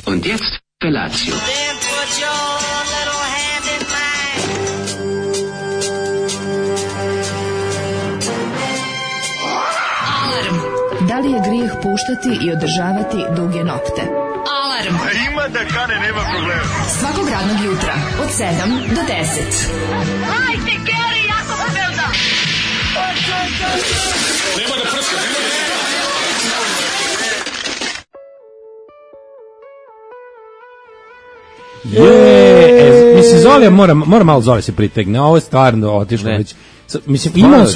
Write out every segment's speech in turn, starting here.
Und jetzt Felatio. Then put your little hand in mine. Alarm. Da li je grijeh puštati i održavati duge nokte? Alarm. Ima da kane, nema problema. Svakog radnog jutra od 7 do 10. Hajde, Geri, jako se velda. Nema da prska, nema da... Mislim, Zolija mora malo Zolija se pritegne, ovo je stvarno otišlo već. Mislim, imao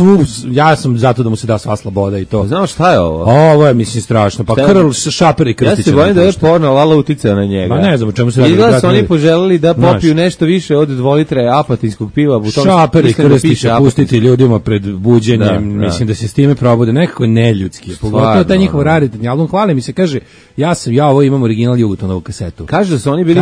ja sam zato da mu se da sva sloboda i to. Znao šta je ovo? Ovo je, mislim, strašno. Pa Krl, Šaper i Krstić. Ja se bojim da je porno Lala uticao na njega. Ma ne znam o čemu se radi. Izgleda su oni poželeli da popiju nešto više od 2 litre apatinskog piva. Šaper i Krstić pustiti ljudima pred buđenjem, mislim da se s time probude nekako neljudski. Pogotovo taj njihov raritetni album. Hvali mi se, kaže, ja ovo imam original Jugotonovu kasetu. Kaže da su oni bili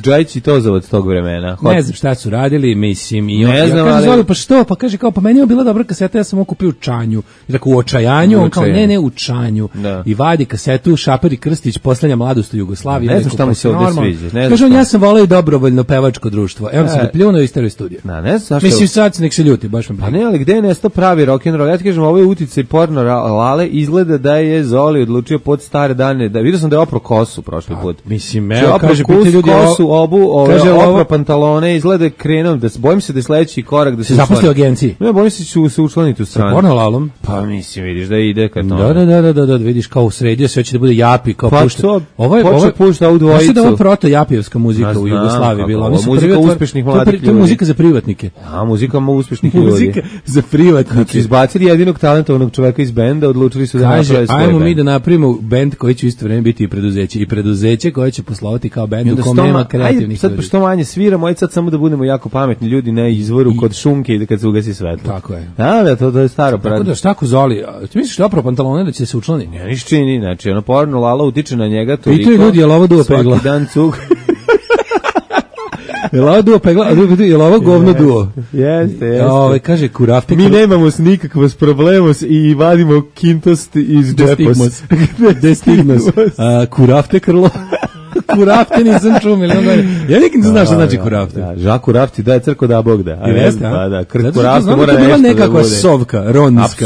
Džajić i Tozovac tog vremena. Ne znam šta su radili, mislim, i on kaže, Zoli, pa što? Pa kaže, kao, pa meni je bila dobra kaseta, ja sam ovo kupio u Čanju. I tako, u očajanju, on kao, ne, u Čanju. Da. I vadi kasetu, Šaper i Krstić, poslednja mladost u Jugoslaviji. Ne znam šta mu se ovdje sviđa. Kaže on, ja sam volao i dobrovoljno pevačko društvo. Evo sam ga pljunuo i stereo studio. Ne znam mislim, sad nek se ljuti, baš me pa ne, ali gde je nestao pravi rock'n'roll? Ja ti kažem, ovo je uticaj porno Lale, izgleda da je Zoli odlučio pod stare dane, da vidio sam da je opro kosu prošli put. Mislim, evo, kaže, piti ljudi, kosu, opro pantalone, izgleda krenuo, bojim se da je sledeći korak da se zaposli u agenciji. Ne, bojim se ću se učlaniti u stranu. Porno Lalom? Pa mislim, vidiš da ide kad to. Da, vidiš kao u srednje sve će da bude japi, kao pa pušta. Ovo pušta ovu dvojicu. Mislim da ovo proto japijevska muzika u Jugoslaviji bila. Muzika uspešnih mladih ljudi. To je muzika za privatnike. A, muzika uspešnih ljudi. Muzika za privatnike. Izbacili jedinog talentovanog čoveka iz benda, odlučili su da naprave svoj bend. Ajmo mi da napravimo bend koji će u isto vreme biti i preduzeće. I preduzeće koje će poslovati kao bend u kom nema kreativnih ljudi. Sad što manje sviramo, aj sad samo da budemo jako pametni ljudi na izvoru kod šunke i kad se ugasi svetlo. Tako je. Da, to je staro. Tako da šta ko Zoli? Ti misliš da opro pantalone da će se učlani? Ne, niš čini, znači ono porno Lala utiče na njega toliko. I to ljudi, je li ovo duo pegla? Svaki dan cug. Je li ovo duo pegla? Je li ovo govno duo? Jeste. Kaže Kurafte. Mi nemamo nikakvos problemos i vadimo kintost iz džepos. Destigmos. Kurafte Krlo. Kurafte nisam čuo, ja nikad ne znam šta znači Kurafte. Žak Kurafti da je crko da Bog da. Pa da, Kurafte mora nešto da bude. Nekakva sovka, ronska.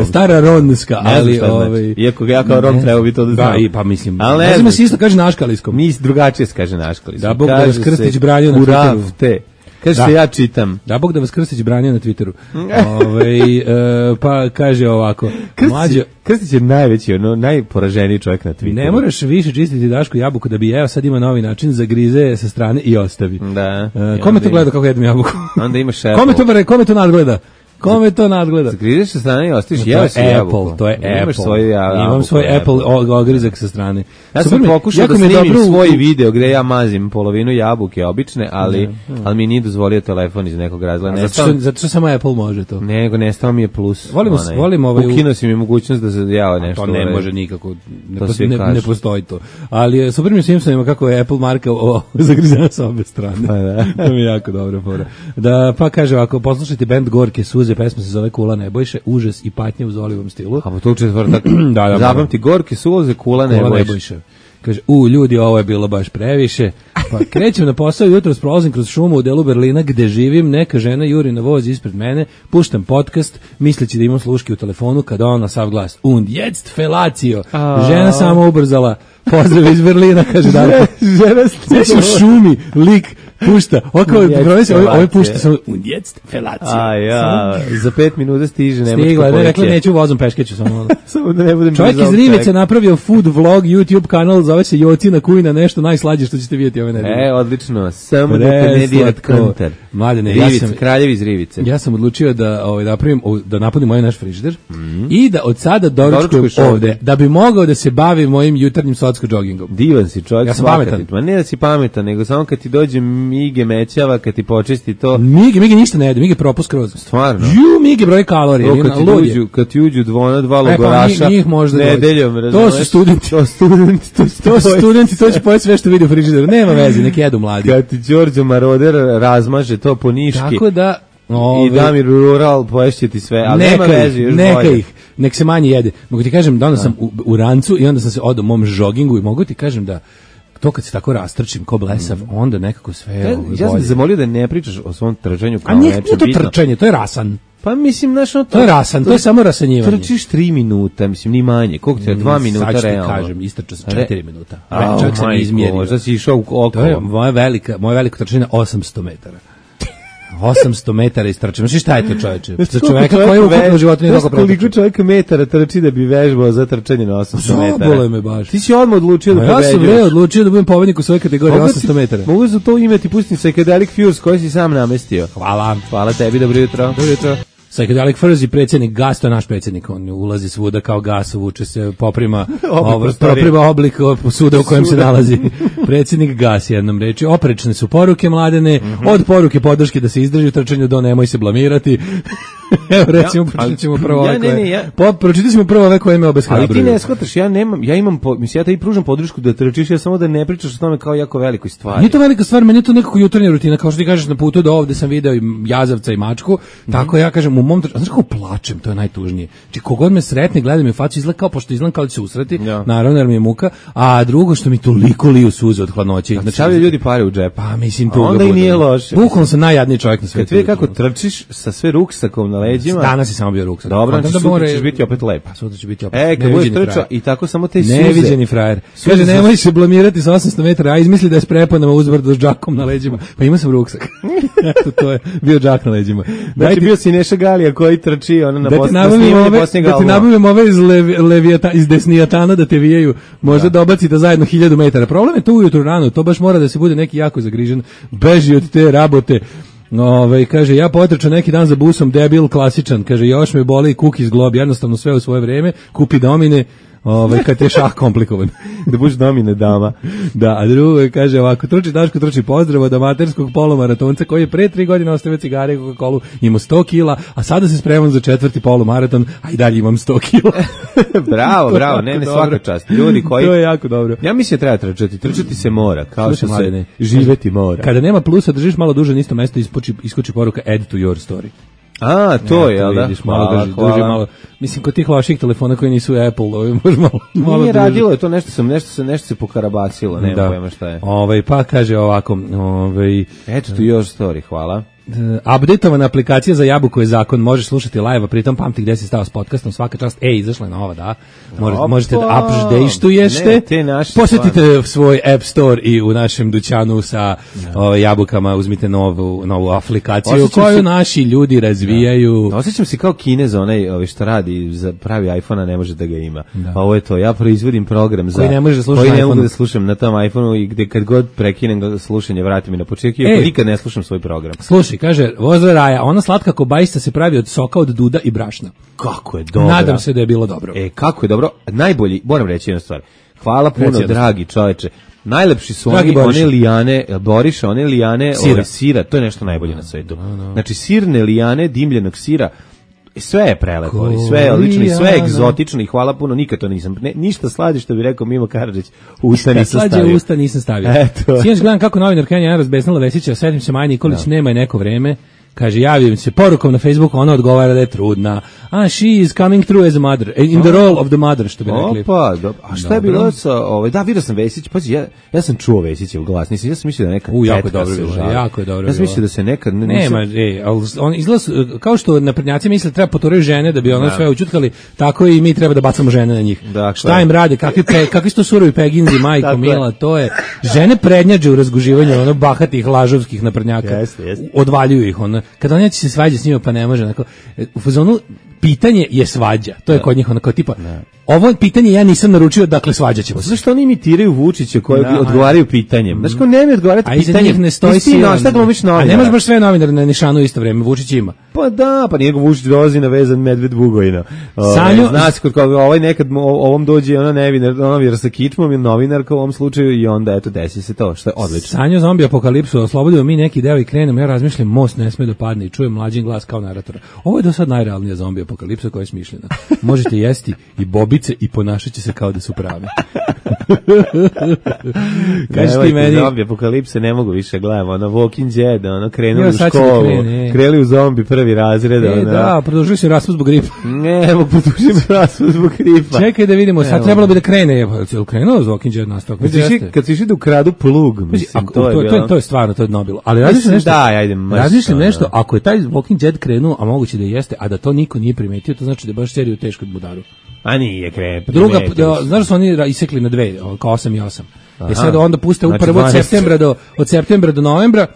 Stara ronska, ali iako ja kao ron treba bi to da znam. Da, pa mislim. Ne znam se isto kaže na aškaliskom. Mi drugačije se kaže na aškaliskom. Da Bog da vas Krstić branio na Kurafte. Kaže se ja čitam. Da Bog da vas Krstić branio na Twitteru. Pa kaže ovako. Krstić je najveći, najporaženiji čovjek na Twitteru. Ne moraš više čistiti Dašku jabuku da bi jeo, sad ima novi način, zagrize sa strane i ostavi. Da. Kome to gleda kako jedem jabuku? Onda imaš Apple. Kome to nadgleda? Kome to nadgleda? Zagrizeš sa strane i ostaviš, jeo si jabuku. To je Apple. Imam svoj Apple ogrizak sa strane. Ja sam pokušao da snimim svoj video gde ja mazim polovinu jabuke obične, ali mi nije dozvolio telefon iz nekog razloga. Zato što samo Apple može to. Nego nestao mi je plus. Volim ovaj. Ukinuo si mi mogućnost da se jeo nešto. To ne može nikako. Ne postoji to. Ali super mi Simpsonima kako je Apple marka zagrizena sa obe strane. To mi je jako dobro fora. Da pa kaže ovako, poslušajte bend Gorke suze, pesma se zove Kula Nebojše, užas i patnje u Zolivom stilu. A to u četvrtak. Zapamti Gorke suze, Kula Nebojše. Kaže, ljudi, ovo je bilo baš previše. Pa krećem na posao, jutros prolazim kroz šumu u delu Berlina gde živim, neka žena juri na voz ispred mene, puštam podcast, misleći da imam sluške u telefonu, kada on na sav glas, und jetzt felatio. Žena samo ubrzala, pozdrav iz Berlina, kaže Darko. Žena u šumi, lik, pušta, ovo pušta samo, und jetzt felatio. Za 5 minuta stiže nemačko policija. Stigla, rekla neću vozom, peškeću samo. Samo da ne budem čovjek iz Rivice napravio food vlog, YouTube kanal, zove se Jocina Kujna, nešto najslađe što ćete vidjeti ove nedelje. Odlično, samo da te ne dirat konter. Mladene, Kraljevi iz Rivice. Ja sam odlučio da napunim moj naš frižider i da od sada doručkujem ovde, da bi mogao da se bavim mojim jutarnjim socko džogingom. Divan si čovjek. Ja sam pametan. Ma ne da si pametan, nego samo kad ti dođe Mige mećava, kad ti počisti to. Mige ništa ne jede, Mige propust kroz. Stvarno? Mige broj kalorije. Kad ti uđu dva logoraša nedeljom, to su studenti. To su studenti, to će pojeti sve što vidi u frižideru. Nema veze, nek jedu mladi. Kad ti Đorđo Maroder razmaže to po niški. Tako da i Damir Rural poješće ti sve, ali nema veze, još bolje. Nek se manje jede. Mogu ti kažem da onda sam u rancu i onda sam se odao mom žogingu i mogu ti kažem da to kad se tako rastrčim ko blesav, onda nekako sve Ja sam bolje. te zamolio da ne pričaš o svom trčanju kao A nije nečem to bitno. trčanje, to je rasan. Pa mislim, znaš, To je rasan, to je samo rasanjivanje. Trčiš 3 minuta, mislim, ni manje. Koliko ti je? 2 minuta Sad ću ti realno. kažem, istrčao sam 4 minuta. A, Čak sam izmjerio. Možda si išao okolo. To je moje veliko trčanje 800 metara. 800 metara istrčam. Znaš šta je to, čoveče? Za čoveka koji u ukupnom životu nije toliko koliko pretrčao. čovjeka metara trči da bi vežbao za trčanje na 800 metara? Zabole me baš. Ti si odmah odlučio da Ja sam pobeđuješ. odlučio da budem pobednik u svojoj kategoriji 800 metara. Mogu za to ime ti pustim Psychedelic Fuse koji si sam namestio. Hvala. Hvala tebi, dobro jutro. Dobro jutro. Psychedelic Furs i predsjednik Gas, to je naš predsjednik, on ulazi svuda kao gas, vuče se, poprima oblik suda u kojem se nalazi. Predsjednik Gas, jednom reči. Oprečne su poruke Mladene, od poruke podrške da se izdrži u trčanju do nemoj se blamirati. Evo recimo, pročitat ćemo prvo ove pročitat ćemo prvo ove koje me obeshrabruju. Ali ti ne shvataš, ja imam, mislim, ja te i pružam podršku da trčiš, ja samo da ne pričaš o tome kao jako velikoj stvari. Nije to velika stvar, meni je to nekako jutarnja rutina, kao što ti kažeš na putu do ovde sam video i jazavca i mačku, tako ja kažem, u mom znaš kako plačem, to je najtužnije. Znači, kogod me sretne, gleda mi u facu, izgleda kao, pošto izgledam kao da će se usreti, naravno, jer mi je muka, a drugo što mi toliko liju suze od hladnoće. Znači, stavljaju ljudi pare u džep. Pa, mislim, to onda i nije loše. Bukvalno sam najjadniji čovjek na svijetu. Kad vidi kako trčiš sa sve ruksakom na leđima. Danas je samo bio ruksak. Dobro, znači sutra ćeš biti opet lep. Pa sutra će biti opet. Kad budeš trčao i tako samo te suze. Neviđeni frajer. Kaže, nemoj se blamirati sa 800 metara, a izmisli da je s preponama uzbrdo s džakom na leđima. Pa ima sam ruksak. Eto, to je bio džak na leđima. Znači, bio si Neša Galija koji trči ono na da ti nabavim ove iz Desnijatana da te vijaju, možda da obacite zajedno 1000 metara. Problem je to ujutru rano, to baš mora da se bude neki jako zagrižen, beži od te rabote. Kaže, ja potrčam neki dan za busom, debil, klasičan, kaže, još me boli kuk iz glob, jednostavno sve u svoje vreme, kupi domine, kad je šah komplikovan. Da budeš domine dama. Da, a drugo je, kaže ovako, truči Daško, truči pozdrav od amaterskog polumaratonca koji je pre 3 godine ostavio cigare i Coca-Colu, imao 100 kila, a sada se spremam za 4. polumaraton, a i dalje imam 100 kila. Bravo, ne, svaka čast. Ljudi koji... To je jako dobro. Ja mislim treba trčati se mora, kao što se živeti mora. Kada nema plusa, držiš malo duže na isto mesto, iskoči poruka add to your story. A, to je, jel da? Vidiš, malo drži malo. Mislim, kod tih loših telefona koji nisu Apple, može malo nije radilo, je to nešto se pokarabacilo, nema pojma šta je. Pa kaže ovako, eto tu još story, hvala. Updateovana aplikacija za Jabuku je zakon, možeš slušati live, a pritom pamti gde si stao s podcastom, svaka čast, izašla je nova, da, možete da updateujete, posjetite svoj App Store i u našem dućanu sa Jabukama, uzmite novu aplikaciju koju naši ljudi razvijaju. Osjećam se kao Kinez, onaj što radi za pravi iPhone, a ne može da ga ima. Pa ovo je to, ja proizvodim program za koji ne mogu da slušam na tom iPhoneu i gde kad god prekinem slušanje, vratim mi na početak i nikad ne slušam svoj program. Slušaj, kaže, voza Raja, ona slatka kobajista se pravi od soka od duda i brašna. Kako je dobro. Nadam se da je bilo dobro. Kako je dobro. Najbolji, moram reći jednu stvar. Hvala puno, dragi čoveče. Najlepši su one lijane, Boriša, one lijane sira, to je nešto najbolje na svetu. Znači, sirne lijane, dimljenog sira, sve je prelepo, sve je odlično i sve je egzotično i hvala puno, nikad to nisam, ništa slađe što bi rekao Mimo Karadžić, usta nisam stavio. Slađe usta nisam stavio. Sinoć gledam kako novinar Kenja razbesnala Vesića, setim se Maja Nikolić, nema je neko vreme, kaže, javim se porukom na Facebooku, ona odgovara da je trudna. She is coming through as a mother, in the role of the mother, što bi rekli. Opa, a šta je bilo sa, da, vidio sam Vesić, pazi, ja sam čuo Vesićev glas, ja sam mislio da neka tetka se žali. Jako je dobro. Ja sam mislio da se nekad... Nema, on izgleda, kao što naprednjaci misle treba poturaju žene da bi ono sve učutkali, tako i mi treba da bacamo žene na njih. Šta im rade, kakvi su to surovi peginzi, majko mila, to je, žene prednjađe u razguživanju ono bahatih lažovskih naprednjaka, odvaljuju ih, ono, kada on neće se svađa s njima pa ne može, onako, u fazonu pitanje je svađa, to je kod njih onako tipa, ovo pitanje ja nisam naručio, dakle svađat ćemo se. Zašto oni imitiraju Vučića koji odgovaraju pitanjem? Znaš ko ne mi odgovarati pitanjem? A iza njih ne stoji sila. Šta glumiš novinara? A nemaš baš sve novinare na nišanu isto vreme, Vučić ima. Pa da, pa njegov Vučić dolazi na vezan medved Bugojina. Znaš, kod koga ovaj nekad ovom dođe ona novinar sa kičmom ili novinarka u ovom slučaju i onda eto desi se to, što je odlično. Sanjo zombi apokalipsu, oslobodimo mi neki deo i krenemo, ja razmišljam, most ne sme da padne i čujem mlađin glas kao naratora. Ovo je do sad najrealnija zombi apokalipsa koja je smišljena. Možete jesti i Bobby ubice i ponašat će se kao da su prave. Kaži ti meni... Zombi apokalipse ne mogu više gledamo, ono Walking Dead, ono krenuli u školu, krenuli u zombi prvi razred. Da, produžili se raspust zbog gripa. Ne, produžili se raspust zbog gripa. Čekaj da vidimo, sad trebalo bi da krene. Je li krenuo Walking Dead nastavak? Kad si išli da ukradu plug, mislim, to je stvarno, to je dno bilo. Ali razmišljam nešto, ako je taj Walking Dead krenuo, a moguće da jeste, a da to niko nije primetio, to znači da je baš seriju teško budaru. A nije krenuo. Druga, znaš da su oni isekli na dve, kao 8 i 8. I sad onda puste upravo od septembra do novembra.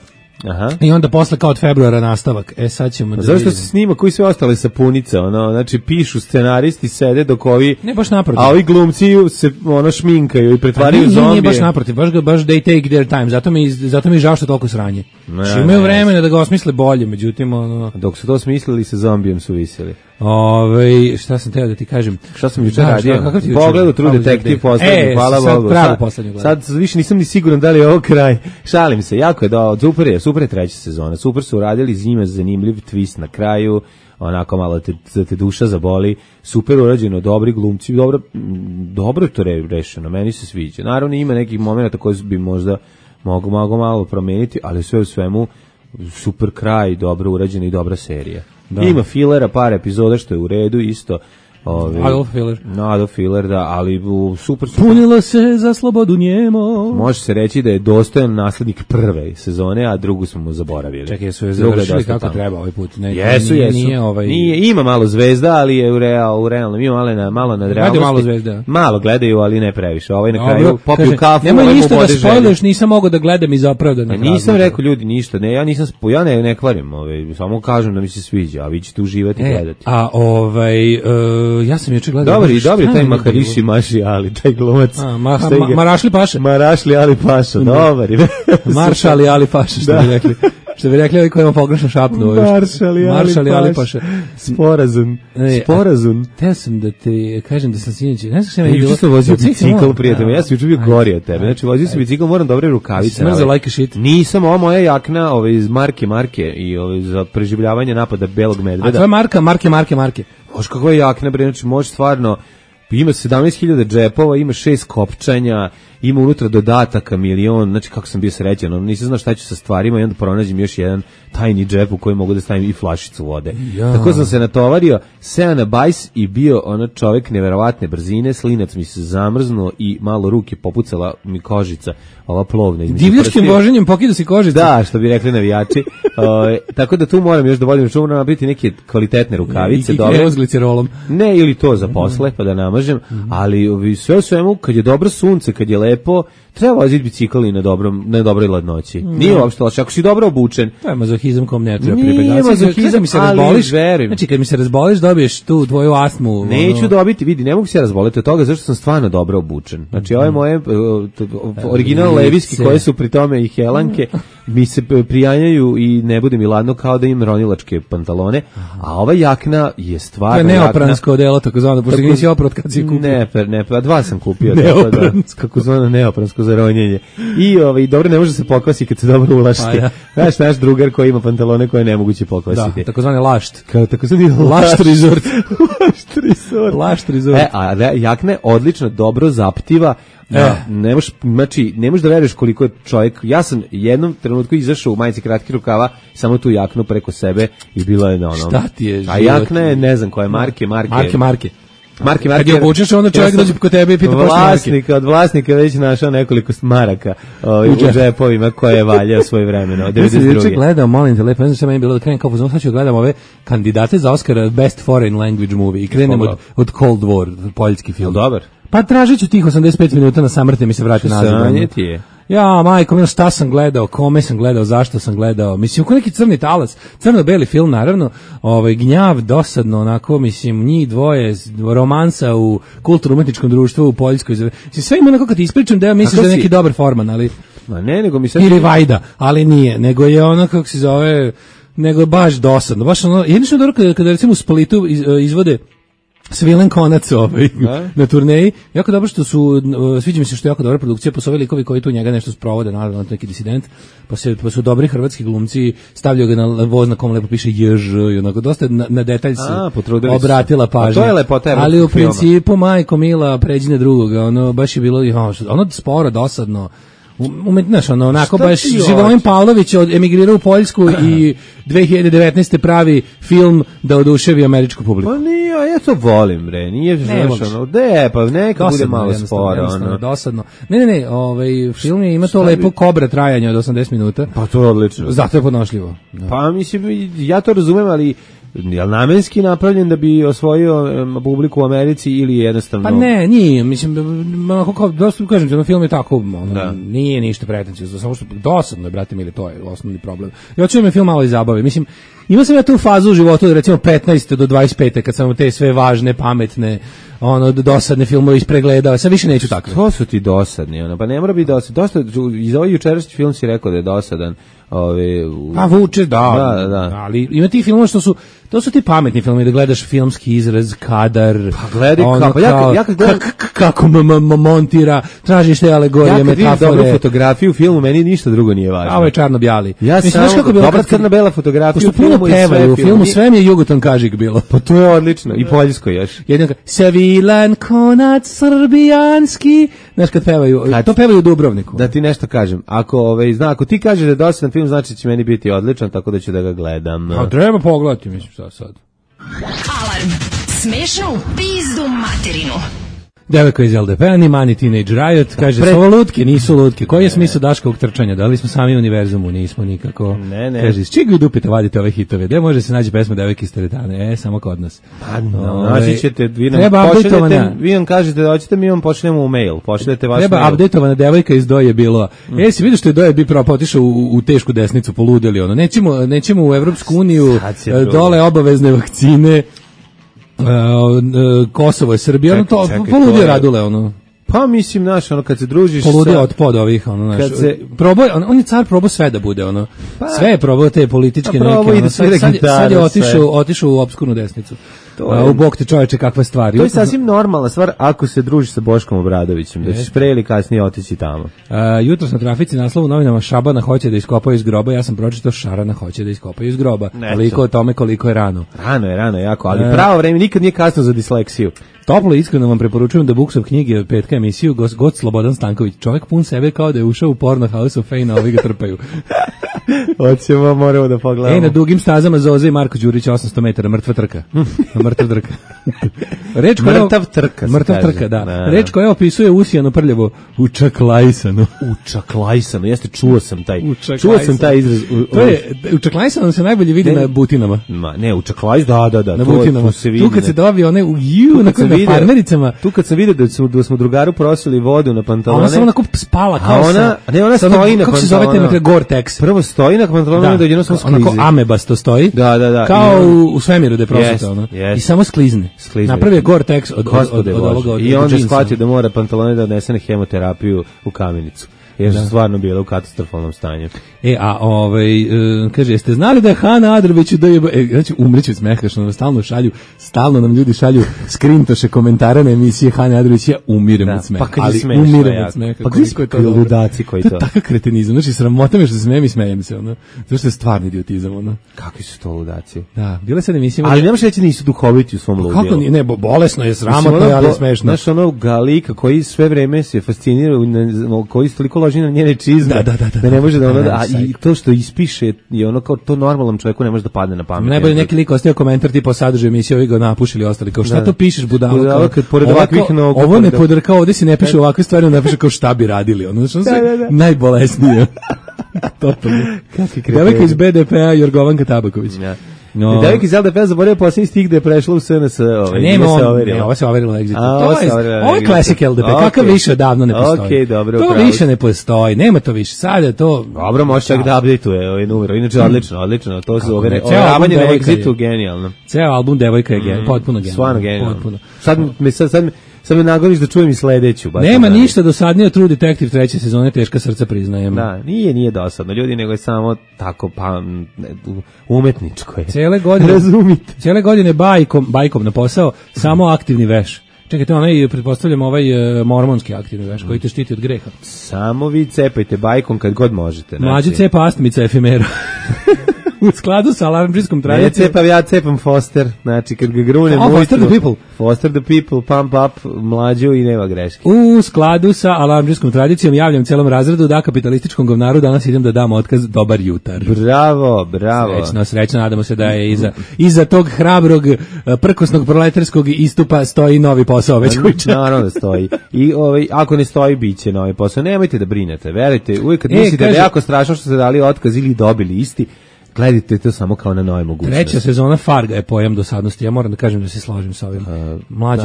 Aha. I onda posle kao od februara nastavak. Sad ćemo da zašto se snima koji sve ostale sapunice, ono, znači pišu scenaristi, sede dok ovi ne baš naprotiv. A ovi glumci se ono šminkaju i pretvaraju u zombije. Nije baš naprotiv, baš they take their time. Zato mi žao što toliko sranje. Imaju vremena da ga osmisle bolje, međutim ono dok su to smislili sa zombijem su viseli. Šta sam teo da ti kažem? Šta sam jučer radio? Pogledao True Detective poslednji, hvala Bogu. Sad više nisam ni siguran da li je ovo kraj. Šalim se, jako je super je treća sezona. Super su uradili, zima zanimljiv twist na kraju, onako malo te duša zaboli. Super urađeno, dobri glumci, dobro je to rešeno, meni se sviđa. Naravno ima nekih momenata koji bi možda mogu malo promeniti, ali sve u svemu super kraj, dobro urađena i dobra serija. Da. Ima filera, par epizoda što je u redu isto. Adolf Filler, da, ali super. Punilo se za slobodu njemo. Može se reći da je dostojan naslednik prve sezone, a drugu smo mu zaboravili. Čekaj, su je završili kako treba ovaj put. Jesu. Nije, ima malo zvezda, ali je u realnom. Ima malo nadrealnosti. Malo zvezda. Malo gledaju, ali ne previše. Ovaj na kraju popiju kafu. Nemoj ništa da spoiluješ, nisam mogao da gledam iz opravdanih razloga. Nisam rekao ljudi ništa. Ne, ja ne kvarim, samo kažem da mi se sviđa, a vi ćete uživati i gledati. Ja sam juče gledao. Dobar je taj Maharishi Maši Ali, taj glumac. Marašli Paša. Marašli Ali Paša, dobar je. Maršali Ali Paša, što bi rekli. Što bi rekli ovi koji ima pogrešno šapnu. Maršali Ali Paša. Sporazum. Teo sam da ti kažem da sam sinoć. Ne znam što je bilo. Juče sam vozio bicikl, prijatelj. Ja sam juče bio gori od tebe. Znači, vozio sam bicikl, moram dobre rukavice. Smrza like shit. Nisam, ova moja jakna iz marke i za preživljavanje napada belog medveda. A to je marke. Oš kakva je jakna, bre, znači može stvarno, ima 17.000 džepova, ima 6 kopčanja, ima unutra dodataka milion, znači kako sam bio srećan, nisam znao šta ću sa stvarima i onda pronađem još jedan tajni džep u koji mogu da stavim i flašicu vode. Ja. Tako sam se natovario, seo na bajs i bio čovjek neverovatne brzine, slinac mi se zamrznuo i malo ruke popucala mi kožica, ova plovna. Divljačkim voženjem pokida si kožicu. Da, što bi rekli navijači. Tako da tu moram još da vodim računa, moram biti neke kvalitetne rukavice. I kremu s glicerolom. Ne, ili to za posle, pa da namažem, ali sve u svemu, kad je dobro sunce, kad je lepo, treba voziti bicikl i na dobroj ladnoći. Nije uopšte loše, ako si dobro obučen. To je mazohizam kom ne treba pribegati. Nije mazohizam, ali verujem. Znači, kad mi se razboliš, dobiješ tu tvoju astmu. Neću dobiti, vidi, ne mogu se razboliti od toga, zašto sam stvarno dobro obučen. Znači, ove moje original leviski koje su pri tome i helanke, mi se prijanjaju i ne bude mi ladno kao da im ronilačke pantalone, a ova jakna je stvarno jakna. To je neopransko delo, tako zvano, pošto nisi oprot kad si kupio. Ne, dva sam kupio. Kako zvano neopransko za ronjenje. I dobro, ne može se pokvasi kad se dobro ulašti. Znaš, naš drugar koji ima pantalone koje je nemoguće pokvasiti. Da, tako zvani lašt. Lašt resort. Lašt resort. A jakna je odlično, dobro zaptiva. Ne možeš da veruješ koliko je čovjek. Ja sam jednom trenutku izašao u majici kratkih rukava, samo tu jaknu preko sebe i bilo je Šta ti je život? A jakna je, ne znam koje marke. Kad je obučeš, onda čovjek dođe kod tebe i pita marke. Od vlasnika već našao nekoliko maraka u džepovima koje je valjao svoje vremeno. Ja sam juče gledao, molim te lepo, ne znam što meni bilo da krenem kao pozorno, sad ću gledam ove kandidate za Oscara Best Foreign Language Movie i krenem od Cold War, poljski film. Dobar. Pa tražit ću tih 85 minuta na samrte mi se vrati nazad. Sranje ti je. Ja, majko, šta sam gledao, kome sam gledao, zašto sam gledao, mislim, ko neki crni talas, crno-beli film, naravno, gnjav, dosadno, onako, mislim, njih dvoje, romansa u kulturno-umetničkom društvu u Poljskoj, mislim, sve ima onako kad ti ispričam da ja mislim da je neki dobar forman, ali... Ma ne, nego mi sad... Ili Vajda, ali nije, nego je ono, kako se zove, nego je baš dosadno, baš ono, jednično dobro kada recimo u Splitu izvode Svilen konac na turneji. Jako dobro što su, sviđa mi se što je jako dobra produkcija, pa su ovi likovi koji tu njega nešto sprovode, naravno neki disident, pa su dobri hrvatski glumci, stavljaju ga na voz na kom lepo piše JŽ i onako dosta na detalj se obratila pažnja. To je lepota evropskog ali u filma. Principu majko mila pređi na drugoga, ono baš je bilo ono sporo, dosadno. Znaš, onako baš Živojin Pavlović emigrirao u Poljsku i 2019. pravi film da oduševi američku publiku. Pa nije, ja to volim, bre, nije znaš, pa neka bude malo sporo. Dosadno. Ne, film je, ima to lepo kobra trajanje od 80 minuta. Pa to je odlično. Zato je podnošljivo. Da. Pa mislim, ja to razumem, ali je li namenski napravljen da bi osvojio publiku u Americi ili jednostavno? Pa ne, nije, mislim, onako, dosta kažem ti, film je tako, nije ništa pretencijozno, samo što dosadno je, brate mili, to je osnovni problem. Ja hoću da me film malo i zabavi, mislim, imao sam ja tu fazu u životu, recimo 15. do 25. kad sam te sve važne, pametne, dosadne filmove ispregledao, sad više neću tako. To su ti dosadni, pa ne mora biti dosadni, dosta, iz ovaj jučerašnji film si rekao da je dosadan. Pa vuče, da, ali ima ti filmova što su, to su ti pametni filmovi, da gledaš filmski izraz, kadar, pa gledaj kako montira, tražiš te alegorije, metafore. Ja kad vidim dobru fotografiju u filmu, meni ništa drugo nije važno. Ovo je čarno-bjali. Ja sam dobra crno-bela fotografija u filmu i sve. U filmu sve mi je Jugoton Kažik bilo. Pa to je odlično, i poljsko još. Jednako, Savilan konac srbijanski, znaš kad pevaju, to pevaju u Dubrovniku. Da ti nešto kažem, ako ti kažeš da je dosadan film, znači će meni biti odličan, tako da ću da ga gledam. A treba pogledati, mislim, šta sad. Alarm. Smešno u pizdu materinu. Devojka iz LDP-a, ni Mani Teenage Riot, kaže, su ovo lutke, nisu lutke. Koji je smisao Daškovog trčanja? Da li smo sami u univerzumu? Nismo nikako. Ne. Kaže, s čega vi dupite vadite ove hitove? Gde može se naći pesma Devojke iz teretane? Samo kod nas. Naći ćete, vi nam kažete da hoćete, mi vam pošljemo u mail. Pošljete vaš treba mail. Updateovana devojka iz Doje bilo. Si vidio što je Doje bi propao, otišao u tešku desnicu, poludeli ono. Nećemo u Evropsku uniju, dole obavezne vakcine. Kosovo je Srbija, to poludio Radule, Pa mislim, kad se družiš poludio od pod ovih, on je car probao sve da bude, sve je probao te političke neke, sad je otišao u opskurnu desnicu. U bok te čoveče, kakva stvar. To je sasvim normalna stvar ako se družiš sa Boškom Obradovićem, da ćeš pre ili kasnije otići tamo. Jutros na trafici naslov u novinama Šabana hoće da iskopaju iz groba, ja sam pročitao Šarana hoće da iskopaju iz groba. Koliko o tome, koliko je rano. Rano je jako, ali pravo vreme nikad nije kasno za disleksiju. Toplo i iskreno vam preporučujem da Buksov knjige od petka emisiju God Slobodan Stanković. Čovjek pun sebe kao da je ušao u porno House of Fame, a ovi ga trpaju. Hoćemo, moramo da pogledamo. Na dugim stazama Zoze i Marko Đurić 800 metara, mrtva trka. Mrtav trka, da. Reč koja opisuje usijano prljavo učaklajsano. Učaklajsano, jeste, čuo sam taj izraz. Učaklajsano se najbolje vidi na butinama. Ne, učaklajsano, da. Na butinama. Tu kad se dobije one na farmericama. Tu kad sam vidio da smo drugaru prosili vodu na pantalone. Ona samo onako spala kao ona stoji na pantalone. Kako se zove te Gore-Tex? Prvo stoji na pantalone, da jedino samo sklizi. Onako amebasto stoji. Da. Kao u svemiru da je prosita. I samo sklizne. Napravi je Gore-Tex od ovoga. I onda je shvatio da mora pantalone da odnese na hemoterapiju u Kamenicu. Jer su stvarno bilo u katastrofalnom stanju. Kaže, jeste znali da je Hana Adrović znači umreću smeha, što nam stalno nam ljudi šalju skrintoše komentare na emisije Hane Adrović, ja umirem od smeha. Ali umirem od smeha. Pa koliko je to ludaci koji to? To je takav kretenizam, znači sramota me što se smijem i smejem se, zato što je stvarni idiotizam, Kakvi su to ludaci? Da, bile sad emisije. Ali nemaš reći nisu duhoviti u svom ludilu. Kako ne, bolesno je, sramotno je, ali smešno. Znaš, Galika koji sve vreme se fascinira, koji toliko loži na njene čizme, da ne može da i to što ispiše je kao to normalnom čovjeku ne može da padne na pamet. Najbolje neki lik ostavio komentar tipa o sadržaju emisije, ovi ga napušili ostali kao šta to pišeš budalo, kad pored ovakvih nogu. Ovo ne podrkao, ovdje si ne piše ovakve stvari, on napiše kao šta bi radili, najbolesnije. Totalno. Devojka iz BDP-a Jorgovanka Tabaković. Devojka iz LDP zaboravio posljednji stih gde je prešla u SNS. Ovo se overilo na Exitu. Ovo je klasik LDP, kakav više odavno ne postoji. To više ne postoji, nema to više. Sad je to... Dobro, može čak da update-uje ovaj numer. Inače, odlično. To su overavanje na Exitu, genijalno. Ceo album Devojka je potpuno genijalno. Stvarno genijalno. Sad me nagoniš da čujem i sledeću. Nema ništa dosadnije od True Detective 3. sezone, teška srca priznajem. Da, nije dosadno, ljudi, nego je samo tako umetničko je. Cijele godine, razumite. Cijele godine bajkom na posao, samo aktivni veš. Čekajte, pretpostavljam mormonski aktivni veš koji te štiti od greha. Samo vi cepajte bajkom kad god možete. Mlađi cepa astmica efemera. U skladu sa alarmdžijskom tradicijom. Ja cepam Foster, znači kad ga grunem... Foster the people, pump up, mlađu i nema greške. U skladu sa alarmdžijskom tradicijom javljam celom razredu da kapitalističkom govnaru danas idem da dam otkaz dobar jutar. Bravo. Srećno, nadamo se da je iza tog hrabrog, prkosnog proletarskog istupa stoji novi posao već kuća. Naravno da stoji. I ako ne stoji, bit će novi posao. Nemojte da brinete, verujte, uvijek kad mislite da je jako strašno što ste dali otkaz ili dobili isti, gledajte to samo kao na nove mogućnosti. 3. sezona Farga je pojam dosadnosti. Ja moram da kažem da se složim sa ovim. Mlađi,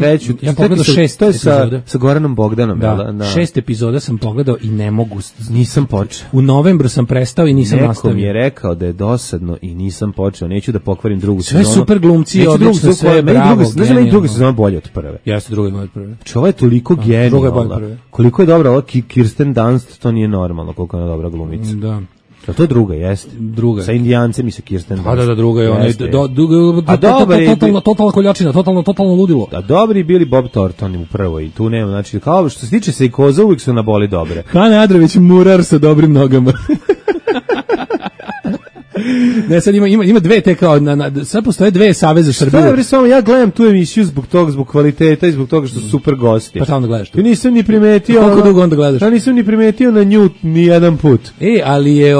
treću. Ja pogledao 6 epizoda. Sa Goranom Bogdanom. Da. 6 epizoda sam pogledao i ne mogu. Nisam počeo. U novembru sam prestao i nisam nastavio. Neko mi je rekao da je dosadno i nisam počeo. Neću da pokvarim drugu sezonu. Sve super glumci, odlično sve, bravo. Znaš da meni druga sezona bolje od prve? Jeste, druga je bolje od prve. Ovo je toliko genijalna. Koliko je dobra ova Kirsten Dunst, to nije normalno koliko je ona dobra glumica. Da. To je druga, jeste. Druga. Sa Indijancem i sa Kirsten Dunst. Da, druga je ona. Totalna koljačina, totalno ludilo. A dobri bili Bob Thornton u prvoj i tu nema, znači kao što se tiče Sejkoza uvijek su na boli dobre. Hane Adrović murar sa dobrim nogama. Ne, sad ima dve te kao sad postoje dve saveze Srbije. Šta je samo ja gledam tu emisiju zbog kvaliteta i zbog toga što su super gosti. Pa tamo da gledaš tu. Ja nisam ni primetio. Koliko dugo onda gledaš? Ja nisam ni primetio na nju ni jedan put. Ali je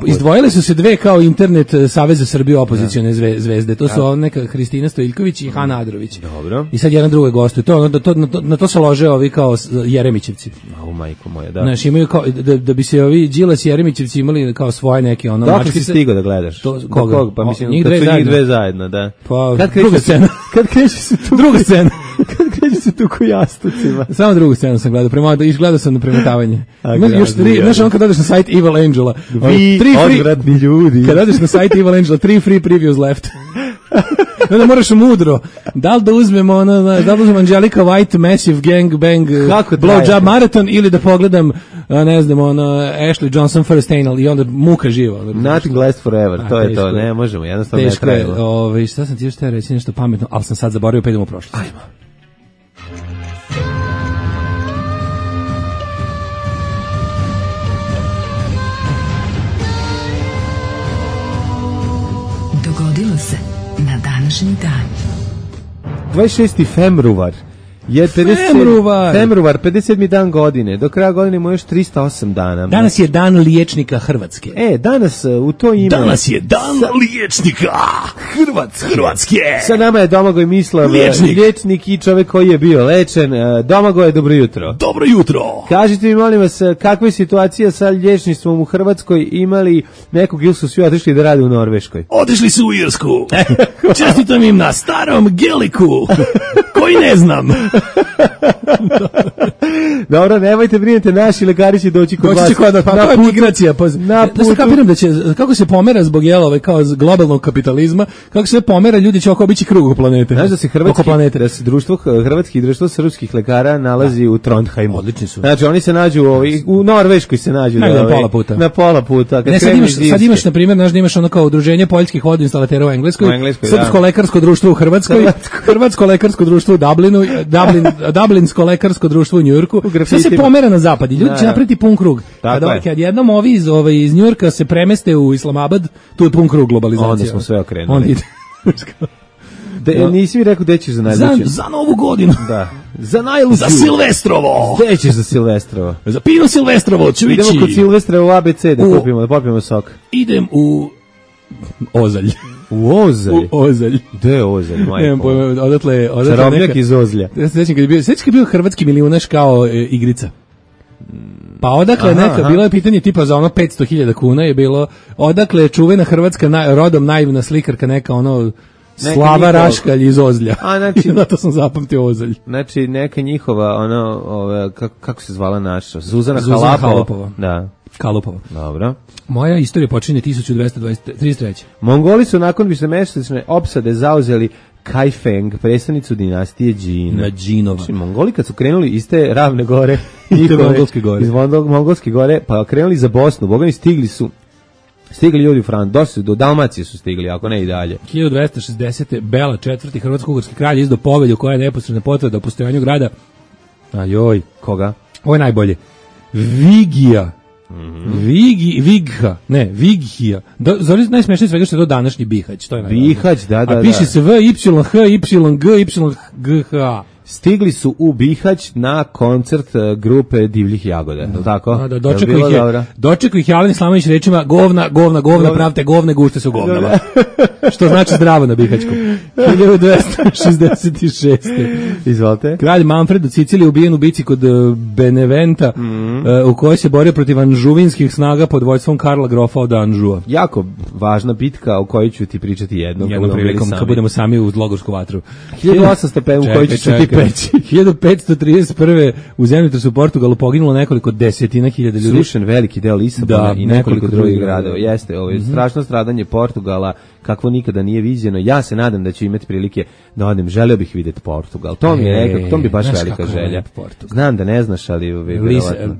izdvojile su se dve kao internet saveze Srbije opozicione zvezde. To su neka Hristina Stojiljković i Hana Adrović. Dobro. I sad jedan drugi gostuju. Na to se lože ovi kao Jeremićevci. Au majko moja, da. Znaš, imaju kao da bi se ovi Đilas i Jeremićevci imali kao svoje neke mačke. Si stigao da gledaš? Koga? Pa mislim, njih dve zajedno, da. Pa, druga scena. Kad kreće se tu... Druga scena. Kad kreće se tu ko jastucima. Samo drugu scenu sam gledao, gledao sam na premetavanje. Ima još 3, znaš on kad odeš na sajt Evil Angela. Vi, odvratni ljudi. Kad odeš na sajt Evil Angela, 3 free previews left. Onda moraš mudro. Da li da uzmemo Angelica White Massive Gang Bang Blowjob Marathon ili da pogledam ne znam, Ashley Johnson First Anal i onda muka živa. Nothing lasts forever, to je to, ne možemo, jednostavno ne trajimo. Teško je, šta sam ti još te reći nešto pametno, ali sam sad zaboravio, pa idemo u prošlost. Ajmo. Dogodilo se na današnji dan. 26. februar je 57. dan godine. Do kraja godine ima još 308 dana. Danas je dan liječnika Hrvatske. Danas u to ime... Danas je dan liječnika Hrvatske. Sa nama je Domagoj Mislav, liječnik i čovjek koji je bio lečen. Domagoj, dobro jutro. Dobro jutro. Kažite mi, molim vas, kakva je situacija sa liječništvom u Hrvatskoj? Imali nekog ili su svi otišli da rade u Norveškoj? Otišli su u Irsku. Čestitam im na starom geliku, koji ne znam. Dobro, nemojte brinete, naši lekari će doći kod vas. Pa je migracija. Da se kapiram da će, kako se pomera zbog kao globalnog kapitalizma, kako se pomera, ljudi će oko obići krug oko planete. Znaš da se hrvatski društvo srpskih lekara nalazi u Trondheimu. Odlični su. Znači oni se nađu u Norveškoj se nađu na pola puta. Na pola puta. Ne, sad imaš na primjer, znaš da imaš ono kao udruženje poljskih vodoinstalatera u Engleskoj, Srpsko lekarsko društvo u Hrvatskoj, Hrvatsko lekarsko društvo u Dublinu, Dublinsko lekarsko društvo u Njujorku. Sve se pomera na zapad i ljudi će napraviti pun krug. Kad jednom ovi iz Njujorka se premeste u Islamabad, tu je pun krug globalizacije. Onda smo sve okrenuli. Nisi mi rekao gde ćeš za najluđu? Za Novu godinu. Da. Za najluđu. Za Silvestrovo. Gde ćeš za Silvestrovo? Za Pino Silvestrovo ću ići. Idemo kod Silvestrovo u ABC da popijemo sok. Idem u Ozalj. U Ozalj? U Ozalj. Gde je Ozalj, majko? Nemam pojma, odatle čarobnjak iz Ozlja. Sećam kad je bio hrvatski milijunaš kao igrica. Pa odakle bilo je pitanje tipa za ono 500.000 kuna je bilo, odakle je čuvena hrvatska rodom naivna slikarka neka Slava Raškalj iz Ozlja. Zato sam zapamtio Ozalj. Znači neka njihova kako se zvala naša? Zuzana Halupova. Da. Kalupova. Dobro. Moja istorija počinje 1233. Mongoli su nakon višemesečne opsade zauzeli Kaifeng, predstavnicu dinastije Džin. Na Džinova. Znači, Mongoli kad su krenuli iz te ravne gore, Mongolske gore. iz Mongolske gore, pa krenuli za Bosnu, bogani stigli ljudi u Fran, do Dalmacije su stigli, ako ne i dalje. 1260. Bela IV. Hrvatsko-ugorski kralj izdao povelju koja je neposredna potvrda o postojanju grada. Ajoj. Koga? Ovo je najbolje. Vigija. Vighija. Zove najsmešnije svega što je to današnji Bihać. To je Bihać, da. A piše se V, Y, H, Y, G, Y, G, H. Stigli su u Bihać na koncert grupe Divljih Jagoda, je li tako? Da, dočekao ih je Alen Islamović rečima govna, pravte govne, gušte su govnama. Što znači zdravo na Bihaćkom. 1266. Izvolite. Kralj Manfred u Siciliji ubijen u bici kod Beneventa, u kojoj se borio protiv anžuvinskih snaga pod vojstvom Karla Grofa od Anžua. Jako važna bitka o kojoj ću ti pričati jednom prilikom kad budemo sami u Logorsku vatru. 1805 u kojoj ću ti peći. 1531. u zemljotresu u Portugalu poginulo nekoliko desetina hiljada ljudi. Srušen veliki deo Lisabona i nekoliko drugih gradova. Jeste, ovo je strašno stradanje Portugala, kakvo nikada nije viđeno. Ja se nadam da ću imati prilike da odem. Želeo bih vidjeti Portugal. To mi je nekako, to mi je baš velika želja. Znam da ne znaš, ali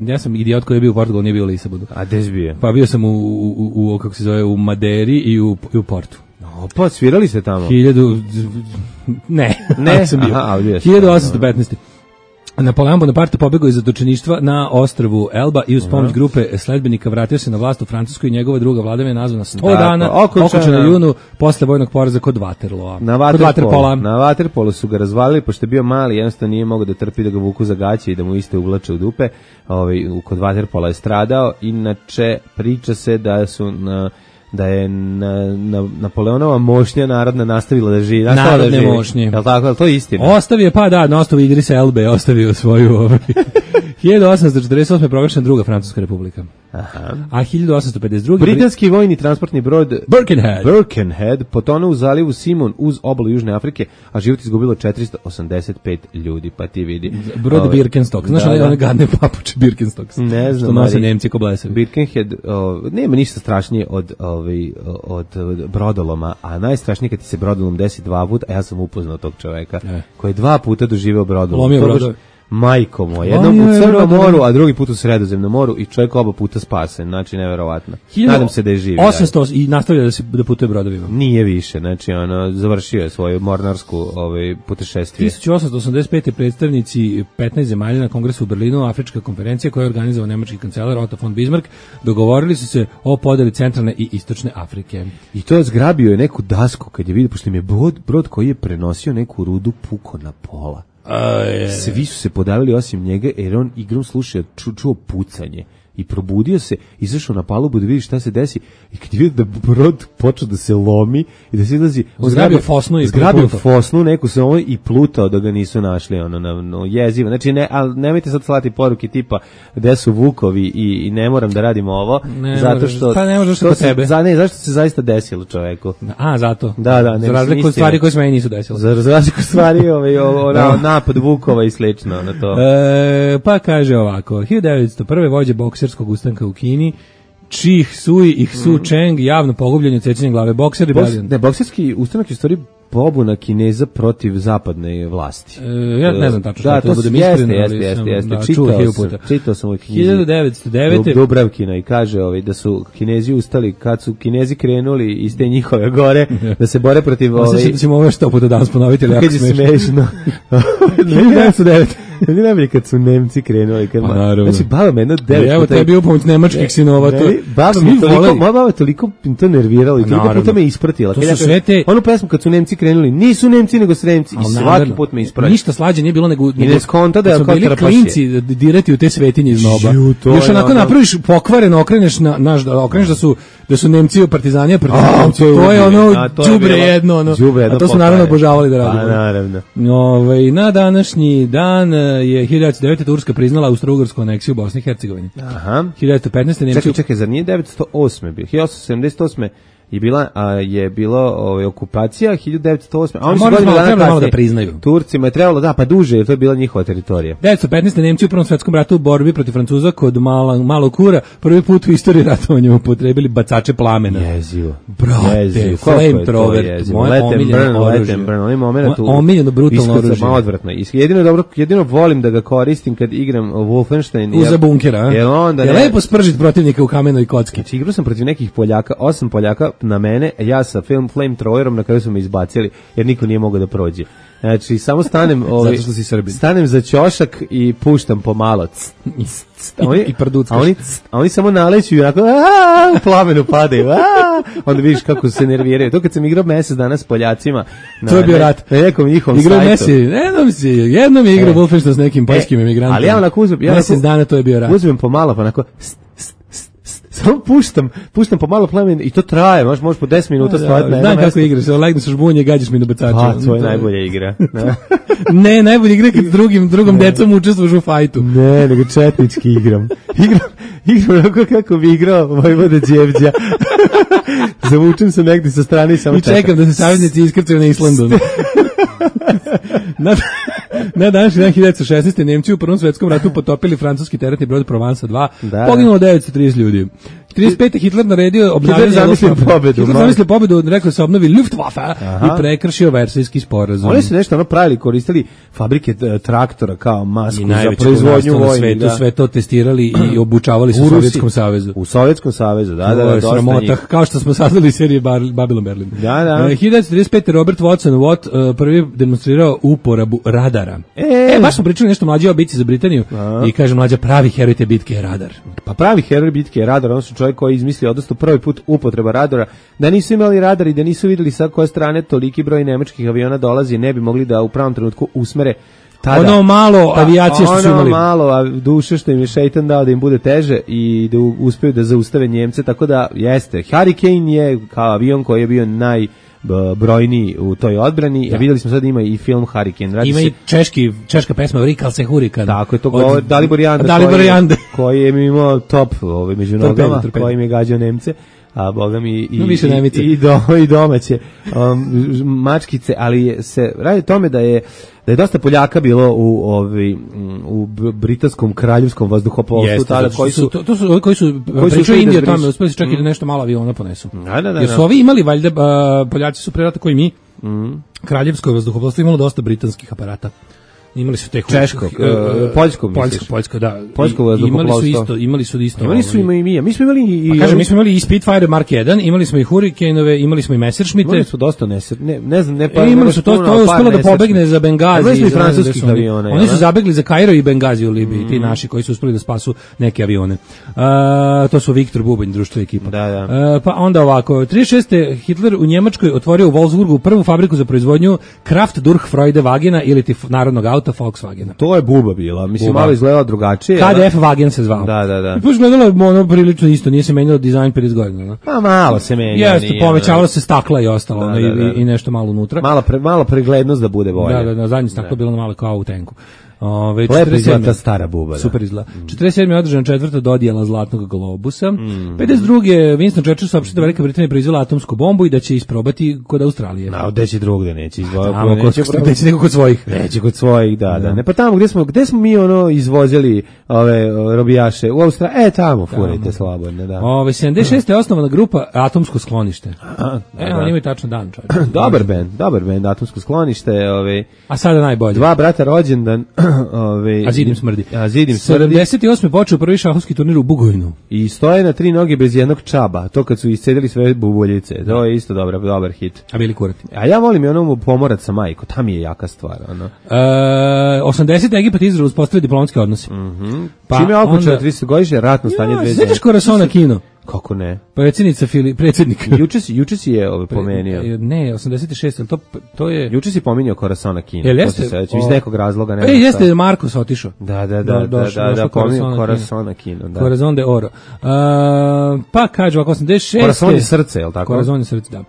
ja sam idiot koji je bio u Portugalu, nije bio u Lisabonu. A gde si bio? Pa bio sam u kako se zove, u Maderi i u Portu. Pa svirali ste tamo? Ne. Sam bio. 1815. Napoleon Bonaparte pobegao iz zatočeništva na ostrvu Elba i uz pomoć grupe sledbenika vratio se na vlast u Francuskoj i njegova druga vladavina nazvana 100 dana, okončana u junu posle vojnog poraza kod Waterloo. Na Waterpolu su ga razvalili, pošto je bio mali, jednostavno nije mogao da trpi da ga vuku za gaće i da mu iste uvlače u dupe. Kod Waterpola je stradao, inače priča se da je Napoleonova mošnja narodna nastavila da živi. Narodne mošnje. Je li tako? To je istina? Ostavio, na osnovu Idrisa Elbe, ostavio svoju... 1848. je proglašena druga Francuska republika. Aha. A 1852. Britanski vojni transportni brod Birkenhead potonuo u zalivu Simon uz obalu Južne Afrike, a život izgubilo 485 ljudi, pa ti vidi. Brod Birkenstock. Znaš one gadne papuče Birkenstocks? Ne znam. Što nose Nemci ko blesavi. Birkenhead, nema ništa strašnije od brodoloma, a najstrašnije kad ti se brodolom desi dva puta, a ja sam upoznao tog čoveka koji je dva puta doživeo brodolom. Lomio brodove. Majko moj, jednom u Crnom moru, a drugi put u Sredozemnom moru i čovjek oba puta spasen, znači neverovatno. Nadam se da je živ. 800 i nastavlja da putuje brodovima. Nije više, znači završio je svoju mornarsku putešestvije. 1885. predstavnici 15 zemalja na kongresu u Berlinu, Afrička konferencija koja je organizovao nemački kancelar Otto von Bismarck, dogovorili su se o podeli centralne i istočne Afrike. I to zgrabio je neku dasku kad je vidio, pošto im je brod koji je prenosio neku rudu puko na pola. Svi su se podavili osim njega jer on igrom slušao, čuo pucanje i probudio se, izašao na palubu da vidi šta se desi i kad je vidio da brod počeo da se lomi i da se izlazi, on zgrabio fosnu neku se i plutao da ga nisu našli, jezivo. Znači nemojte sad slati poruke tipa gde su vukovi i ne moram da radimo ovo, zato što pa ne možeš kod tebe. Zašto se zaista desilo čoveku? Zato. Da, za razliku od stvari koje se meni nisu desile. Za razliku od stvari napad vukova i slično na to. Pa kaže ovako, 1901. vođa bokserskog ustanka u Kini, Chi Sui i Su Cheng javno pogubljenje odsečenjem glave. Bokserski ustanak je u stvari pobuna Kineza protiv zapadne vlasti. Ja ne znam tačno što to budem iskren, jeste. Čitao sam u knjizi 1909. Dubravkina i kaže da su Kinezi ustali kad su Kinezi krenuli iz te njihove gore da se bore protiv Osjećam da ćemo ovo što puta danas ponoviti, ali jako smešno. 1909. Ne najbolje kad su Nemci krenuli. Znači, baba me jedno 9 puta... Evo tebi bio pomoć nemačkih sinova. Moja baba toliko to nervirala i toliko puta me ispratila. To su sve te... Onu pesmu kad su Nemci krenuli, nisu Nemci nego Sremci. I svaki put me isprati. Ništa slađe nije bilo nego... I ne skonta da je kao bili klinci dirati u te svetinje iz noba. Još onako napraviš pokvareno, okreneš da su Nemci u partizanija protiv Nemci. To je đubre jedno. A to su naravno obožavali da radimo. Naravno. Na današnji dan je 1909. Turska priznala austro-ugarsku aneksiju Bosne i Hercegovine. Aha. 1915. Nemci... Čekaj, zar nije 908. bio? 1878. i je bilo okupacija 1908. A oni su malo da priznaju. Turcima je trebalo, pa duže, jer to je bila njihova teritorija. 1915. Nemci u Prvom svetskom ratu u borbi protiv Francuza kod Malog Kura prvi put u istoriji ratovanja upotrebili bacače plamena. Jezivo. Brate, flamethrower. Let them burn. Onaj moment omiljeno brutalno oružje. Odvratno. Jedino volim da ga koristim kad igram Wolfenstein. Uza bunkera, a? Je lepo spržiti protivnika u kamenoj kocki. Znači, igrao sam protiv nekih Poljaka, 8 Poljaka na mene, ja sa flamethrowerom, na kraju su me izbacili, jer niko nije mogao da prođe. Znači, samo stanem zato što si Srbin. Stanem za ćošak i puštam pomalo. I prduckaš. A oni samo naleću i onako u plamenu padaju. Onda vidiš kako se nerviraju. To kad sam igrao mesec dana s Poljacima. To je bio rat. Na nekom njihovom sajtu. Jednom je igrao Wolfenstein s nekim poljskim emigrantima. Ali ja onako uzmem. Mesec dana to je bio rat. Uzmem pomalo, pa onako samo puštam pomalo plamen i to traje, možeš po 10 minuta stojati na jednom mestu. Znam kako igraš, legneš u žbunje i gađaš mi do bacača. Pa, to je najbolja igra. Ne, najbolja igra kad s drugom decom učestvuš u fajtu. Ne, nego četnički igram. Igram onako kako bi igrao Vojvoda Đevđa. Zavučem se negdje sa strane i samo čekam da se saveznici iskrcaju na Islandu. Na današnji dan 1916. Nemci u Prvom svetskom ratu potopili francuski teretni brod Provence 2, poginulo 930 ljudi. 35. Hitler naredio obnavljanje zamislio pobedu, rekao se obnovi Luftwaffe i prekršio Versajski sporazum. Oni su nešto pravili, koristili fabrike traktora kao masku za proizvodnju vojni. Sve to testirali i obučavali se u Sovjetskom savezu. U Sovjetskom savezu, da. To je sramota, kao što smo saznali iz serije Babylon Berlin. Da. 1935. Robert Watson prvi demonstrirao uporabu radara. Baš smo pričali nešto mlađe o bici za Britaniju i kaže mlađa, pravi heroj te bitke je radar. Pa pravi heroj bitke je radar, on su čovjek koji izmislio, odnosno prvi put upotreba radara, da nisu imali radar i da nisu vidjeli sa koje strane toliki broj nemačkih aviona dolazi, ne bi mogli da u pravom trenutku usmere tada. Ono malo avijacije što su imali. Ono malo duše što im je šeitan dao da im bude teže i da uspeju da zaustave Njemce, tako da jeste. Hurricane je kao avion koji je bio najbrojniji u toj odbrani. Ja vidjeli smo sad ima i film Hurricane. Ima i češka pesma Rikal se Hurikan. Tako je to govor Dalibor Janda koji je imao top među nogama, koji im je gađao Nemce. A boga mi i domaće mačkice, ali se radi o tome da je dosta Poljaka bilo u britanskom kraljevskom vazduhoplovstvu tada koji su pričali Indiju tamo, uspeli su čak i da nešto malo aviona ponesu. Jer su ovi imali valjda, Poljaci su pre rata koji mi, kraljevsko vazduhoplovstvo imalo dosta britanskih aparata. Imali su te češkog, poljsko, da. Poljsko vazduhoplovstvo. Imali su isto. Imali su i mi. Mi smo imali i mi smo imali i Spitfire Mark 1, imali smo i Hurricaneove, imali smo i Messerschmitte. Imali su dosta ne znam, imali su to je uspelo da pobegne za Bengazi. Imali su i francuskih aviona. Oni su zabegli za Kairo i Bengazi u Libiji, ti naši koji su uspeli da spasu neke avione. To su Viktor Bubanj, društvo ekipa. Da. Pa onda ovako, 36. Hitler u Njemačkoj otvorio u Wolfsburgu prvu fabriku za proizvodnju Kraft durch Freude Wagena ili ti narodnog auta Volkswagena. To je buba bila, mislim malo izgledala drugačije. KDF Wagen se zvao. Da. I pa izgledalo prilično isto, nije se menjalo dizajn 50 godina. Pa malo se menjalo. Jeste, povećavalo se stakla i ostalo, i nešto malo unutra. Malo preglednost da bude bolje. Da, zadnje staklo bilo malo kao u tenku. Lepo izgleda ta stara buba. Super izgleda. 47. je održana 4. dodijela Zlatnog globusa. 52. Winston Churchill saopštio da Velika Britanija proizvela atomsku bombu i da će isprobati kod Australije. Gde će drugde neće izvoziti. Neće neko kod svojih. Neće kod svojih, da. Ne, pa tamo gde smo mi izvozili ove robijaše u Australiji, tamo furajte slobodno, da. 76. je osnovana grupa Atomsko sklonište. Oni imaju tačno dan, čovječe. Dobar bend, Atomsko sklonište, a sada najbolje. Dva brata rođendan. A zidim smrdi. 78. počeo prvi šahovski turnir u Bugojnu. I stoje na 3 noge bez jednog čaba. To kad su iscedili sve bubuljice. To je isto dobar hit. A bili kurati. A ja volim i onomu Pomorac sa majko. Tam je jaka stvar. 80. Egipat i Izrael uspostavili diplomatske odnose. Čime je okončano 30 godišnje ratno stanje 2 zemlje. Sećaš Corazona Kino? Kako ne? Predsjednik. Juče si je pomenio. Ne, 86, ali to je... Juče si pominjao Corazona Kino. Jeste? Iz nekog razloga. Jeste, Markos otišao. Da, pominjao Corazona Kino. Corazon de Oro. Pa kaže ovako, 86. Corazon je srce, je li tako? Corazon je srce, da.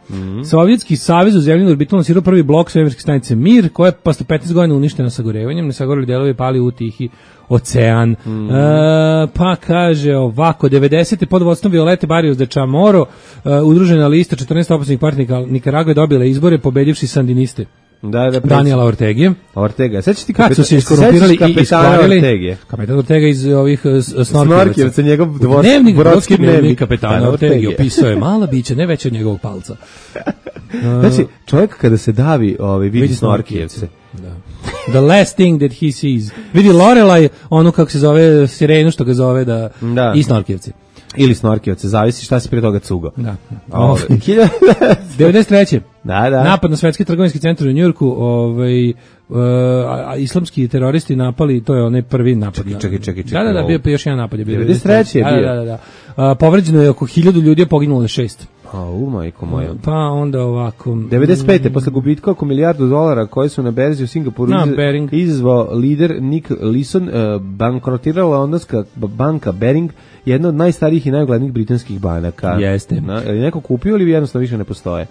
Sovjetski savez u zemljenu orbitu lansirao prvi blok svemirske stanice Mir, koja je posle 15 godina uništena sagorevanjem, nesagoreli delovi pali u Tihi ocean. Pa kaže ovako, 90. pod vodstvom Violete Barrios de Chamorro, udružena lista 14 opasnih partija Nikaragve dobila izbore pobedivši sandiniste. Daniela Ortega. Sad će ti kad su se iskorumpirali i iskvarili kapetan Ortega iz ovih Snorkijevca, njegov brodski dnevnik kapetana Ortega opisao je mala bića, ne veće od njegovog palca. Znači, čovjek kada se davi vidi Snorkijevce. Da. The last thing that he sees. Vidi Lorelaj, ono kako se zove, sirenu što ga zove, i Snorkijevci. Ili Snorkijevce, zavisi šta si prije toga cugo. Da. 93. Da. Napad na svetski trgovinski centar u Njujorku, islamski teroristi napali, to je onaj prvi napad. Čekaj. Da, bio pa još jedan napad je bio. 93. je bio. Da. Povređeno je oko 1000 ljudi, je poginulo je 6. Majko moja. Pa onda ovako. 95. posle gubitka oko $1 milijardu koje su na berzi u Singapuru izazvao lider Nick Leeson, bankrotirala londonska banka Bering, jedna od najstarijih i najuglednijih britanskih banaka. Jeste. Je neko kupio ili jednostavno više ne postoje?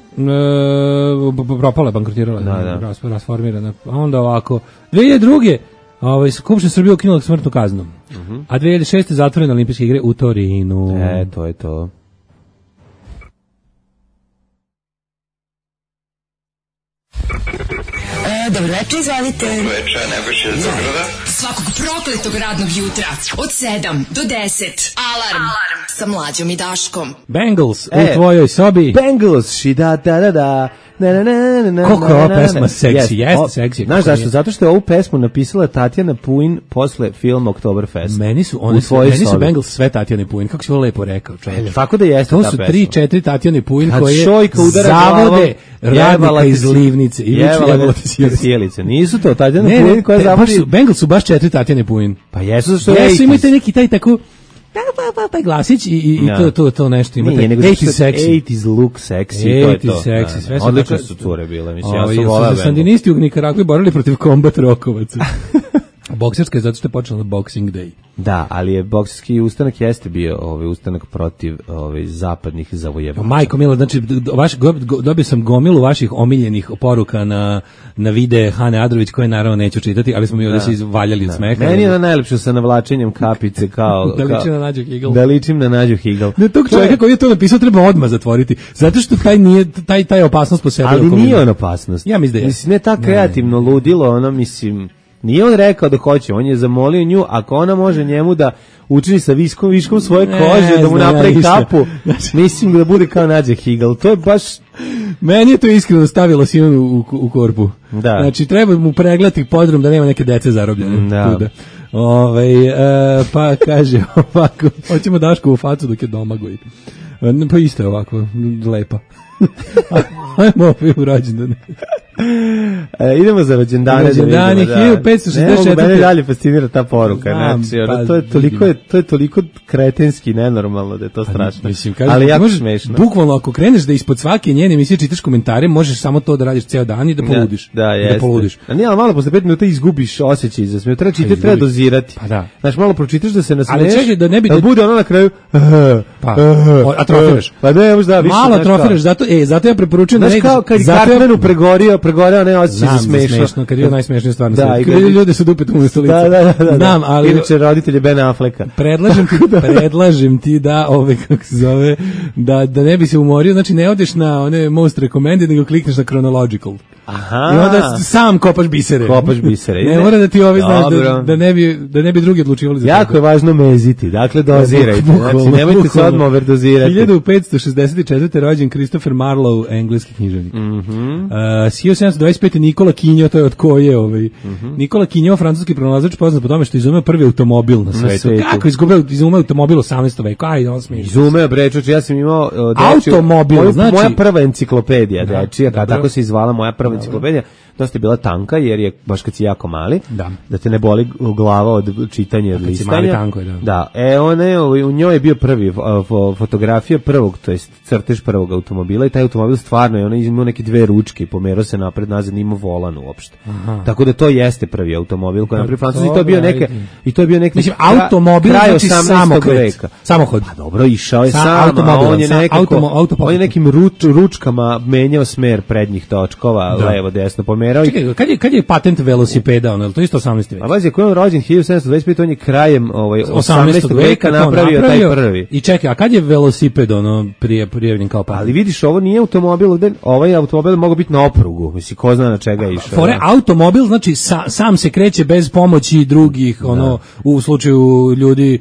Propala je, bankrotirala, rasformirana. A onda ovako. 2002. Skupština Srbije ukinula smrtnu kaznu. A 2006. zatvorene olimpijske igre u Torinu. To je to. Dobro večer, izvalite. Dobro večer, Nebojša iz Beograda. Svakog prokletog radnog jutra od 7 do 10. Alarm sa Mlađom i Daškom. Bengals u tvojoj sobi. Bengals, da. Koliko je ova pesma seksi, jeste seksi. Znaš zašto? Zato što je ovu pesmu napisala Tatjana Puin posle filma Oktoberfest. Meni su Bengals sve Tatjane Puin, kako si ovo lepo rekao, čovječe. Tako da jeste ta pesma. To su 3-4 Tatjane Puin koje zavode radnika iz Livnice i jebala ti sjelice. Nisu to Tatjana Puin koja zavodi... Bengals su baš 4 Tatjane Puin. Pa jesu što je... Jesu, imate neki taj tako... taj glasić i to nešto imate. 80's look sexy, to je to. 80's sexy, sve su. Odlične su cure bile, mislim, ja sam volao Bengal. Sandinisti u Nikaragvi borili protiv kombat rokovaca. Bokserska je zato što je počela na Boxing Day. Da, ali je bokserski ustanak jeste bio ustanak protiv zapadnih zavojevača. Majko mila, znači dobio sam gomilu vaših omiljenih poruka na videe Hane Adrović, koje naravno neću čitati, ali smo mi ovdje se izvaljali od smeha. Meni je najlepše sa navlačenjem kapice kao... da ličim na Nađu Higl. Da ličim na Nađu Higl. Ne, tog čovjeka koji je to napisao treba odmah zatvoriti, zato što taj opasnost po sebi. Ali nije on opasnost. Ja mislim da je. Mislim, ne tako kreativno ludilo, ono mislim... Nije on rekao da hoće, on je zamolio nju, ako ona može njemu da učini sa viškom svoje kože, da mu napravi kapu, mislim da bude kao Nađa Higl. To je baš... Meni je to iskreno stavilo Simonu u korpu. Da. Znači, treba mu pregledati podrum da nema neke dece zarobljene. Da. Pa kaže ovako, hoćemo Dašku u facu dok je Domagoj. Pa isto je ovako, lepa. Ajmo opet u rođendane. Idemo za rođendane. Rođendane, 1564. Ne mogu, mene dalje fascinira ta poruka. Znači, to je toliko kretenski, nenormalno da je to strašno. Mislim, ali jako smešno. Bukvalno, ako kreneš da ispod svake njene emisije čitaš komentare, možeš samo to da radiš ceo dan i da poludiš. Da, jeste. A nije, ali malo posle 5 minuta izgubiš osjećaj za smeh. Treba dozirati. Pa da. Znači, malo pročitaš da se nasmeješ. Ali čekaj, da ne bi... Da bude ono na kraju... atrofiraš. Pa ne, možda više. Malo atrofiraš, zato ja preporučujem da ne... Znaš kao kad Cartmanu pregorio, ne osjećaj za smešno. Kad je najsmešnije stvar na svijetu. Kad ljudi su dupetom u stolicu. Da. Znam, ali... Inače, roditelj je Ben Afflecka. Predlažem ti da, kako se zove, da ne bi se umorio, znači ne odeš na one most recommended, nego klikneš na chronological. Aha. I onda sam kopaš bisere. Ne mora da ti znaš da ne bi drugi odlučivali za jako je važno meziti, dakle dozirajte. Znači, nemojte se odmah overdozirati. 1564. rođen Christopher Marlowe, engleski književnik. 1725. Nikola Kinjo, to je od koje Nikola Kinjo, francuski pronalazač, poznat po tome što izumeo prvi automobil na svetu. Kako izumeo automobil u 18. veku? Ajde, on smije. Izumeo, brečuć, ja sam imao automobil, znači moja prva enciklopedija, dečija, tako se izvala moja prva enciklopedija, dosta je bila tanka jer je baš kad si jako mali, da te ne boli glava od čitanja i od listanja. Tanko je, da. U njoj je bio prvi fotografija prvog, to jest crtež prvog automobila i taj automobil stvarno je, ona imao neke dve ručke, pomerao se napred nazad, nima volan uopšte. Tako da to jeste prvi automobil koji je napravio Francuzi i to je bio neki mislim, automobil znači samokret. Samohod. Pa dobro, išao je sam, on je nekim ručkama menjao smer prednjih točkova, levo, desno, pomerao. Čekaj, kad je patent velosipeda, ono, to je isto 18. vek? A vazi, ako je on rođen 1725, on je krajem 18. veka napravio taj prvi. I čekaj, a kad je velosiped ono prijavljen kao patent? Ali vidiš, ovo nije automobil, ovaj automobil mogao biti na oprugu, misli, ko zna na čega je išao. Fore, automobil, znači sam se kreće bez pomoći drugih, ono, u slučaju ljudi,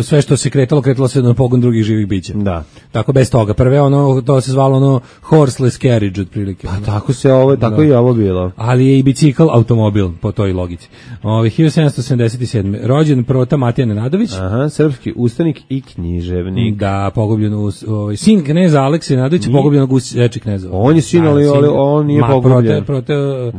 sve što se kretalo se na pogon drugih živih bića. Da. Tako bez toga. Prve ono, to se zvalo ono horseless carriage otprilike. Pa tako se ovo, tako i ovo bilo. Ali je i bicikl automobil po toj logici. 1777. Rođen Prota Matija Nenadović. Aha, srpski ustanik i književnik. Da, pogubljen sin kneza Alekse Nenadovića, pogubljenog u Seči knezova. On je sin, ali on nije pogubljen.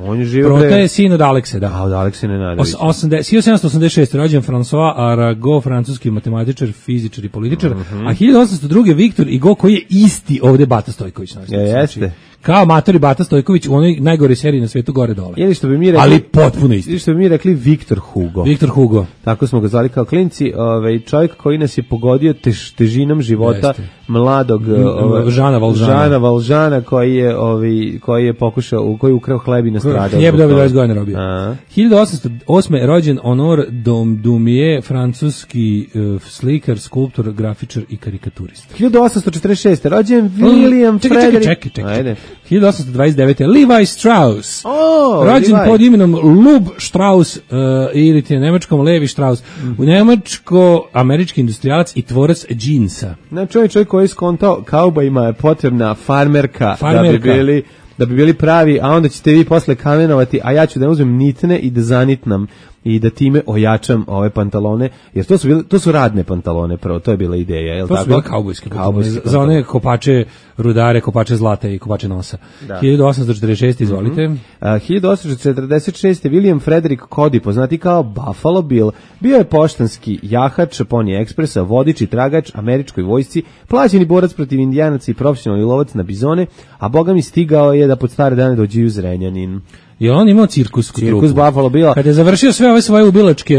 On je živio Prota je sin od Alekse, da. A od Alekse Nenadovića. 1786. rođen François Arago, francuski matematičar, fizičar i političar, a 1802. Viktor Hugo, koji je isti ovde Bata Stojković. Jeste. Kao amatori Bata Stojković u onoj najgore seriji na svetu gore dole. Ili što bi mi rekli, ali potpuno isti. Ili što bi mi rekli Viktor Hugo. Viktor Hugo. Tako smo ga zvali kao klinci, čovjek koji nas je pogodio težinom života. Jeste. Mladog Žana Valžana koji je pokušao, koji je ukrao hleb i nastradao. Hljeb dobio 20 godina robio. 1808. rođen Honor Dumie, francuski slikar, skulptor, grafičar i karikaturist. 1846. rođen William Frederick. Čekaj. 1829. Levi Strauss. Rođen pod imenom Lub Strauss ili ti na nemačkom Levi Strauss. U nemačko-američki industrijalac i tvorac džinsa. Znači, čovjek koji je skontao kaubojima je potrebna farmerka. Da bi bili pravi, a onda ćete vi posle kamenovati, a ja ću da uzmem nitne i da zanitnam i da time ojačam ove pantalone, jer to su radne pantalone, prvo, to je bila ideja, je li tako? To su bile kaubojske pantalone, za one kopače rudare, kopače zlata i kopače nosa. Da. 1846, izvolite. 1846. William Frederick Cody, poznati kao Buffalo Bill, bio je poštanski jahač Pony Expressa, vodič i tragač američkoj vojsci, plaćeni borac protiv indijanaca i profesionalni lovac na bizone, a boga mi stigao je da pod stare dane dođe u Zrenjanin. I on imao cirkus Buffalo Billa. Kada je završio sve ove svoje ubilačke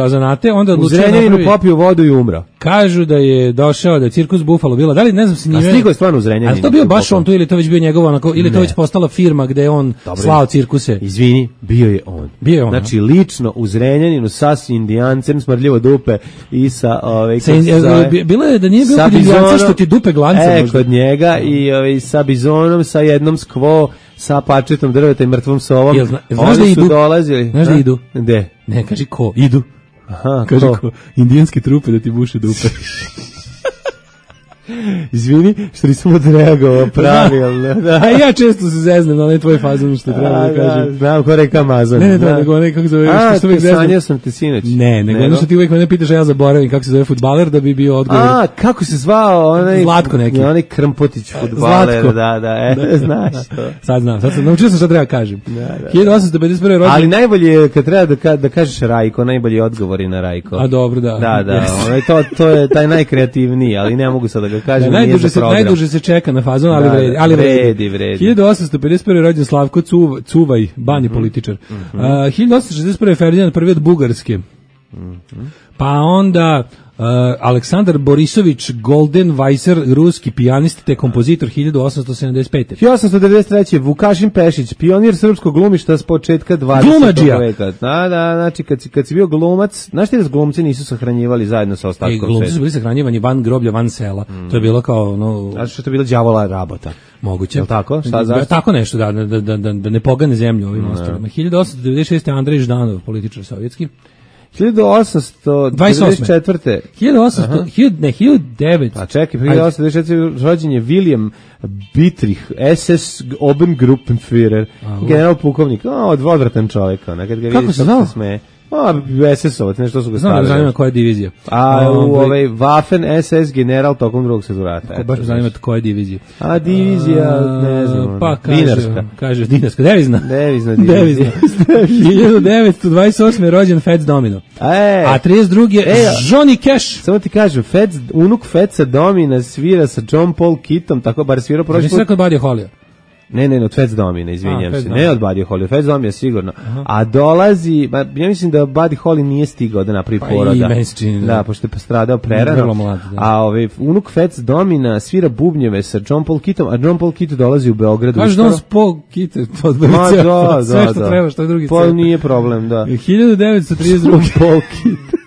zanate, onda odlučio u Zrenjaninu popio vodu i umro. Kažu da je došao da je cirkus Buffalo Billa. Da li ne znam se njime. A stigao je stvarno u Zrenjaninu. Ali to bio baš on tu ili to već bio njegov onako ili to već postala firma gde je on slao cirkuse. Izvini, bio je on. Znači lično u Zrenjaninu sa indijancem smrdljivo dupe i sa bilo je da nije bilo kod indijanca što ti dupe glance možda. Kod njega i sa bizonom, sa jednom skvo, sa pačetom drveta i mrtvom sovom. Znaš da idu? Dolazili. Znaš da idu? Gde? Ne, kaži ko? Idu. Aha, kaži ko? Indijanske trupe da ti buše dupe. Izvini, što nisam odreagovao pravilno. Da. A ja često se zeznem na onaj tvoj fazon što treba da kažem. Znam ko reka Amazon. Ne, nego onaj kako zove. Sanjao sam te sinoć. Ne, nego ono što ti uvijek mene pitaš, a ja zaboravim kako se zove fudbaler da bi bio odgovor. Kako se zvao onaj Zlatko neki. Onaj Krmpotić fudbaler, da, znaš to. Sad znam, naučio sam šta treba kažem. 1851. rođen. Ali najbolje je kad treba da kažeš Rajko, najbolji odgovor je na Rajko. A dobro, da. Da, to je taj najkreativniji, ali ne mogu sad da ga kažem. Najduže se čeka na fazon, ali vredi. 1851. rođen Slavko Cuvaj, bani političar. 1861. Ferdinand I od Bugarske. Pa onda Aleksandar Borisović Goldenweiser, ruski pijanist te kompozitor 1875. 1893. Vukašin Pešić, pionir srpskog glumišta s početka 20. veka. Da, znači kad si bio glumac, znaš ti da glumci nisu sahranjivali zajedno sa ostatkom sveta? Glumci su bili sahranjivani van groblja, van sela. To je bilo kao Znači što je bilo đavola rabota. Moguće. Je li tako? Tako nešto, da ne pogane zemlju ovim ostalima. 1896. Andrej Ždanov, političar sovjetski. 1824. 1900. Pa čekaj, 1824. rođen je William Bittrich, SS Obergruppenführer, general pukovnik, odvratan čovjek, kad ga vidiš kako se smeje. SS-ovac, nešto su ga stavili. Znam, zanima koja je divizija. A u Waffen SS general tokom drugog svjetskog rata. Baš me zanima koja je divizija. A divizija, ne znam. Pa kaže dinarska, devizna. Devizna divizija. 1928. rođen Fats Domino. A 32. je Johnny Cash. Samo ti kažem, unuk Fatsa Domina svira sa John Paul Kittom, tako bar svirao prošli put. Nisi rekao Buddy Holly. Ne, od Fats Domina, izvinjam se. Ne od Buddy Holly, od Fats Domina sigurno. A dolazi, ja mislim da Buddy Holly nije stigao da napravi poroda. Da, pošto je postradao prerano. Mlad, a unuk Fats Domina svira bubnjeve sa John Paul Kittom, a John Paul Kitt dolazi u Beogradu. Kažu John Paul Kitt, to sve što treba, što je drugi scen. Pa nije problem, da. 1932. Paul Kitt.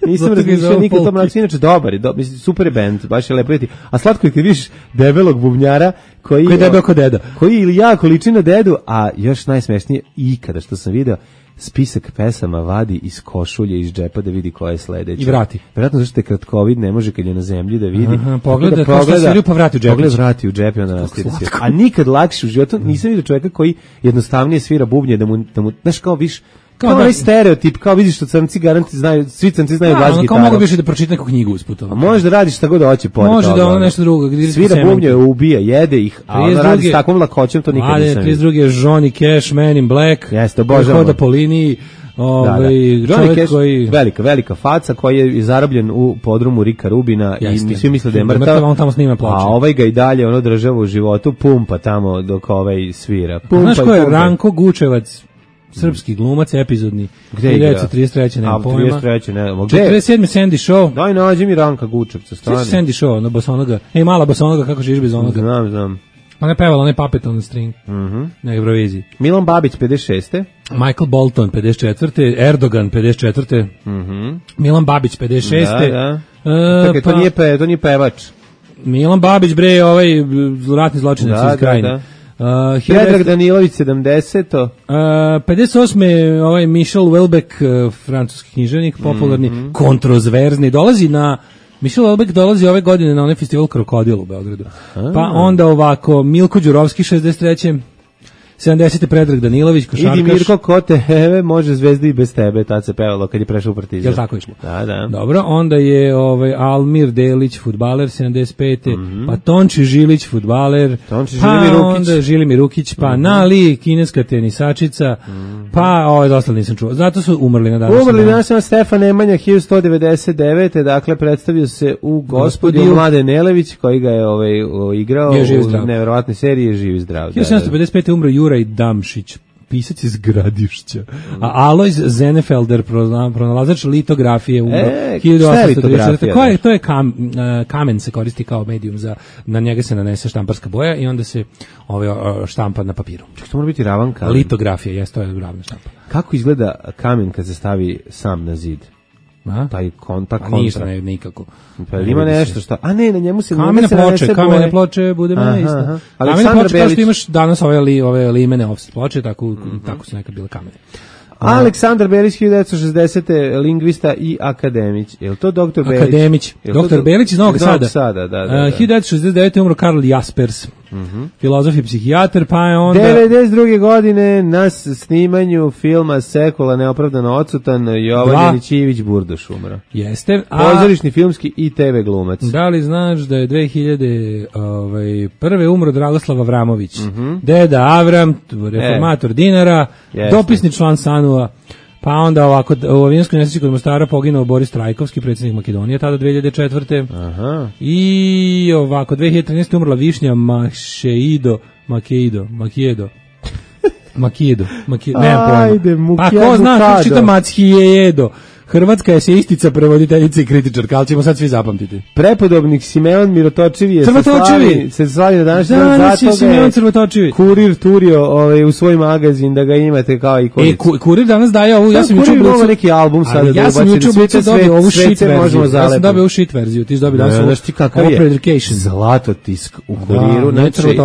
Nisam razmišljao nikad o tom načinu, inače dobar je, super je band, baš je lepo vidjeti. A slatko je kad vidiš debelog bubnjara koji je debel ko deda. Koji ili jako liči na dedu, a još najsmešnije ikada što sam video, spisak pesama vadi iz košulje, iz džepa da vidi koja je sledeća. I vrati. Vjerojatno zašto je kratkovid, ne može kad je na zemlji da vidi. Pogleda kao što seriju pa vrati u džep. Pogleda vrati u džep i onda nastavi. A nikad lakše u životu nisam vidio čovjeka koji jednostavnije svira bubnje da mu znaš kao viš kao onaj stereotip, kao vidiš što crnci garanti znaju, svi crnci znaju bas gitaru. Kao mogu više da pročita neku knjigu usput. A može da radiš šta god hoće pored toga. Može da ono nešto drugo. Svira bubnje, ubija, jede ih, a ono radi s takvom lakoćem, to nikad nisam vidio. 32. je Johnny Cash, Man in Black, jeste, obožavamo. Hoda po liniji, Johnny Cash, koji velika faca koji je zarobljen u podrumu Rika Rubina i svi misle da je mrtav, on tamo snima ploče. A ovaj ga i dalje ono država u životu, pumpa tamo dok svira. Znaš ko je Ranko Gučevac? Srpski glumac, epizodni. Gde igra? 1933. nema pojma. 43. nema. 47. Sandy Shaw. Daj nađi mi Ranka Gučevca, stani. Sandy Shaw, na bosonoga. Mala bosonoga, kako živiš bez onoga? Znam. Ona je pevala, ona je Puppet on the String. Na Euroviziji. Milan Babić, 56. Michael Bolton, 54. Erdogan, 54. Milan Babić, 56. Da. To nije pevač. Milan Babić, bre, ratni zločinac iz Krajine. Predrag Danilović 70. 58. Michel Houellebecq, francuski književnik, popularni, kontroverzni, Michel Houellebecq dolazi ove godine na onaj festival Krokodil u Beogradu. Pa onda ovako, Milko Đurovski 63. 70. Predrag Danilović, košarkaš. Idi Mirko, ko te heve, može Zvezda i bez tebe, tad se pevalo kad je prešao u Partizan. Jel tako išlo? Da. Dobro, onda je Almir Delić, fudbaler, 75. Pa Tonči Žilić, fudbaler. Onda Žilimir Rukić, pa Nali, kineska tenisačica, pa dosta nisam čuo. Zato su umrli na danas. Umrli danas Stefan Nemanja, 1199. Dakle, predstavio se u Gospodiju Mladen Nelević, koji ga je igrao u neverovatnoj seriji Živi zdrav. 1755. umro Juraj Damšić, pisac iz Gradišća. A Alojz Zenefelder, pronalazač litografije, umro 1834. To je kamen se koristi kao medijum na njega se nanese štamparska boja i onda se štampa na papiru. Čekaj, to mora biti ravan kamen. Litografija, to je ravna štampa. Kako izgleda kamen kad se stavi sam na zid? Taj kontakt. Ništa, nikako. Pa ima nešto što... A ne, na njemu se... Kamene ploče, bude me isto. Kamene ploče kao što imaš danas ove limene offset ploče, tako su nekad bile kamene. Aleksandar Belić, 1960. lingvista i akademić. Je li to doktor Belić? Akademić. Doktor Belić iz Novog Sada. Da. 1969. umro Karl Jaspers, filozof i psihijatar, pa je onda... 92. godine na snimanju filma Sekula neopravdano odsutan Jovan Janićijević Burduš umro. Jeste. Pozorišni, filmski i TV glumac. Da li znaš da je 2001. umro Dragoslav Avramović? Deda Avram, reformator dinara, dopisni član SANU-a. Pa onda ovako, u avijanskoj nesreći kod Mostara poginuo Boris Trajkovski, predsjednik Makedonije, tada 2004. Aha. I ovako, 2013. umrla Višnja Makijedo. Nemam pojma. Pa ko zna, kako čita Macijedo. Hrvatska je eseistica, prevoditeljica i kritičarka, ali ćemo sad svi zapamtiti. Prepodobnik Simeon Mirotočivi je se slavi na današnji dan, zato je Kurir turio u svoj magazin da ga imate kao ikonicu. Kurir danas daje ovu, ja sam juče ubacio neki album sada da ubacim, dobio ovu shit verziju, ja sam dobio ovu shit verziju, ti dobio danas ovu Preducation. Zlatotisk u Kuriru, znači,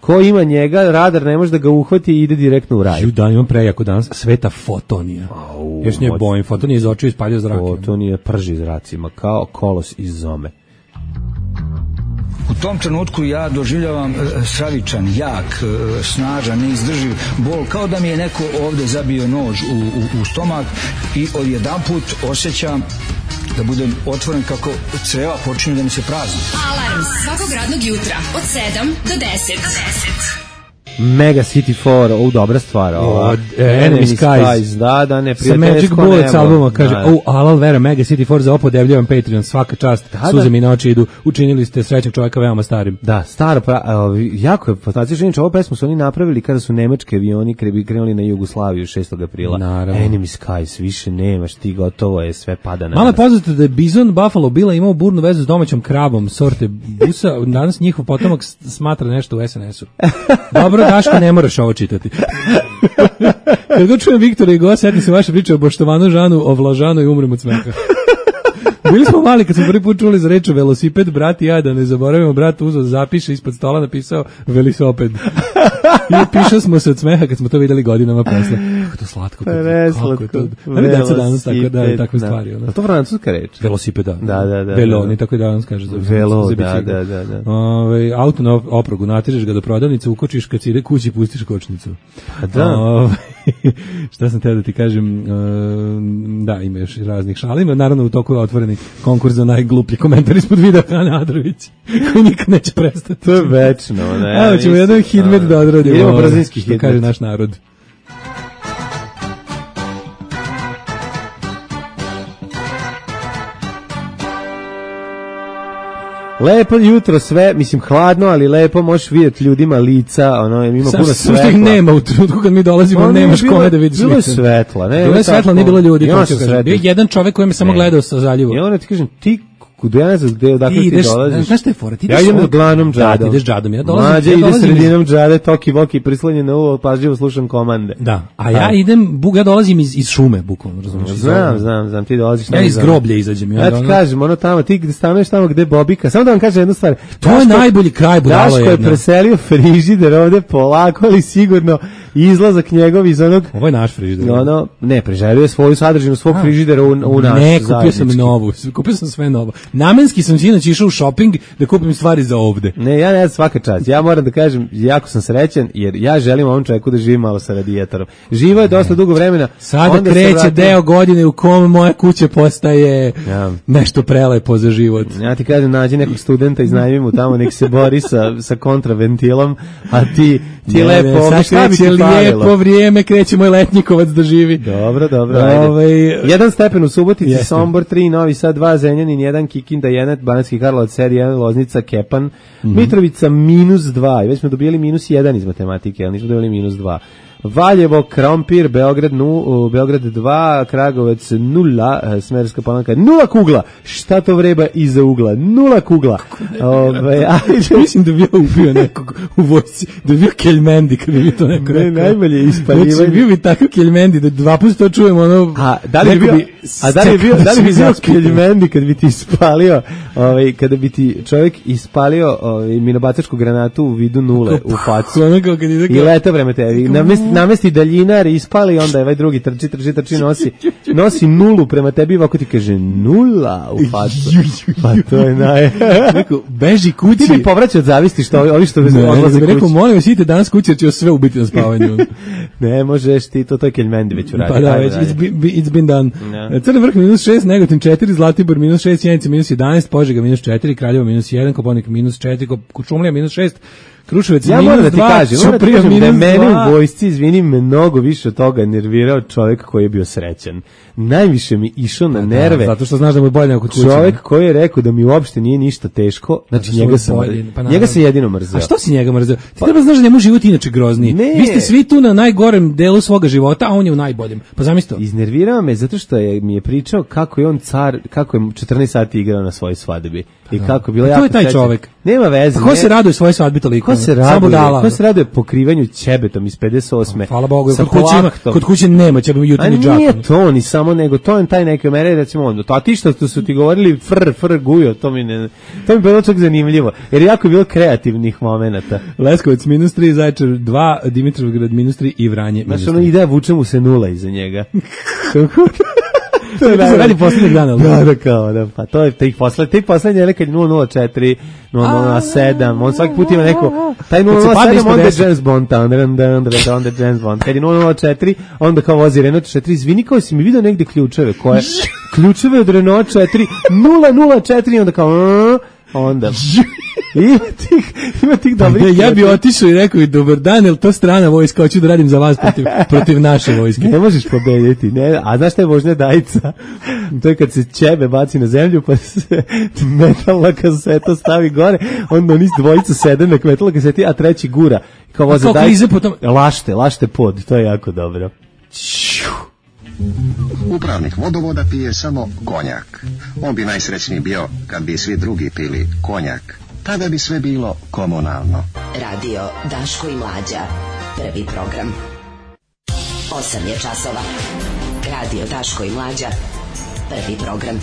ko ima njega, radar ne može da ga uhvati i ide direktno u raj. Da, imam prejako danas, Sveta Fotonija. Još nije bojim, Fotonija iz očiju ispaljio zrak. Fotonija prži zracima, kao kolos iz zome. U tom trenutku ja doživljavam stravičan, jak, snažan, neizdrživ bol, kao da mi je neko ovde zabio nož u stomak i odjedanput osjećam da budem otvoren kako creva počinju da mi se prazni. Alarm svakog radnog jutra od 7 do 10. Mega City 4, dobra stvar. Enemy Skies. Da, ne, sa Magic Bullets albuma, kaže, Alal Vera, Mega City 4, za opodevljavam Patreon, svaka čast, suze mi na oči idu, učinili ste srećnog čovjeka veoma starim. Da, staro, jako je fantastično, ovu pesmu su oni napravili kada su nemački avioni krenuli na Jugoslaviju 6. aprila. Naravno. Enemy Skies, više nemaš, ti gotovo je, sve pada na Malo je poznato da je Bison Buffalo Billa imao burnu vezu s domaćom kravom sorte busa, danas njihov potomak smatra nešto u SNS-u. Dobro, Daško, ne moraš ovo čitati. Kad god čujem Viktora i Go, setim se vaše priče o Boštovanu Žanu, o Vlažanu i umrem od smeha. Bili smo mali kad smo prvi put čuli za reč velosiped, brat i ja, da ne zaboravimo, brat uzeo zapiše, ispod stola napisao velisoped. I pišao smo se od smeha kad smo to videli godinama posle. Kako to slatko. Kako je to. Da mi deca danas tako da takve stvari. A to francuska reč? Velosipeda. Da. Velo, ni tako danas kaže. Velo, da. Auto na oprogu, natižeš ga do prodavnice, ukočiš, kad si ide kući, pustiš kočnicu. Da. Šta sam teo da ti kažem, da, ima još raznih šalima, naravno u toku je otvoreni konkurs za najgluplji komentar ispod videa Ana Adrović, koji nikad neće prestati. To je večno. Evo ćemo jedan hidmet da odradimo. Idemo brzinski hidmet. Kaže naš narod. Lepo jutro sve, mislim hladno, ali lepo, možeš vidjeti ljudima lica, ima puno svetla. Samo nema u trenutku kad mi dolazimo, nemaš kome da vidiš lice. Bilo je svetla, ne? Bilo je svetla, nije bilo ljudi. Bio jedan čovek koji me samo gledao sa zaljevu. I onda ti kažem, ti kuda ja ne znam odakle ti dolaziš. Znaš šta je fora? Ja idem glanom džadom. Da, ti ideš džadom. Ja dolazim. Mlađe ide sredinom džade, toki voki, prislonjen na uvo, pažljivo slušam komande. Da, a ja ja dolazim iz šume, bukvalno, razumiješ? Znam, ti dolaziš tamo. Ja iz groblja izađem. Ja ti kažem, tamo, ti gde stanuješ tamo gde Bobika, samo da vam kažem jednu stvar. To je najbolji kraj budalo jedno. Daško je preselio frižider ovde polako, ali sigurno izlazak njegov iz onog... Ovo je naš frižider. Ne, preželio je svoju sadržinu svog frižidera u naš. Ne, kupio sam novu, kupio sam sve novo. Namenski sam sinoć išao u shopping da kupim stvari za ovde. Ne, ja ne svaka čast. Ja moram da kažem, jako sam srećan jer ja želim ovom čovjeku da živim malo sa radijatorom. Živo je dosta dugo vremena. Sada kreće deo godine u kom moja kuća postaje nešto prelepo za život. Ja ti kažem, nađi nekog studenta, iznajmi mu tamo, nek se bori sa kontraventilom, a ti lepo ovdje šta bi ti palilo. Lijepo vrijeme, kreće moj letnjikovac da živi. Dobro, ajde. 1 stepen u Subotici, Sombor 3, Novi Sad 2, Zrenjanin 1, Kikinda 1, Banatski Karlovac 1, Loznica, Kepan, Mitrovica -2, i već smo dobili -1 iz matematike, ali nismo dobili -2. Valjevo, Krompir, Beograd 2, Kragovec 0, Smederska Palanka 0 kugla. Šta to vreba iza ugla? 0 kugla. Mislim da bi ja ubio nekog u vojsci, da bi bio Keljmendi, kad bi mi to neko rekao. Najbolje ispalivanje. Znači, bio bi takav Keljmendi, da 2 puta to čujemo, da li bi bio Keljmendi kad bi ti ispalio, kada bi ti čovjek ispalio minobacačku granatu u vidu nule u facu. I leta vreme tebi. Namesti daljinar, ispali, onda je ovaj drugi trči, nosi nulu prema tebi, ovako ti kaže 0 u facu. Pa to je beži kući. Ti bi povraćao od zavisti što ovi što odlaze kući. Rekao, molim vas, idite danas kući jer će sve ubiti na spavanju. Ne možeš ti, to je Keljmendi već uradio. Pa da, već, it's been done. Crni vrh -6, Negotin 4, Zlatibor -6, Sjenica -11, Požega -4, Kraljevo -1, Koponik -4, Kučumlija -6, Kruševac ja moram da ti kažem, da mene u vojsci, izvini, mnogo više od toga nervirao čovjek koji je bio srećan. Najviše mi išao na nerve. Zato što znaš da mu je bolje nego kod kuće. Čovjek koji je rekao da mi uopšte nije ništa teško, znači njega sam jedino mrzeo. A što si njega mrzeo? Ti treba znaš da njemu život inače grozniji. Vi ste svi tu na najgorem delu svoga života, a on je u najboljem. Pa zamisli to. Iznervirao me zato što mi je pričao kako je on car, kako je 14 sati igrao na svojoj svadbi. I kako bilo jako. To je taj čovjek. Nema veze. Ko se raduje svojoj svadbi toliko? Ko se raduje pokrivanju ćebetom iz 58. Hvala Bogu, kod kuće nema ćebem jutarnji džak. Nije to ni samo, nego to je taj neke mere, recimo onda. A ti što su ti govorili fr gujo, to mi bilo čak zanimljivo. Jer jako je bilo kreativnih momenata. Leskovac -3, Zaječar 2, Dimitrovgrad -3 i Vranje -3. Znaš, ono ide, vuče mu se 0 iza njega. To se radi posljednjeg dana. Da, kao, da, pa to je tih poslednje, nekad 007, 007, on svaki put ima neko, taj 007, onda je James Bond, onda je James Bond, kad je 004, onda kao vozi Renault 4, izvini, kao si mi vidio negde ključeve, koje, ključeve od Renault 4, 004, onda kao, onda ima tih dobrih. Ja bi otišao i rekao i dobar dan, jel to strana vojska, hoću da radim za vas protiv naše vojske. Ne možeš pobediti, ne, a znaš šta je vožnja Dajica? To je kad se ćebe baci na zemlju, pa se metalna kaseta stavi gore, onda oni dvojica sede na metalna kaseti, a treći gura. Kao voze Dajica. Lašte pod, to je jako dobro. Upravnik vodovoda pije samo konjak. On bi najsrećniji bio kad bi svi drugi pili konjak. Tada bi sve bilo komunalno. Radio Daško i Mlađa. Prvi program. 8 je časova. Radio Daško i Mlađa. Prvi program.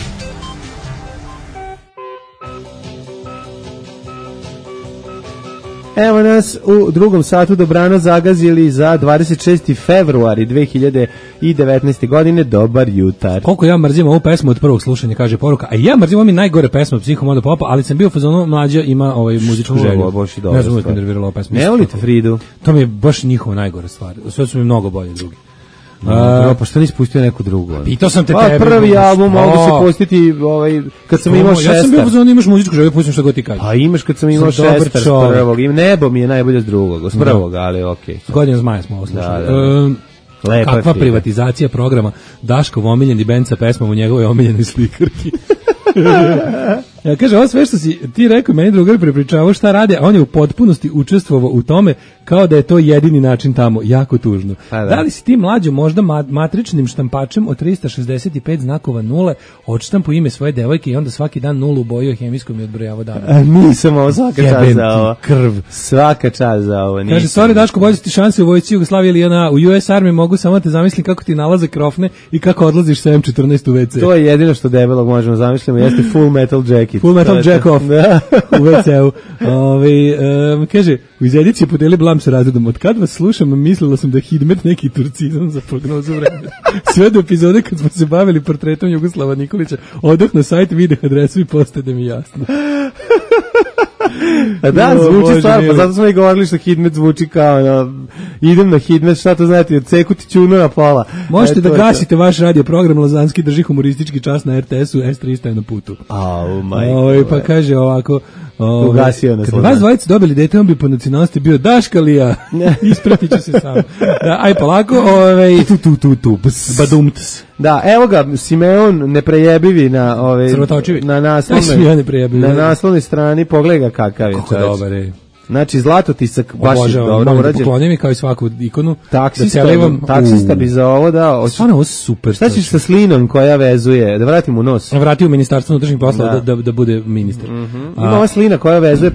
Evo nas u drugom satu dobrano zagazili za 26. februari 2019. godine. Dobar jutar. Koliko ja mrzim ovu pesmu od prvog slušanja, kaže poruka. A ja mrzim ovo mi najgore pesma od Psihomoda Popa, ali sam bio u fazonu Mlađa ima muzičku želju. Ne znam uvijek me nervirala ova pesma. Ne volite Fridu? To mi je baš njihova najgore stvar. Sve su mi mnogo bolje drugi. Pa što nisi pustio neku drugu? Pitao sam te tebe. Prvi album mogu se pustiti kad sam imao šestar. Ja sam bio u zonu imaš muzičku želju, pustim što god ti kaže. Pa imaš kad sam imao šestar s prvog. Nebo mi je najbolje s drugog, s prvog, ali okej. S Godinu zmaja smo ovo slušali. Kakva privatizacija programa Daškov omiljeni bend sa pesmom u njegovoj omiljenoj slikarki. Ja kaže, ovo sve što si ti rekao, meni drugar prepričavao šta rade, a on je u potpunosti učestvovao u tome kao da je to jedini način tamo, jako tužno. Da li si ti Mlađo možda matričnim štampačem od 365 znakova nule odštampu ime svoje devojke i onda svaki dan nulu ubojio hemijskom i odbrojavao dana? Nisam ovo, svaka čast za ovo. Krv. Svaka čast za ovo. Kaže, sorry Daško, bolje ti šanse u vojsci Jugoslavije ili ona u US Army, mogu samo te zamislim kako ti nalaze krofne i kako odlaziš sa M14 u WC. To je jedino što debelog možemo zamisliti, jeste Full Metal Jacket. Full Metal Jack Off u WC-u. Kaže, u izediciji podeli blam sa razredom. Od kad vas slušam, mislila sam da je Hidmet neki turcizam za prognozu vremena. Sve do epizode kad smo se bavili portretom Jugoslava Nikolića, odah na sajt, video adresu i postade mi jasno. Da, zvuči stvar, pa zato smo i govorili što Hidmet zvuči kao idem na Hidmet, šta to znate, odseku ti ćunu na pola. Možete da gasite vaš radio program, Lazanski drži humoristički čas na RTS-u, S300 je na putu. Pa kaže ovako, kad vas dvojice dobili dete, on bi po nacionalnosti bio Daškalija. Ispratit ću se sam. Aj polako, badumts. Da, evo ga, Simeon neprejebivi na naslovnoj strani, pogledaj ga kakav je. Kako dobar je. Znači, zlatotisak baš je dobro urađen. Poklonim mi kao i svaku ikonu. Taksista bi za ovo dao. Stvarno, ovo super. Šta ćeš sa slinom koja vezuje? Da vratim u nos. Vrati u Ministarstvo unutrašnjih poslova da bude ministar. Ima ova slina koja vezuje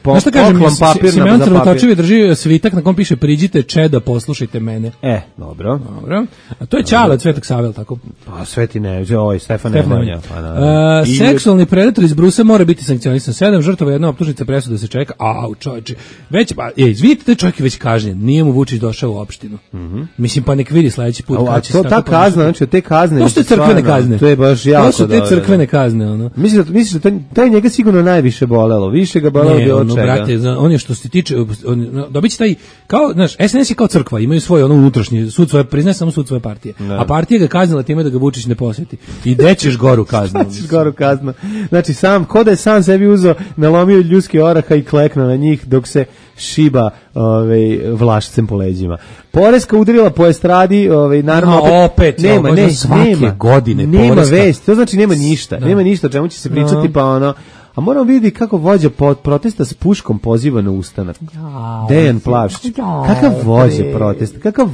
poklon papir. Simeon Crvotočevi drži svitak na kom piše priđite Čeda, poslušajte mene. Dobro. A to je Ćale od Svetog Save, tako? Pa Sveti Nemanja, Stefan Nemanja. Seksualni predator iz Brusa mora biti sankcionisan. 7 žrtava, jedna optužnica, presuda se čeka. Čovječe. Već, izvidite, taj čovjek je već kažnjen. Nije mu Vučić došao u opštinu. Mislim, pa nek vidi sledeći put. A to ta kazna, znači te kazne. To su te crkvene kazne. To je baš jako dobro. To su te crkvene kazne, ono. Misliš da taj njega sigurno najviše bolelo. Više ga bolelo bi od čega. Brate, on je što se tiče, dobiće taj, kao, znaš, SNS je kao crkva, imaju svoje ono unutrašnje, sud svoje, priznaje samo sud svoje partije. A partija ga kaznila time da ga Vučić ne posjeti. I dećeš goru kaznu. Znači, ko da je sam sebi uzeo, nalomio ljudski oraha i kleknuo na njih dok se šiba vlašcem po leđima. Poreska udarila po estradi, naravno nema svake godine nema vesti, to znači nema ništa. Nema ništa o čemu će se pričati, pa ono. A moramo vidjeti kako vođa protesta s puškom poziva na ustanak. Dejan Plavšić. Kakav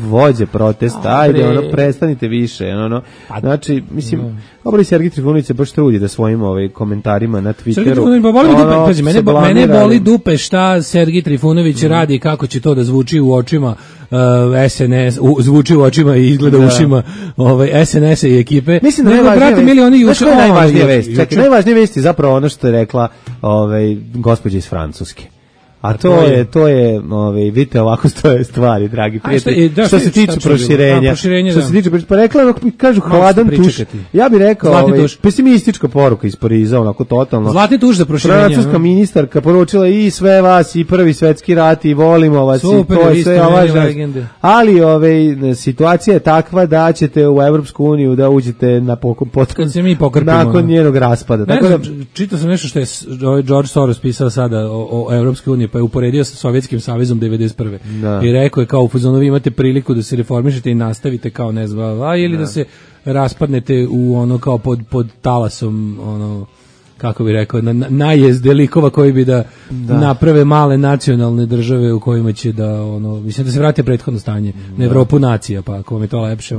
vođa protesta? Ajde, prestanite više. Znači, mislim, obali Sergij Trifunović se baš trudi da svojim komentarima na Twitteru. Mene boli dupe šta Sergij Trifunović radi, kako će to da zvuči u očima SNS, zvuči u očima i izgleda ušima SNS-a i ekipe. Mislim da najvažnije vesti je zapravo ono što je rekla gospođa iz Francuske. A to je, vidite ovako stoje stvari, dragi prijatelji. Što se tiče proširenja, pa rekla, kažu hladan tuš. Ja bih rekao, pesimistička poruka iz Pariza, onako totalno. Zlatni tuš za proširenje. Francuska ministarka poručila i sve vas, i Prvi svetski rat, i volimo vas, super, i to je sve ali situacija je takva da ćete u Evropsku uniju da uđete nakon njenog raspada. Ne znam, čitao sam nešto što je George Soros pisao sada o Evropskoj uniji, pa je uporedio sa Sovjetskim savezom 91. Da. I rekao je kao u fazonu vi imate priliku da se reformišete i nastavite kao ne znam, ili da se raspadnete u ono kao pod talasom ono kako bi rekao, najezde likova koji bi da naprave male nacionalne države u kojima će da, mislim da se vrate prethodno stanje, na Evropu nacija, pa ako vam je to lepše.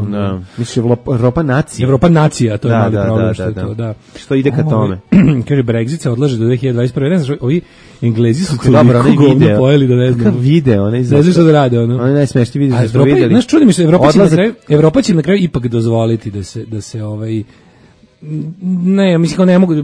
Mislim, Evropa nacija. Evropa nacija, to je mali problem što je to, da. Što ide ka tome? Kaže, Brexit se odlaže do 2021. Ne znaš, ovi Englezi su toliko govno pojeli da ne znam. Kakav video, ne znaš što da rade, ono. Oni najsmešniji video što smo vidjeli. Znaš, čudi mi se, Evropa će na kraju ipak dozvoliti da se ne, mislim ne mogu,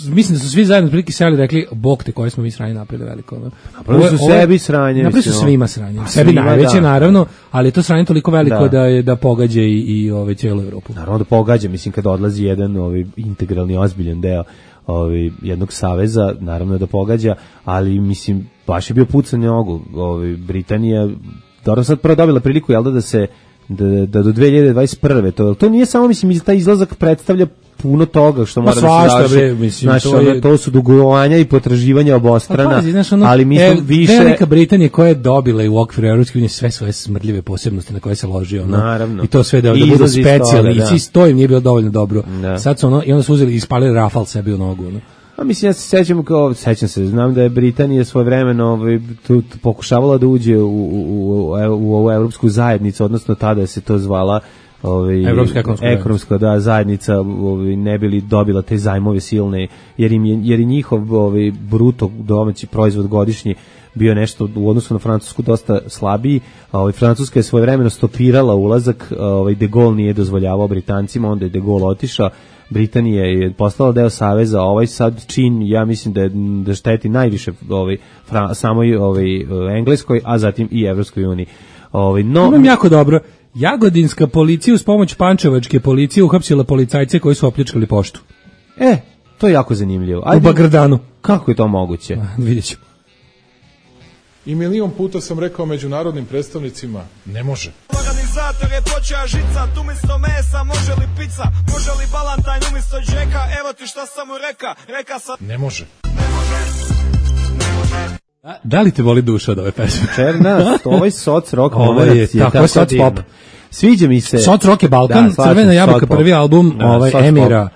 mislim da su svi zajedno prilike seli rekli, bog te koje smo mi sranje napravili veliko. Napravili su sebi sranje. Napravili su svima sranje. Sebi najveće, naravno, ali je to sranje toliko veliko da pogađa i cijelu Evropu. Naravno da pogađa, mislim kada odlazi jedan integralni, ozbiljan deo jednog saveza, naravno da pogađa, ali mislim, baš je bio pucanj nogu. Britanija, dobro sad prvo dobila priliku, jel da do 2021. To nije samo, mislim, taj izlazak predstavlja puno toga što mora da se završi. To su dugovanja i potraživanja obostrana, ali mislim više... Velika Britanija koja je dobila i u okviru Evropske unije sve svoje smrdljive posebnosti na koje se loži. Naravno. I to sve da budu specijalni. I to im nije bilo dovoljno dobro. Sad su i onda su uzeli i ispalili rafal sebi u nogu. A mislim, ja se sećam se, znam da je Britanija svojevremeno pokušavala da uđe u ovu evropsku zajednicu, odnosno tada se to zvala ekonomska zajednica, ne bi li dobila te zajmove silne, jer je njihov bruto domaći proizvod godišnji bio nešto u odnosu na Francusku dosta slabiji. Francuska je svojevremeno stopirala ulazak, de Gaulle nije dozvoljavao Britancima, onda je de Gaulle otišao, Britanija je postala deo saveza, sad čin, ja mislim da šteti najviše samoj Engleskoj, a zatim i Evropskoj uniji. Imam jako dobro. Jagodinska policija uz pomoć pančevačke policije uhapsila policajce koji su opljačkali poštu. To je jako zanimljivo. U Bagrdanu. Kako je to moguće? Vidjet ćemo. I milion puta sam rekao međunarodnim predstavnicima, ne može. Organizator je počeo žicat, umjesto mesa može li pizza, može li balantajn umjesto džeka, evo ti šta sam mu reka sam... Ne može. Da li te voli duša od ove pesme? Černa, ovaj soc rock moment je tako soc pop. Sviđa mi se. Soc rock je Balkan, Crvena jabuka, prvi album Emira.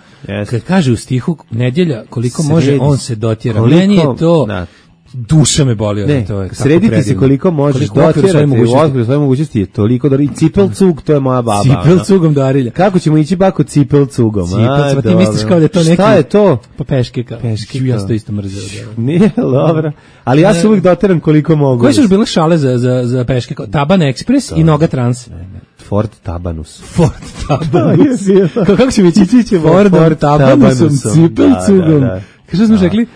Kad kaže u stihu nedjelja koliko može, on se dotjera. Meni je to... Duša me boli od to. Srediti se koliko možeš dotjerati, u okviru svoje mogućnosti je toliko da... I cipelcug, to je moja baba. Cipelcugom Darilja. Kako ćemo ići bako cipelcugom? Cipelcug, ti misliš kao da je to neki... Šta je to? Pa peške kao. Ja sam to isto mrzeo. Nije, dobro. Ali ja se uvijek doteram koliko mogu. Koje su još bile šale za peške? Taban Express i Noga Trans. Ford Tabanus. Kako će mi ići Ford Tabanusom, cipelcugom. Što smo rekli?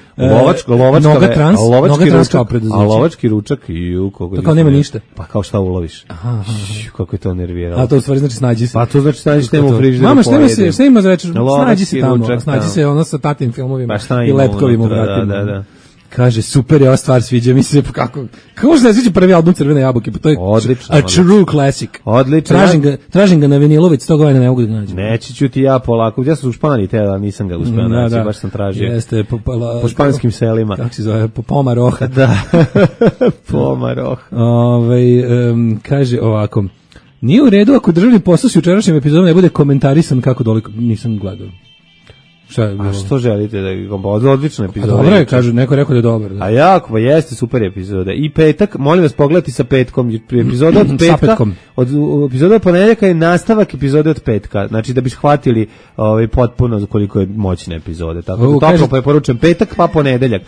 Noga Trans kao preduzeće. A lovački ručak to kao nema ništa. Pa kao šta uloviš. Kako je to nerviralo. A to u stvari znači snađi se. Pa to znači snađi se u frižideru. Mama, šta ima za večer? Snađi se tamo. Snađi se ono sa tatim filmovima i lepkovima u vratima. Da. Kaže, super je ova stvar, sviđa mi se, kako možda ne sviđa prvi album Crvene jabuke, pa to je odlično, a true classic. Odlično. Tražim ga na vinilović, toga ne mogu da nađem. Neći ću ti ja polako, ja sam u Španiji, ali nisam ga uspeo naći, baš sam tražio. Jeste, po španskim selima. Kako se zove, po Pomaroha. Da, Pomaroha. Kaže ovako, nije u redu ako državni posao s jučerašnjim epizodom ne bude komentarisan kako doliko, nisam gledao. A što želite da je odlična epizoda? Dobro je, kažu, neko rekao da je dobar. Da. A jako, pa jeste super epizoda. I petak, molim vas pogledati sa petkom. Epizoda od petka, epizoda od ponedjeljaka je nastavak epizode od petka. Znači da bi shvatili potpuno koliko je moćna epizoda. Tako da toplo preporučujem petak pa ponedeljak.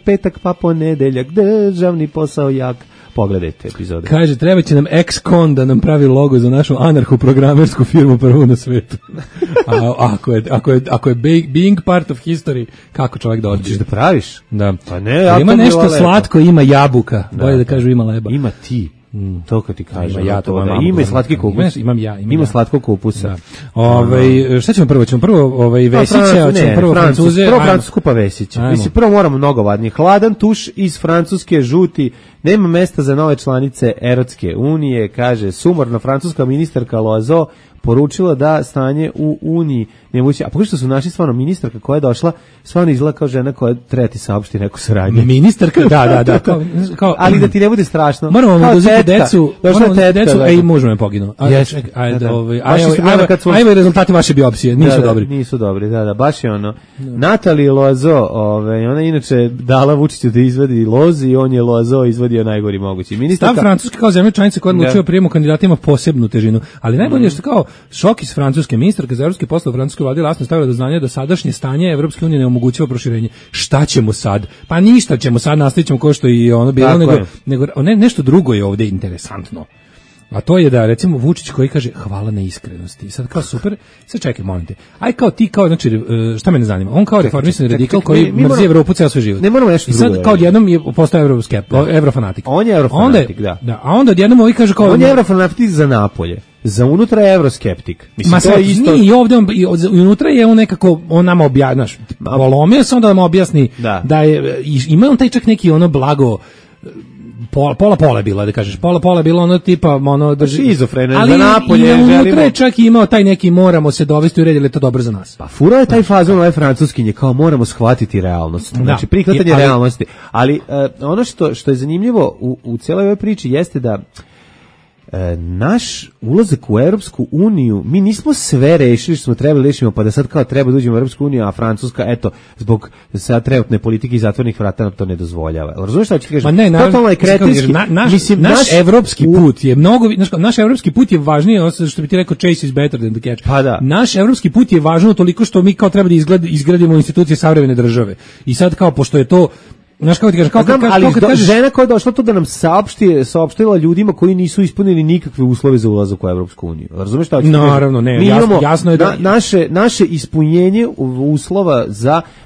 Petak pa ponedeljak. Državni posao jak. pogledajte epizode. Kaže, treba će nam ex-con da nam pravi logo za našu anarcho-programersku firmu prvu na svetu. Ako je being part of history, kako čovjek da odbije? Hoćeš da praviš? Da. Pa ne, ja ima nešto slatko, ima jabuka. Bolje da kažu ima leba. Ima ti. To kad ti kažem. Ima ja to. Ima i slatki kupus. Ima slatko kupusa. Šta ćemo prvo? Ćemo prvo Vesića, hoćemo prvo Francuze. Prvo Francusku pa Vesića. Mislim, prvo moramo mnogovadni. Hladan tuš iz Francuske, žuti. Nema mesta za nove članice Evropske unije, kaže sumorna francuska ministarka Loazo poručila da stanje u Uniji nemoguće. A pošto su našli stvarno ministarka koja je došla, stvarno izgleda kao žena koja treba ti saopšti neku saradnju. Ministarka, da. Kao, ali da ti ne bude strašno. Moramo vam oduzeti decu. Ej, možemo je poginu. Ajmo rezultati vaše biopsije, nisu dobri. Nisu dobri, da, baš je ono. Natalija Loazo, ona inače dala Vučiću da izvadi lozi i on je Loazo izvadio najgori mogući. Stav Francuske kao zemlja članica koja odlučuje o prijemu kandidatima posebnu težinu, ali najbolje je što kao šok iz Francuske, ministarka za evropske poslove Francuske vlade jasno stavila do znanja da sadašnje stanje Evropske unije ne omogućava proširenje. Šta ćemo sad? Pa ništa ćemo sad, nastavićemo kao što i ono bilo, nego nešto drugo je ovdje interesantno. A to je da, recimo, Vučić koji kaže hvala na iskrenosti. Sad kao super, sad čekaj, molim te. Aj kao ti, kao, znači, šta mene zanima? On kao reformisani radikal koji mrzi Evropu ceo svoj život. Ne moramo nešto drugo. I sad kao odjednom je postao evrofanatik. On je evrofanatik, da. A onda odjednom ovi kaže kao... On je evrofanatik za napolje. Za unutra je evroskeptik. Mislim, to je isto... Nije, ovdje unutra je on nekako, on nama objasni, polomio se onda da nam objasni da je, ima on taj čak neki ono blago, pola je bilo, da kažeš, pola je bilo ono tipa, ono drži... Šizofreno, ali za napolje unutra je čak i imao taj neki moramo se dovesti u red, ili je to dobro za nas. Pa fura je taj fazon ove francuskinje, kao moramo shvatiti realnost. Znači, prihvatanje realnosti. Ali ono što je zanimljivo u cijeloj ovoj priči jeste da naš ulazak u Europsku uniju, mi nismo sve rešili što smo trebali rešimo, pa da sad kao treba da uđemo u Europsku uniju, a Francuska, eto, zbog sad trenutne politike i zatvornih vrata nam to ne dozvoljava. Razumiješ šta ću ti kažem? Totalno je kretenski. Naš evropski put je mnogo, naš evropski put je važniji, što bi ti rekao, chase is better than the catch. Pa da. Naš evropski put je važno toliko što mi kao treba da izgradimo institucije savremene države. I sad kao, pošto je to znaš kako ti kažeš, kažeš, žena koja je došla to da nam saopštila ljudima koji nisu ispunili nikakve uslove za ulazak u Evropsku uniju. Razumeš šta ću ti kažem? Naravno, ne, jasno je da naše ispunjenje uslova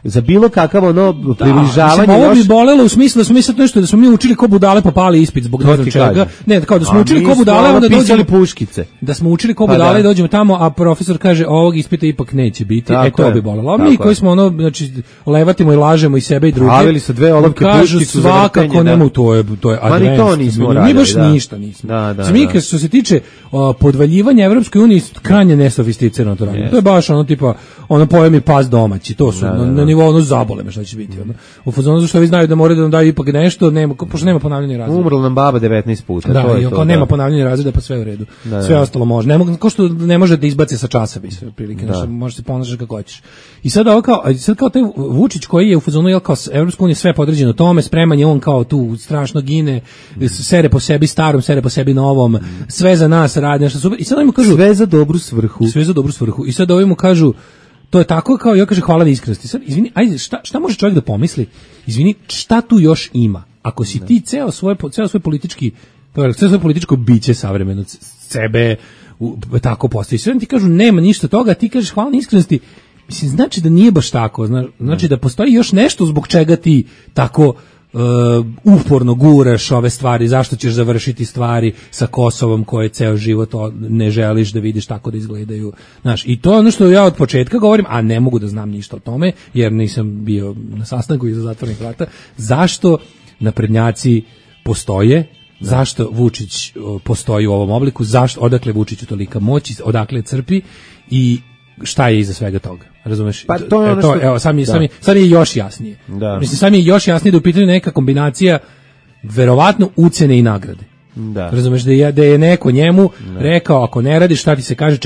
za bilo kakav ono približavanje. Ovo bi bolelo u smislu da smo mi sad nešto, da smo mi učili ko budale popali ispit zbog ne znam čega. Ne, kao da smo učili ko budale, onda dođemo puškice. Da smo učili ko budale i dođemo tamo, a profesor kaže ovog ispita ipak neće biti. To bi bolelo. A mi koji smo ono, znači levatimo i lažemo i sebe i druge. Pravili se dve olovke puškicu za vrtenje. Svakako nemu, to je advanced. To nismo radili. Mi baš ništa nismo. Mi što se tiče podvaljivanja Evropskoj uniji, krajnje nesofisticirano to radimo. To je baš ono tipa, ono pojemi pas domaći, to su na nivou ono zabole me šta će biti. U fazonu što vi znaju da moraju da nam daju ipak nešto, pošto nema ponavljanja razreda. Umrla nam baba 19 puta. Da, nema ponavljanja razreda, pa sve u redu. Sve ostalo može. Ko što ne može da izbaci sa časa, bi se prilike, može se ponašati kako hoćeš. I sad kao taj Vučić koji je u fazonu kao Evropska unija sve podređeno tome, spreman je on kao tu strašno gine, sere po sebi starom, sere po sebi novom, sve za nas radi, nešto super. I sad ovim kažu sve za dobru svrhu. I sad ovim kažu to je tako kao ja kaže hvala na iskrenosti. Sad izvini, ajde šta može čovjek da pomisli? Izvini, šta tu još ima? Ako si ti ceo svoj političko biće savremeno sebe tako postavi. Sve ti kažu nema ništa toga, ti kažeš hvala na iskrenosti. Mislim, znači da nije baš tako, znači da postoji još nešto zbog čega ti tako uporno guraš ove stvari, zašto ćeš završiti stvari sa Kosovom koje ceo život ne želiš da vidiš tako da izgledaju. Znaš, i to je ono što ja od početka govorim, a ne mogu da znam ništa o tome, jer nisam bio na sastanku iza zatvornih vrata, zašto naprednjaci postoje, zašto Vučić postoji u ovom obliku, odakle Vučiću tolika moć, odakle crpi i šta je iza svega toga, razumeš? Pa to je ono što... Evo, sad je još jasnije. Mislim, sad je još jasnije da u pitanju neka kombinacija verovatno ucene i nagrade. Razumeš, da je neko njemu rekao, ako ne radiš, šta ti se kaže,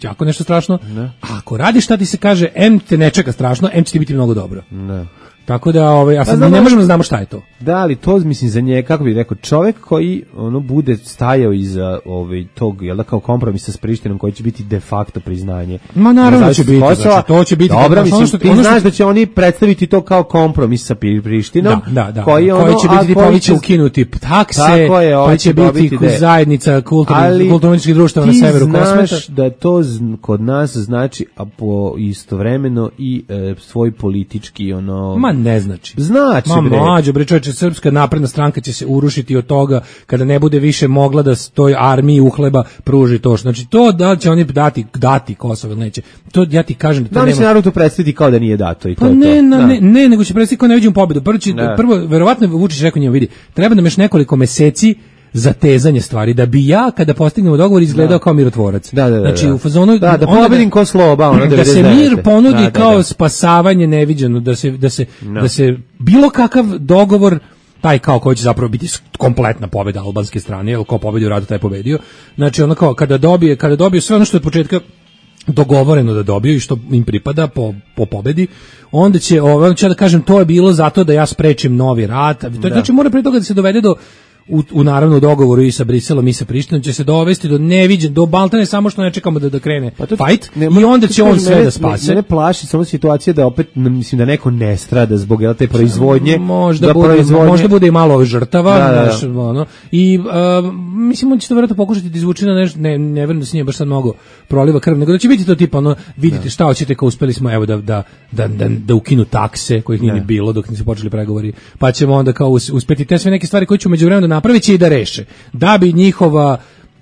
jako nešto strašno. A ako radiš šta ti se kaže, em te ne čeka strašno, em će ti biti mnogo dobro. Ne. Tako da, a sad ne možemo da znamo šta je to. Da, ali to mislim za nje, kako bih rekao, čovjek koji bude stajao iza tog, jel da, kao kompromisa s Prištinom koji će biti de facto priznanje. Ma naravno da će biti, znači, to će biti. Dobro, mislim, ti znaš da će oni predstaviti to kao kompromis sa Prištinom, koji će biti tipovi će ukinuti takse, pa će biti zajednica kulturno-umjetničkih društava na severu Kosmeta. Ti znaš da to kod nas znači, a po istovremeno i svoj politički ne znači. Znači, mlađo, bre, čovječe, Srpska napredna stranka će se urušiti od toga kada ne bude više mogla da toj armiji uhleba pruži to. Znači, to da će oni dati Kosovo ili neće. To ja ti kažem da to nema. Da li će narod to predstaviti kao da nije dato i to je to? Ne, nego će predstaviti kao ne vidimo pobedu. Prvo, verovatno Vučić rekao njima, vidi, treba nam još nekoliko meseci zatezanje stvari, da bi ja kada postignemo dogovor izgledao kao mirotvorac. Znači u fazonu da pobedim ko Sloba, da se mir ponudi kao spasavanje neviđeno, da se bilo kakav dogovor taj kao koji će zapravo biti kompletna pobeda albanske strane, jer ko pobedi u ratu taj pobedio. Znači ono kao kada dobije sve ono što je od početka dogovoreno da dobiju i što im pripada po pobedi, onda će da kažem to je bilo zato da ja sprečim novi rat. Znači mora pre toga da se dovede do u naravno dogovoru i sa Briselom i sa Prištinom će se dovesti do neviđen, do baltane, samo što ne čekamo da krene fight i onda će on sve da spase. Mene plaši samo situacija da opet, mislim da neko ne strada zbog te proizvodnje. Možda bude i malo žrtava. I mislim on će to vjerojatno pokušati da izvuči na nešto, ne verujem da se nije baš sad mnogo proliva krv, nego da će biti to tipa vidite šta hoćete, kao uspeli smo evo da ukinu takse kojih nije ni bilo dok nisu počeli pregovori, pa ćemo onda kao uspeti te sve neke stvari koje će u međuvremenu napravit će i da reše. Da bi njihova,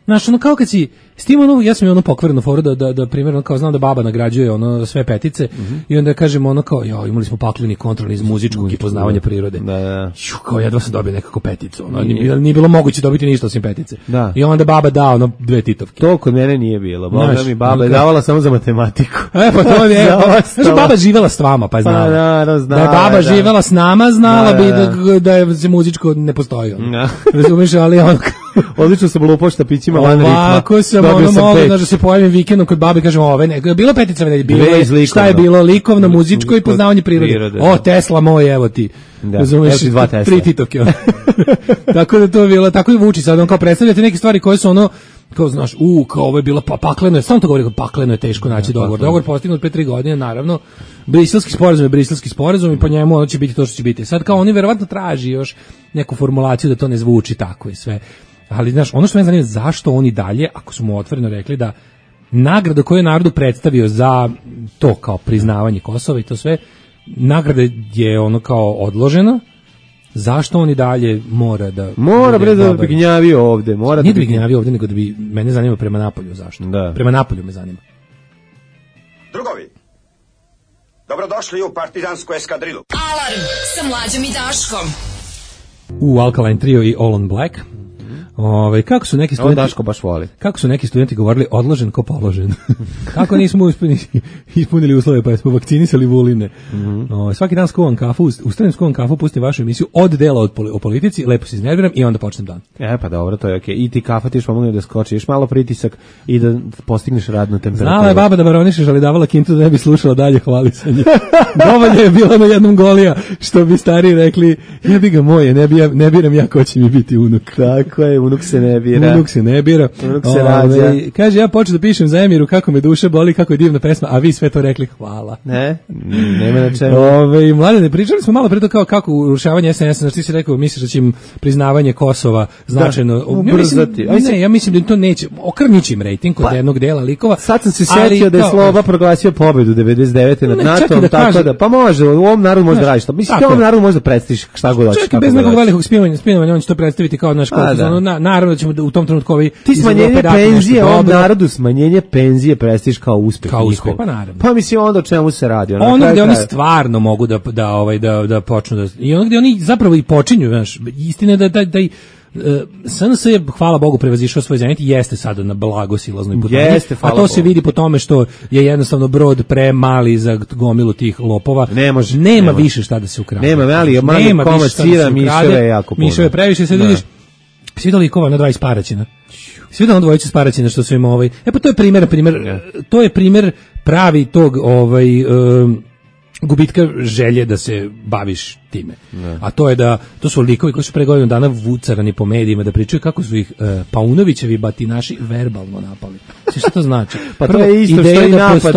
znaš, kao kad si s tim ja sam je pokvarenu foru da primjerno kao znam da baba nagrađuje sve petice i onda kažemo kao imali smo pakleni kontrol iz muzičkog i poznavanja prirode. Kao jedva sam dobio nekako peticu. Nije bilo moguće dobiti ništa osim petice. I onda baba da 2 titovke. To kod mene nije bilo. Baba je davala samo za matematiku. Pa to je. Znači baba živela s vama, pa je znala. Da je baba živela s nama, znala bi da je muzičko ne postoji. Razumiješ, ali odlično sam lupao štapićima van ritma. Ovako sam mogu da se pojavim vikendom kod babe i kažem bilo petica, bilo je, šta je bilo, likovno, muzičko i poznavanje prirode. O, Tesla moj, evo ti. Razumiješ, 3 titovke. Tako da to je bilo, tako i Vučić sad, on kao predstavljate neke stvari koje su kao znaš, kao ovo je bilo pakleno je, samo to govori, pakleno je teško naći dogovor. Dogovor postignut pre 3 godine, naravno. Briselski sporazum i po njemu ono će biti to što će biti. Sad kao oni verovatno traži još neku formulaciju da to ne zvuči tako i sve. Ali znaš, ono što me zanima, zašto oni dalje, ako su mu otvoreno rekli da nagrada koju je narodu predstavio za to kao priznavanje Kosova i to sve, nagrada je kao odložena, zašto oni dalje mora bre da bi gnjavio ovde, nije da bi gnjavio ovde, nego da bi, mene zanima prema napolju, zašto? Prema napolju me zanima. Drugovi, dobrodošli u partizansku eskadrilu. Alarm sa Mlađom i Daškom. U Alkaline Trio i All on Black. Kako su neki studenti Daško baš voli. Kako su neki studenti govorili odložen ko položen. Kako nismo ispunili uslove pa smo vakcinisali Vuline. Svaki dan skuvam kafu, ustanem skuvam kafu, pustim vašu emisiju od dela o politici, lepo se iznerviram i onda počnem dan. Pa dobro, to je okej. I ti kafa ti još pomogne da skočiš malo pritisak i da postigneš radnu temperaturu. Znala je baba da baronišeš, ali davala kintu da ne bi slušala dalje hvalisanje. Dovoljno je bilo na jednom golija, što bi stari rekli, jebi ga moje, ne biram ja ko će mi biti unuk. Tako je, unuk se ne bira. Unuk se rađa. Kaže, ja počeo da pišem za Emiru kako me duša boli, kako je divna pesma, a vi sve to rekli, hvala. Nema na čemu. Mladene, pričali smo malo pre to kako urušavanje SNS-a, znači ti si rekao, misliš da će im priznavanje Kosova značajno ubrzati. Ja mislim da to neće, okrnjići im rejting kod jednog dela likova. Sad sam se setio da je Sloba proglasio pobedu 99. nad NATO-om, tako da, pa može, u ovom narodu može da radiš to. Mislim, u ovom narodu može da predstaviš šta god hoćeš. Čak i bez nekog velikog spinovanja, on će to predstaviti kao naš naravno da ćemo u tom trenutku ti smanjenje penzije ovom narodu, smanjenje penzije prestiž kao uspeh njihov. Pa naravno. Pa mislim onda o čemu se radi? Ono gde oni stvarno mogu da počnu da i ono gde oni zapravo i počinju, znaš, istina je da SNS je, hvala Bogu, prevazišao svoj zenit i jeste sada na blago silaznoj putanji, a to se vidi po tome što je jednostavno brod premali za gomilu tih lopova. Nema više šta da se ukrade. Nema komad sira, miševe jako puno. Miševe previše, sad vidiš Svi likova na 20 Paraćina. Svi da dvojice s Paraćina što su im pa to je to je primer pravi tog gubitka želje da se baviš time. A to je to su likovi koji su pre godinu dana vucarani po medijima da pričaju kako su ih Paunovićevi batinaši verbalno napali. Šta to znači? Pa to je isto što i napad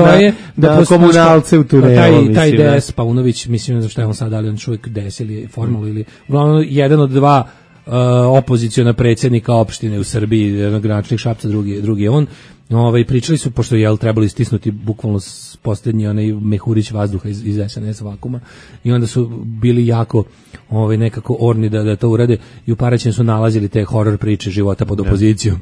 na komunalce u tunelu. Taj DS Paunović, mislim da što je on sad, ali on čovjek DS ili formalno ili uglavnom jedan od dva opoziciona predsjednika opštine u Srbiji, jedan gradonačelnik Šapca, drugi je on. Pričali su, pošto je trebali stisnuti bukvalno posljednji onaj mehurić vazduha iz SNS vakuma, i onda su bili jako nekako orni da to urade, i u Paraćinu su nalazili te horor priče života pod opozicijom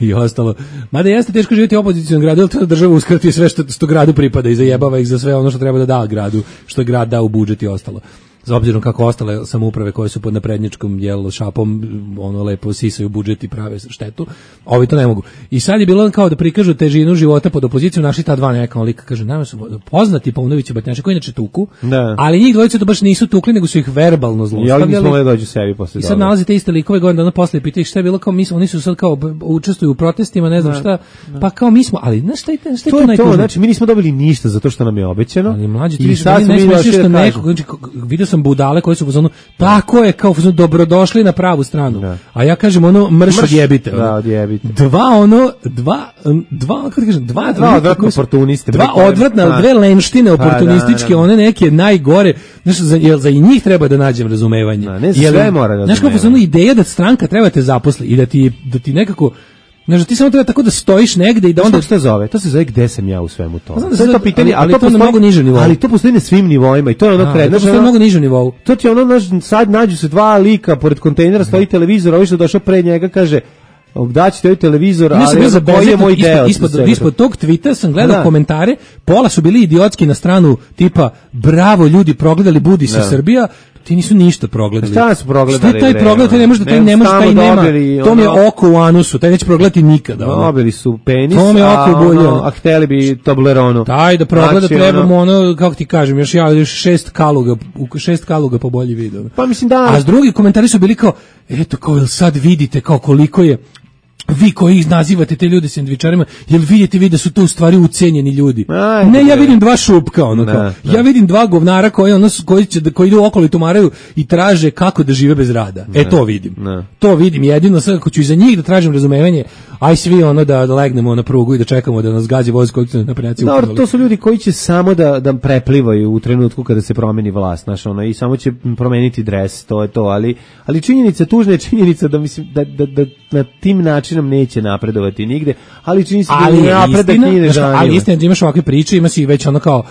i ostalo. Mada jeste teško živjeti u opozicijom gradu, jer to država uskrati sve što gradu pripada i zajebava ih za sve ono što treba da da gradu, što je grad dao u budžet i ostalo. Za obzirom kako ostale samouprave koje su pod naprednjačkom šapom lepo sisaju budžet i prave štetu, ovi to ne mogu. I sad je bilo kao da prikažu težinu života pod opozicijom, našli ta dva neka lika, kaže, nama su poznati Paunović i batinaši koji inače tuku, ali njih dvojica to baš nisu tukli, nego su ih verbalno zlostavljali. I sad nalazite iste likove godina dana posle i pitaju šta je bilo, kao oni su sad kao učestvuju u protestima, ne znam šta, pa kao mi smo, ali znaš šta je to najtužnije? Znači mi nismo dobili ništa zato što nam je obećano. Ali mlađi, ti vidio sam budale koji su u fazonu, tako je, kao fazonu, dobrodošli na pravu stranu. A ja kažem mrš odjebite. Dva odvratna, dve lenštine oportunističke, one neke najgore, znaš, za i njih treba da nađem razumevanje. Znaš, kao fazonu, ideja da stranka treba te zaposli i da ti nekako, znači ti samo treba tako da stojiš negde i da onda što zove. To se zove gde sam ja u svemu tome. To je to pitanje, ali to na mnogo nižem nivou. Ali to postoji na svim nivoima i to je ono prednost. To je na mnogo nižem nivou. To ti sad nađu se dva lika pored kontejnera, stoji televizor, ovaj što došao pre njega kaže daći te ovaj televizor, ali koji je moj deo. Ispod tog tvita sam gledao komentare, pola su bili idiotski na stranu tipa bravo ljudi, progledali Budi se Srbija. Ti nisu ništa progledali. Šta su progledali? Šta taj progled, taj ne može, taj nema, to mi je oko u anusu, taj neće progledati nikada. Dobili su penis, a hteli bi Tobleronu. Taj da progleda trebamo kako ti kažem, još 6 kaluga po bolji video. Pa mislim da. A s drugi komentari su bili kao, eto, kao sad vidite kao koliko je vi koji ih nazivate te ljude sendvičarima, jel vidite vi da su to u stvari ucenjeni ljudi? Ne, ja vidim dva šupka, ja vidim dva govnara koji idu okolo i tumaraju i traže kako da žive bez rada. To vidim. To vidim jedino, sad ako ću iza njih da tražim razumevanje, aj svi da legnemo na prugu i da čekamo da nas gađe voz koji su naprednjaci ukinuli. Dobro, to su ljudi koji će samo da preplivaju u trenutku kada se promeni vlast, znaš, i samo će promeniti dres, to je to, ali činjenica, tužna je činjenica da mislim da na tim načinom neće napredovati nigde, ali čini se da napredak nije nežanjivo. Ali istina da imaš ovakve priče, ima si već kao,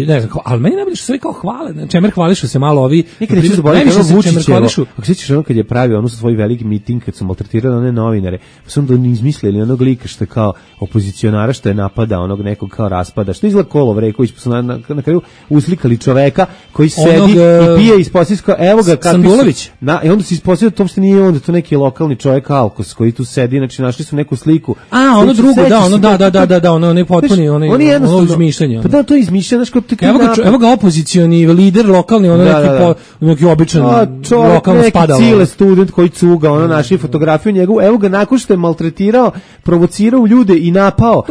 ne znam, ali meni najbolje što sve kao hvale, čemer hvališu se malo ovi. Nikad neću zaboraviti Vučićevo, ako sećaš kad je pravio ono svoj veliki miting, kad su maltretirali one novinare, pa su onda izmislili onog lika što je kao opozicionara što je napada onog nekog kao raspada, što izgleda Kolov Reković, pa su na kraju uslikali čoveka koji sedi i pije iz posljedska, evo ga Sandulović. I onda se ispostavio da to uopšte nije onda to neki lokalni čovjek Alkos koji tu sedi, znači našli su neku sliku. Ono drugo, ono ne potpuni, ono izmišljanje. Pa da, to je izmišljanje, znači evo ga opozicioni lider lokalni, neki običan lokalno spadalo. Neki cile student koji cuga, našli fotografiju njegovu, evo ga nakon što je maltretirao, provocirao ljude i napao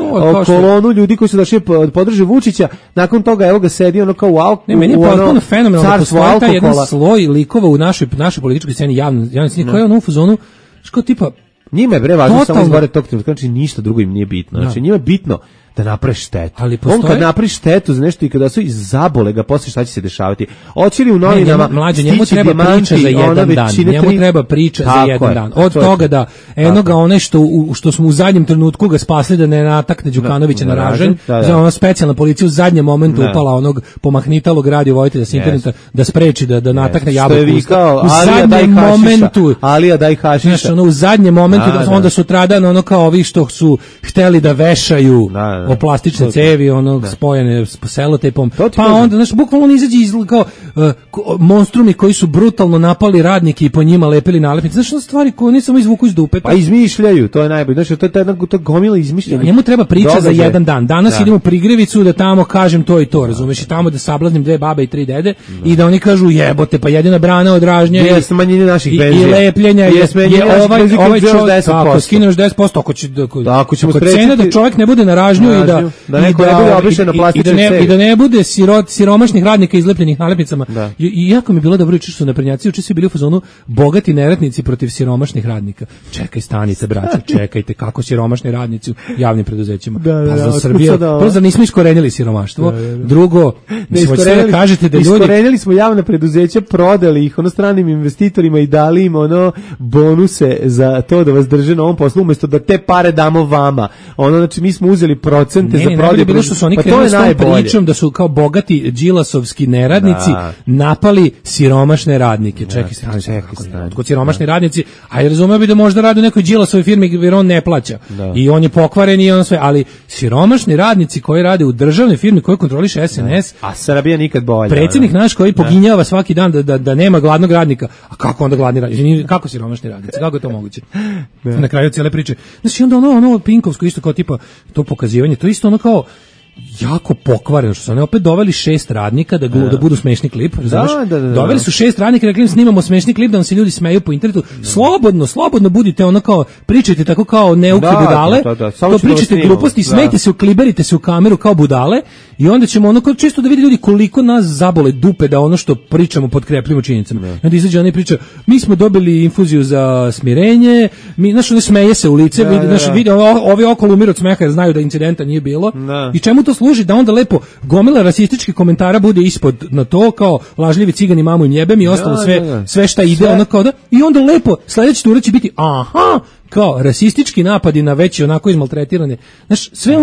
kolonu ljudi koji su došli podrže Vučića, nakon toga evo ga sedi kao u alkoholu. Ne, meni je potpuno fenomenalno da postoji taj jedan sloj likova u našoj političkoj sceni javnoj sceni koji je u fazonu, što tipa njima je važno samo izgore tog trenutka, znači ništa drugo im nije bitno. Znači njima je bitno da napravi štetu. On kad napravi štetu za nešto i kada su iz zabole ga posle šta će se dešavati. Hoće li u novinama njemu treba priča za jedan dan. Njemu treba priča za jedan dan. Od toga da enoga one što smo u zadnjem trenutku ga spasli da ne natakne Đukanovića na ražanj, za ona specijalna policija u zadnjem momentu upala onog pomahnitalog radiovojitelja sa interneta da spreči da natakne jabuku. U zadnjem momentu Alija daj hašiša. U zadnjem momentu onda sutradan kao ovi što su hteli da vešaju o plastične cevi, spojene s selotejpom. Pa onda, znaš, bukvalno on izađe kao monstrumi koji su brutalno napali radnike i po njima lepili nalepnice. Znaš, stvari koje oni samo izvuku iz dupeta. Pa izmišljaju, to je najbolje. Znači, to gomila izmišljanja. Njemu treba priča za jedan dan. Danas idemo u Prigrevicu da tamo kažem to i to, razumeš, i tamo da sablaznim 2 babe i 3 dede i da oni kažu jebote, pa jedina brana od ražnje je smanjenje naših penzija. I lepljenja je ovaj čovjek, ako skineš 10%, ako ćemo cena da čovjek ne bude na ražnju i da ne bude siromašnih radnika izlepljenih nalepnicama. I jako mi je bilo dobro što su naprednjaci juče svi bili u fazonu bogati neradnici protiv siromašnih radnika. Čekaj, stanite braćo, čekajte, kako siromašni radnici u javnim preduzećima. Pa za Srbije, prvo nismo iskorenili siromaštvo. Drugo, da kažete da ljudi iskorenili smo javna preduzeća, prodali ih stranim investitorima i dali im bonuse za to da vas drže na ovom poslu umesto da te pare damo vama. Znači mi smo uzeli procente za prodaju. Bilo što su oni krenuli s tom pričom da su kao bogati đilasovski neradnici napali siromašne radnike. Čekaj, kod siromašni radnici, a ja razumeo bi da možda radi u nekoj đilasovoj firmi jer on ne plaća. I on je pokvaren i on sve, ali siromašni radnici koji rade u državnoj firmi koji kontroliše SNS, a Srbija nikad bolja. Predsjednik naš koji poginjava svaki dan da nema gladnog radnika. A kako onda gladni radnici? Kako siromašni radnici? Kako je to moguće? Na kraju cijele priče. Znači onda ono Pinkovsko isto kao tipa to pokazivanje, to isto kao jako pokvareno, što su oni opet doveli 6 radnika da budu smešni klip, doveli su 6 radnika, rekli im snimamo smešni klip da vam se ljudi smeju po internetu, slobodno budite kao, pričajte tako kao neuke budale, to pričajte gluposti, smejte se, ukliberite se u kameru kao budale i onda ćemo čisto da vidi ljudi koliko nas zabole dupe da ono što pričamo potkrepljimo činjenicama. I onda izađe ona i priča, mi smo dobili infuziju za smirenje, ne smeje se u lice, ovi okolo umiru od smeha jer znaju da incidenta nije bilo. I čemu to služi? Da onda lepo gomila rasističkih komentara bude ispod na to, kao lažljivi cigani mamu im jebem i ostalo sve šta ide, i onda lepo sledeći tura će biti kao rasistički napadi na već onako izmaltretirane. Znaš, sve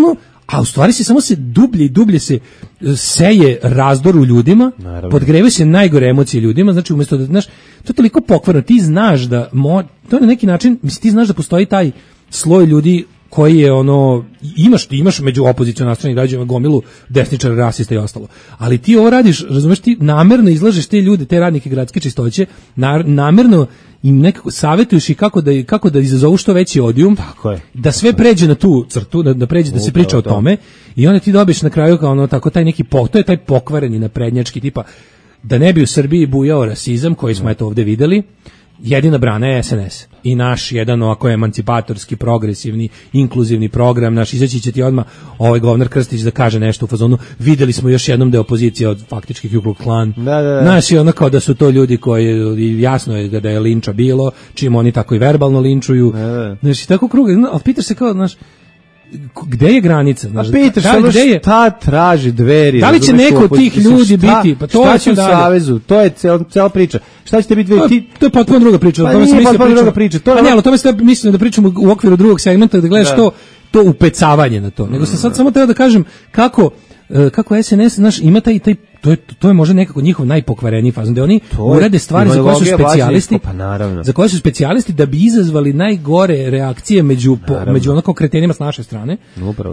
a u stvari se samo dublje i dublje se seje razdor u ljudima, podgrevaju se najgore emocije ljudima, znači umjesto da, znaš, to je toliko pokvarno, ti znaš da, to na neki način, ti znaš da postoji taj sloj ljudi koji je imaš među opozicijom nastranih građana gomilu desničara, rasista i ostalo. Ali ti ovo radiš, razumeš, ti namerno izlažeš te ljude, te radnike gradske čistoće, namerno im nekako savjetuješ i kako da izazovu što veći odijum, da sve pređe na tu crtu, da pređe, da se priča o tome i onda ti dobiješ na kraju kao tako taj neki to je taj pokvareni naprednjački tipa, da ne bi u Srbiji bujao rasizam koji smo eto ovdje videli. Jedina brana je SNS i naš jedan ovako emancipatorski, progresivni, inkluzivni program, naš izaći će ti odmah ovaj govnar Krstić da kaže nešto u fazonu, videli smo još jednom da je opozicija od faktički Ku Klux Klan. Naš je kao da su to ljudi koji, jasno je da je linča bilo, čim oni tako i verbalno linčuju. Znaš, i tako krug, ali pitaš se kao, znaš, gde je granica? Pitaš šta traži Dveri? Da li će neko od tih ljudi biti? Pa to šta će u Savezu? To je cela priča. Šta ćete biti to je potpuno druga priča. Pa nije potpuno druga priča. Pa ne, ali to mislim da pričamo u okviru drugog segmenta, da gledaš to upecavanje na to. Nego sam sad samo treba da kažem kako SNS, znaš, ima taj to je možda nekako njihov najpokvareniji fazon, da oni urade stvari za koje su specijalisti, za koje su specijalisti da bi izazvali najgore reakcije među onako kretenima s naše strane,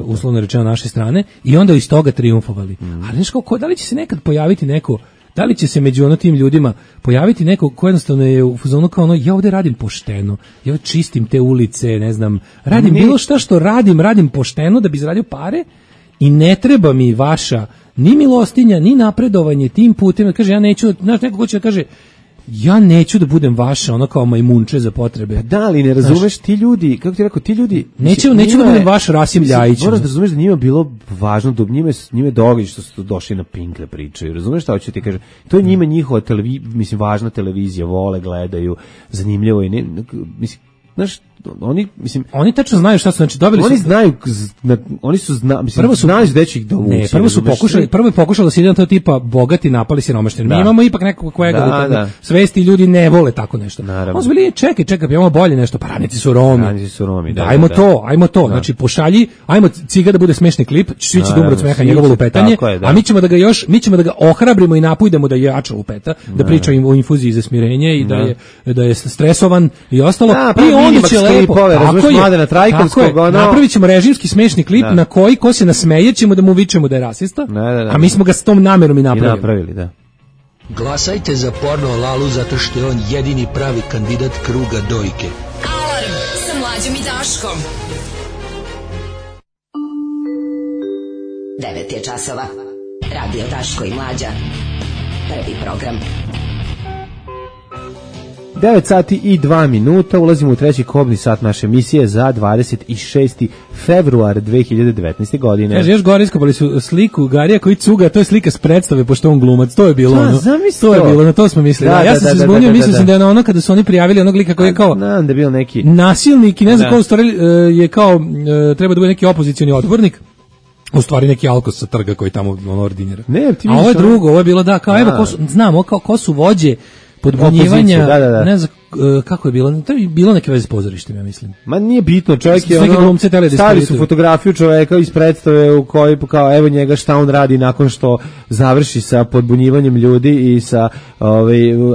uslovno rečeno naše strane, i onda iz toga trijumfovali. Ali znaš, da li će se nekad pojaviti neko, da li će se među tim ljudima pojaviti neko ko jednostavno je u fazonu kao ja ovdje radim pošteno, ja čistim te ulice, ne znam, radim bilo šta što radim pošteno da bi zaradio pare i ne treba mi vaša ni milostinja, ni napredovanje tim putem. Kaže, ja neću, znaš, neko ko će da kaže, ja neću da budem vaša, ono kao majmunče za potrebe. Pa da, ali ne razumeš, ti ljudi, kako ti rekao, ti ljudi... Neću da budem vaš Rasim Ljajić. Moraš da razumeš da njima bilo važno, da njime događa što su došli na Pink da pričaju. Razumeš šta hoću ti kažem? To je njima njihova važna televizija, vole, gledaju, zanimljivo je, mislim, znaš, oni tačno znaju šta su, znači dobili oni su, znaju, oni su znali gde će ih dovući. Prvo je pokušalo da se ide na to tipa bogati napali siromašni. Mi imamo ipak nekog kojega svesti ljudi ne vole tako nešto. On su bili, čekaj, imamo bolje nešto, pa radnici su Romi. Ajmo to. Znači pošalji, ajmo Ciga da bude smešni klip, svi će da umru od smeha njegovo lupetanje, a mi ćemo da ga ohrabrimo i napujdemo da je jača lupeta, da priča o infuziji za smirenje i da je stresovan i ostalo. I Minimax klipove, razumiješ, Mladena Trajkovskog, ono... Napravit ćemo režimski smešni klip na koji ko se nasmeje ćemo da mu vičemo da je rasista, a mi smo ga s tom namerom i napravili. Da. Glasajte za Porno Lalu zato što je on jedini pravi kandidat kruga dojke. Alarm sa Mlađom i Daškom. 9 je časova. Radio Daško i Mlađa. Prvi program. 9 sati i 2 minuta, ulazimo u treći kobni sat naše emisije za 26. februar 2019. godine. Kaže, još gore iskopali su sliku Garija koji cuga, to je slika s predstave, pošto on glumac, to je bilo ono. To je bilo, na to smo mislili. Ja sam se zbunio, mislio sam da je ono kada su oni prijavili onog lika koji je kao da je bio neki nasilnik i ne znam ko u stvari je kao, treba da bude neki opozicioni odbornik. U stvari neki alkos sa trga koji tamo ono ordinira. A ovo je drugo, ovo je bilo da, kao evo, znamo ko su vođe podbunjivanja, ne znam kako je bilo, to je bilo neke veze s pozorištem, ja mislim. Ma nije bitno, čovjek je ono, stavili su fotografiju čovjeka iz predstave u kojoj kao evo njega šta on radi nakon što završi sa podbunjivanjem ljudi i sa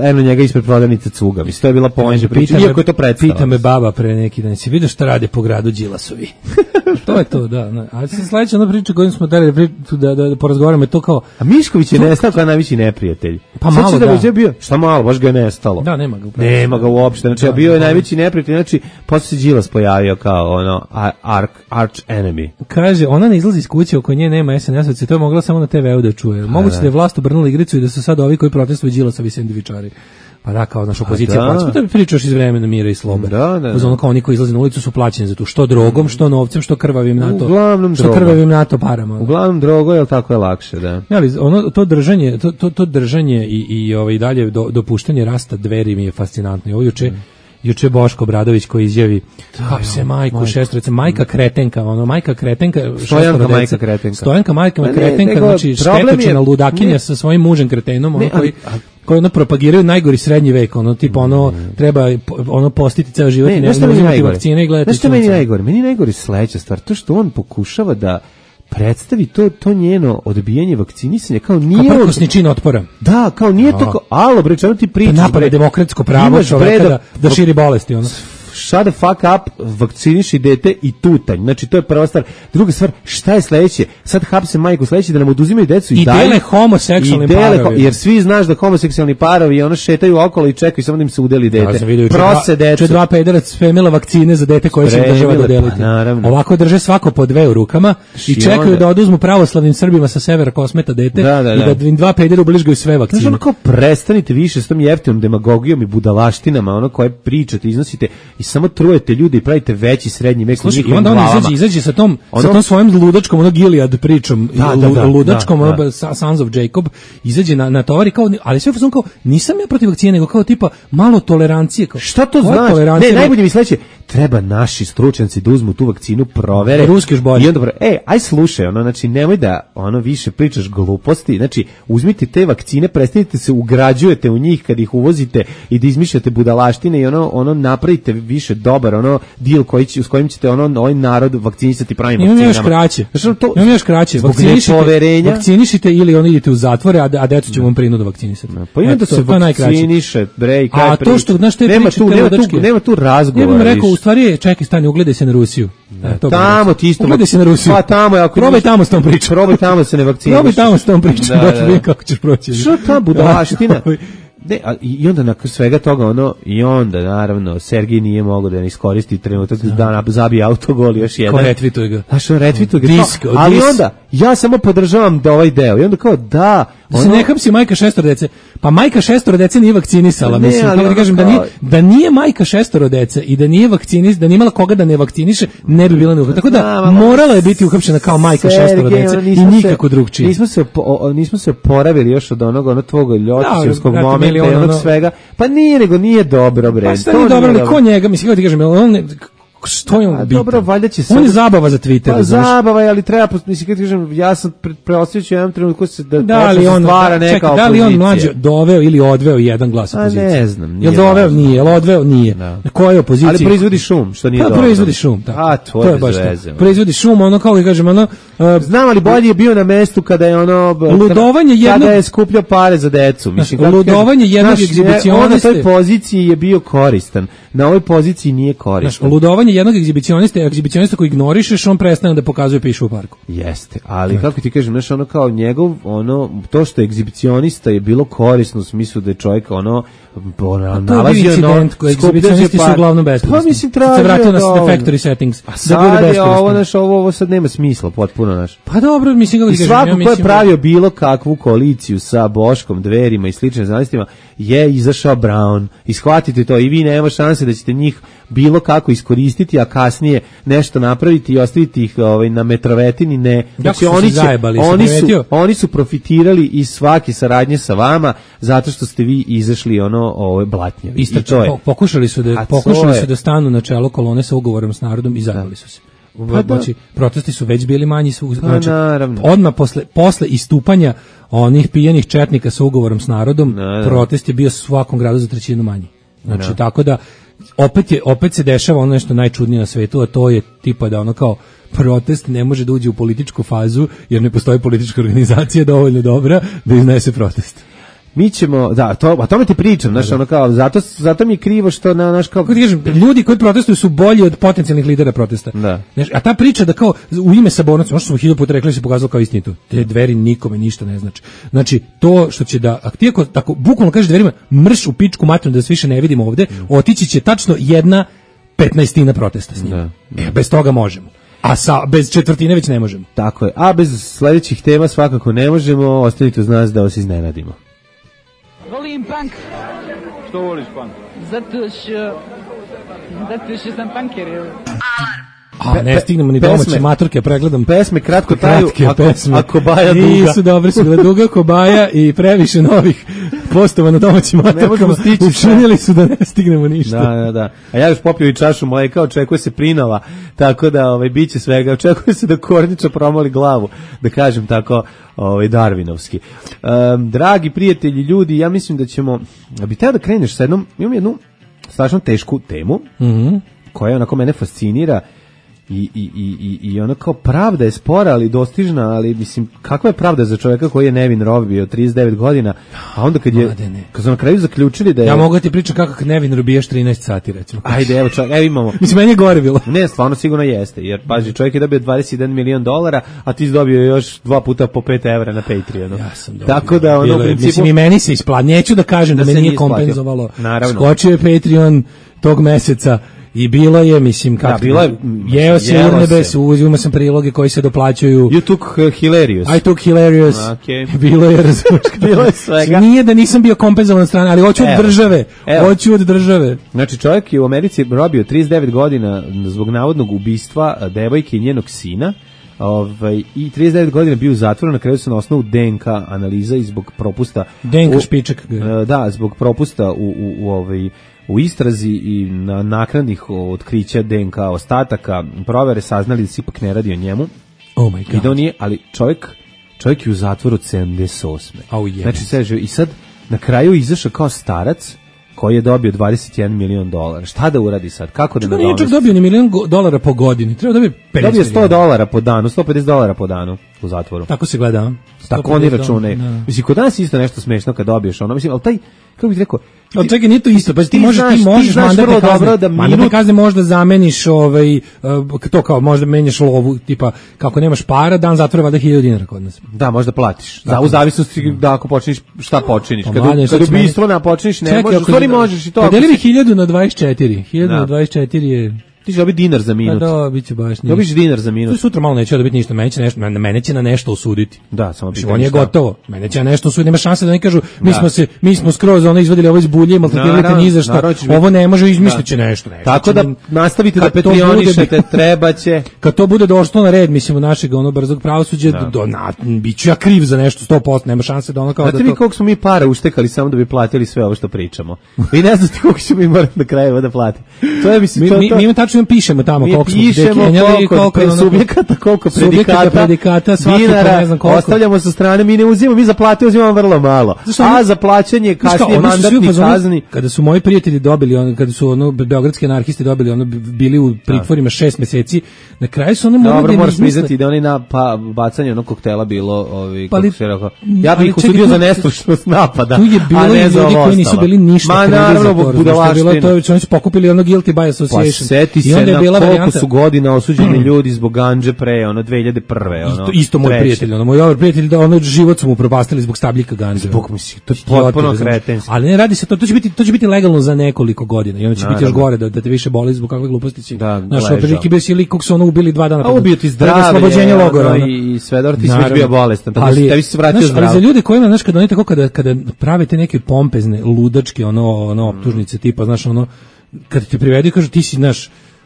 eno njega ispred prodavnice cuga. Mislim, to je bila poenta priče, iako je to predstava. Pita me baba pre neki dan, si vidio šta rade po gradu Đilasovi? To je to, da. A se sledeća ona priča koju smo dali da porazgovaramo je to kao... A Mišković je nestao kao najveći neprijatelj. Pa malo da. Bio, šta malo, baš ga je nestalo. Da, nema ga uopšte, znači bio je najveći neprijatelj, znači posle se Đilas pojavio kao ono arch enemy. Kaže, ona ne izlazi iz kuće, oko nje nema SNS-ovci, to je mogla samo na TV-u da čuje. Moguće da je vlast obrnula igricu i da su sad ovi koji protestuju Đilasovi sendvičari. Pa da, kao naša opozicija, pa da pričaš iz vremena mira i slobe. Ono kao oni koji izlaze na ulicu su plaćeni za to, što drogom, što novcem, što krvavim NATO. Uglavnom što krvavim NATO parama. Uglavnom drogo, jel tako je lakše, da. Ali ono to držanje i dalje dopuštanje rasta Dveri mi je fascinantno. I ovo juče Boško Obradović koji izjavi kako se majku šestorice, majka kretenka, majka kretenka, Stojanka majka kretenka, znači štetočina ludakinja sa svojim mužem kretenom, koji ono propagiraju najgori srednji vek, ono tipa ono treba ono postiti ceo život i ne uzimati vakcine i gledati. Znaš što meni najgore? Meni najgore sledeća stvar, to što on pokušava da predstavi to njeno odbijanje vakcinisanja kao nije kao prkosni čin otpora. Da, kao nije to kao, alo bre, čemu ti pričaš? Napad demokratsko pravo čoveka da širi bolesti, ono. Shut the fuck up, vakciniši dete i tutanj. Znači, to je prva stvar. Druga stvar, šta je sledeće? Sad hapse majku sledeće da nam oduzimaju decu i dele homoseksualnim parovi. Jer svi znaš da homoseksualni parovi ono šetaju okolo i čekaju samo da im se udeli dete. Prose decu. Dva pederac spremila vakcine za dete koje će država dodeliti. Pa, ovako drže svako po dve u rukama i čekaju da oduzmu pravoslavnim Srbima sa severa Kosmeta dete i da im dva pedera ubližgaju sve vakcine. Znači, ono kao prestanite više s tom jeftinom demagogijom i budalaštinama, ono koje pričate, iznosite i samo trujete ljudi i pravite veći srednji vek u njihovim glavama. Onda on izađe sa tom svojim ludačkom, ono Gilead pričom, ludačkom, Sons of Jacob, izađe na tovari, kao, ali sve kao, nisam ja protiv vakcine, nego kao tipa malo tolerancije. Kao, šta to znači? Ne, najbolje mi sledeće, treba naši stručnjaci da uzmu tu vakcinu, provere. Ruski još bolje. I onda aj slušaj, znači nemoj da više pričaš gluposti, znači uzmite te vakcine, prestanite se ugrađujete u njih kad ih uvozite i da izmišljate budalaštine i ono napravite više dobar deal s kojim ćete ovaj narod vakcinisati pravim vakcinama. Imam još kraće. Vakcinišite ili idete u zatvore, a decu ćemo vam prinudu vakcinisati. Pa ima da se vakciniše, bre, i kraj priče. A to što, znaš, te priče, nema tu razgovora. Ja bih rekao, u stvari, čekaj, stani, ugledaj se na Rusiju. Tamo ti isto. Ugledaj se na Rusiju. Pa tamo, probaj tamo s tom pričom. Probaj tamo se ne vakciniš. Probaj tamo s tom pričom, da vidim kako ćeš proći. Što ta budalaština? I onda nakon svega toga i onda naravno Sergij nije mogao da ne iskoristi trenutak da zabije autogol još jedan. Ko retvituje ga. Retvituje ga. Ali onda ja samo podržavam da ovaj deo. I onda kao da se ne hapsi majka šestoro dece. Pa majka šestoro dece nije vakcinisala, mislim, kako da kažem da nije majka šestoro dece i da nije da nije imala koga da ne vakciniše, ne bi bila neuhapšena. Tako da morala je biti uhapšena kao majka šestoro dece i nikako drugčije. Nismo se oporavili još od onog tvog ljotićevskog momenta i onog svega. Pa nije, nego nije dobro, bre. Pa nije dobro, ali ko njega, mislim, kako ti kažem, Što je on bitan? Dobro, valjda će on je zabava za Twitter. Pa zabava je, ali treba, mislim, kad kažem, ja sam preostavio jednom trenutku da li on stvara neka opozicija. Da li on mlađe doveo ili odveo jedan glas opozicije? Ne znam. Jel doveo? Nije. Jel odveo? Nije. Na kojoj opoziciji? Ali proizvodi šum, što nije dobro. Proizvodi šum, tako. To je baš to. Proizvodi šum, ono kao i kažem, ono... Znam, ali bolje je bio na mestu kada je ono... Ludovanje jednog... Kada je skupljao pare za decu. Mislim, ludovanje jednog egzibicioniste... On na toj poziciji je bio koristan. Na ovoj poziciji nije koristan. Ludovanje jednog egzibicionista koji ignorišeš, on prestane da pokazuje pišu u parku. Jeste, ali kako ti kažem, znaš, ono kao njegov, ono, to što je egzibicionista je bilo korisno u smislu da je čovjek, ono, nalazio incident koji egzibicionisti su uglavnom besplatni. Pa mislim, tražio se vratio na factory settings. A sad je ovo sad nema smisla, potpuno, znaš. Pa dobro, mislim, kako ti kažem. Svako ko je pravio bilo kakvu koaliciju sa Boškom, Dverima i sličnim znalistima, je izašao Brown. Ishvatite to i vi nema šanse da ćete njih bilo kako iskoristiti, a kasnije nešto napraviti i ostaviti ih na metrovetini, ne. Znači oni su profitirali iz svake saradnje sa vama zato što ste vi izašli blatnjavi. I to je. Pokušali su da stanu na čelo kolone sa ugovorom s narodom i zajebali su se. Znači, protesti su već bili manji, znači, odmah posle istupanja onih pijanih četnika sa ugovorom s narodom, protest je bio u svakom gradu za 1/3 manji. Znači, tako da opet se dešava ono nešto najčudnije na svetu, a to je tipa da ono kao protest ne može da uđe u političku fazu jer ne postoji politička organizacija dovoljno dobra da iznese protest. Mi ćemo, o tome ti pričam, znaš, ono kao, zato mi je krivo što naš kao... Ljudi koji protestuju su bolji od potencijalnih lidera protesta. Da. A ta priča da kao u ime sabornosti, možda smo 1000 puta rekli, se pokazalo kao istinito. Te Dveri nikome ništa ne znači. Znači, to što će da, ti ako tako bukvalno kažeš Dverima, mrš u pičku materinu da se više ne vidimo ovde, otići će tačno 1/15 protesta s njima. Bez toga možemo. A bez četvrtine već ne možemo. Tako je. A bez sledećih tema svakako ne možemo, ostavite uz nas da vas iznenadimo. Volim punk. Što voliš punk? Zato što sam punker. A ne stignemo ni domaće maturke, pregledam. Pesme kratko traju, a kobaja duga. Nisu dobre, su bila duga kobaja i previše novih postova na domaćim maturkama. Učinili su da ne stignemo ništa. Da. A ja još popio i čašu mleka, očekuje se prinova, tako da bit će svega. Očekuje se da Korniča promoli glavu, da kažem tako, darvinovski. Dragi prijatelji, ljudi, ja mislim da ćemo, bi teo da kreneš sa imam jednu strašno tešku temu, koja onako mene fascinira, i ono kao pravda je spora, ali dostižna, ali mislim, kakva je pravda za čovjeka koji je nevin robio 39 godina, a onda kad su na kraju zaključili da je... Ja mogu ti pričati kako nevin robijaš 13 sati, recimo. Ajde, evo imamo... Mislim, meni je gore bilo. Ne, stvarno sigurno jeste, jer paži, čovjek je dobio $21 milion, a ti si dobio još 2 puta po 5 evra na Patreonu. Ja sam dobio. Tako da, u principu... Mislim, i meni se isplatilo, neću da kažem da me nije kompenzovalo. Naravno. Skočio je Patreon tog meseca. I bilo je, mislim, kako... Jeo se urnebes, uzimao sam priloge koji se doplaćuju... You took hilarious. I took hilarious. Okay. Bilo je, razumiješ. Bilo je svega. Nije da nisam bio kompenzovan strane, ali hoću od države. Znači, čovjek je u Americi robio 39 godina zbog navodnog ubistva devojke i njenog sina, i 39 godina bio u zatvoru, na kraju se na osnovu DNK analiza i zbog propusta... DNK špičak. Da, zbog propusta u istrazi i na naknadnih otkrića DNK ostataka provere saznali da se ipak ne radi o njemu. Oh my god. I da on nije, ali čovjek je u zatvoru od 78. Znači, i sad na kraju izašao kao starac koji je dobio $21 milion. Šta da uradi sad? Kako da nadomesti? Nije čak dobio ni $1 milion po godini. Treba dobio $50 po danu, $150 po danu u zatvoru. Tako se gleda. Tako oni računaju. Mislim, kod nas isto nešto smešno kad dobiješ ono. Mislim, ali taj, kako bih rekao... Ali čekaj, nije to isto, pa ti možeš mandate kazne možda zameniš to kao možda menjaš lovu, tipa kako nemaš para, dan zatvora valjda $1000 kod nas. Da, možda platiš. U zavisnosti da ako počiniš, šta počiniš. Kad ubistvo ne počiniš, ne možeš, u stvari možeš i to. Podeli 1000 na 24. 1000 na 24 je... Ti će dobiti dinar za minut. Da, bit će baš ništa. Dobiš dinar za minut. Sutra malo neće dobiti ništa, mene će na nešto osuditi. Da, samo pitanje. On je gotovo. Mene će na nešto osuditi, nema šanse da ne kažu mi smo skroz izvadili ovo iz bulje, maltretirali te ni za šta. Ovo ne može, izmisliće nešto. Tako da nastavite da petrionišete, treba će. Kad to bude došlo na red, mislim, u našeg brzog pravosuđa, biću ja kriv za nešto 100%, nema šanse da ono kao da to... Znate vi koliko smo mi para uštekali samo da bi platili sve ovo što pričamo? Vi ne znate koliko ćemo mi morati na kraju da platiti. To je, mislim, tačno pišemo tamo koliko smo dekenjali, koliko subjekata, koliko predikata, dinara, ne znam koliko. Ostavljamo sa strane, mi ne uzimamo, mi za plate uzimamo vrlo malo. A za plaćanje kasnije mandatni kazni. Kada su moji prijatelji dobili, kada su beogradski anarhisti dobili, bili u pritvorima 6 meseci, na kraju su morali dobro, moraš priznati da oni na bacanje onog koktela bilo, kako se rekao, ja bih ih osudio za nestručnost napada, tu je bilo ljudi koji nisu bili ništa krivi za to. Oni su pokupili ono guilty by association. Pa seti se na koliko su godina osuđeni ljudi zbog gandže pre, 2001. Isto moj prijatelj, moj dobar prijatelj, život su mu propastili zbog stabljika gandže. Zbog to je potpuno kretenski. Ali ne radi se to će biti legalno za nekoliko godina i onda će biti još gore da te više boli zbog kakve gluposti si. Naš oprediki bez ili kog su ubili 2 dana. A ubio ti zdravlje i Svedor ti si bio bolestan, tako da tebi se vratio zdrav. Ali za ljude koji ima, kad oni tako kada pravite neke pompezne, ludačke, optužnice tipa, kad te privedu i kažu ti si,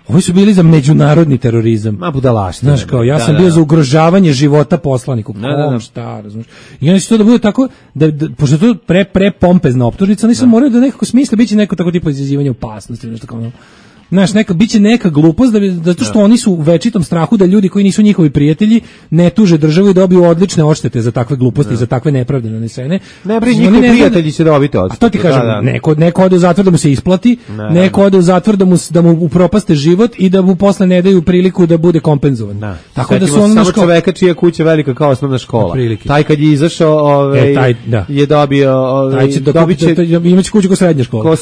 ovi su bili za međunarodni terorizam. Ma budalaština. Znaš, kao, ja sam bio za ugrožavanje života poslaniku. Šta, razumiješ? I onda će to da bude tako, pošto je to pre pompezna optužnica, oni sam moraju da nekako smisle, bit će neko tako tipo izazivanje opasnosti, nešto kao znaš, biće neka glupost zato što oni su u večitom strahu da ljudi koji nisu njihovi prijatelji ne tuže državu i dobiju odlične odštete za takve gluposti, za takve nepravde nanesene. Ne bre, njihovi prijatelji će dobiti odštetu. A to ti kažem, neko ode u zatvor da mu se isplati, neko ode u zatvor da mu upropaste život i da mu posle ne daju priliku da bude kompenzovan. Tako da su ono samo čoveka čija kuća velika kao osnovna škola. Taj kad je izašao, je dobio, imaće kuću kao srednja škola.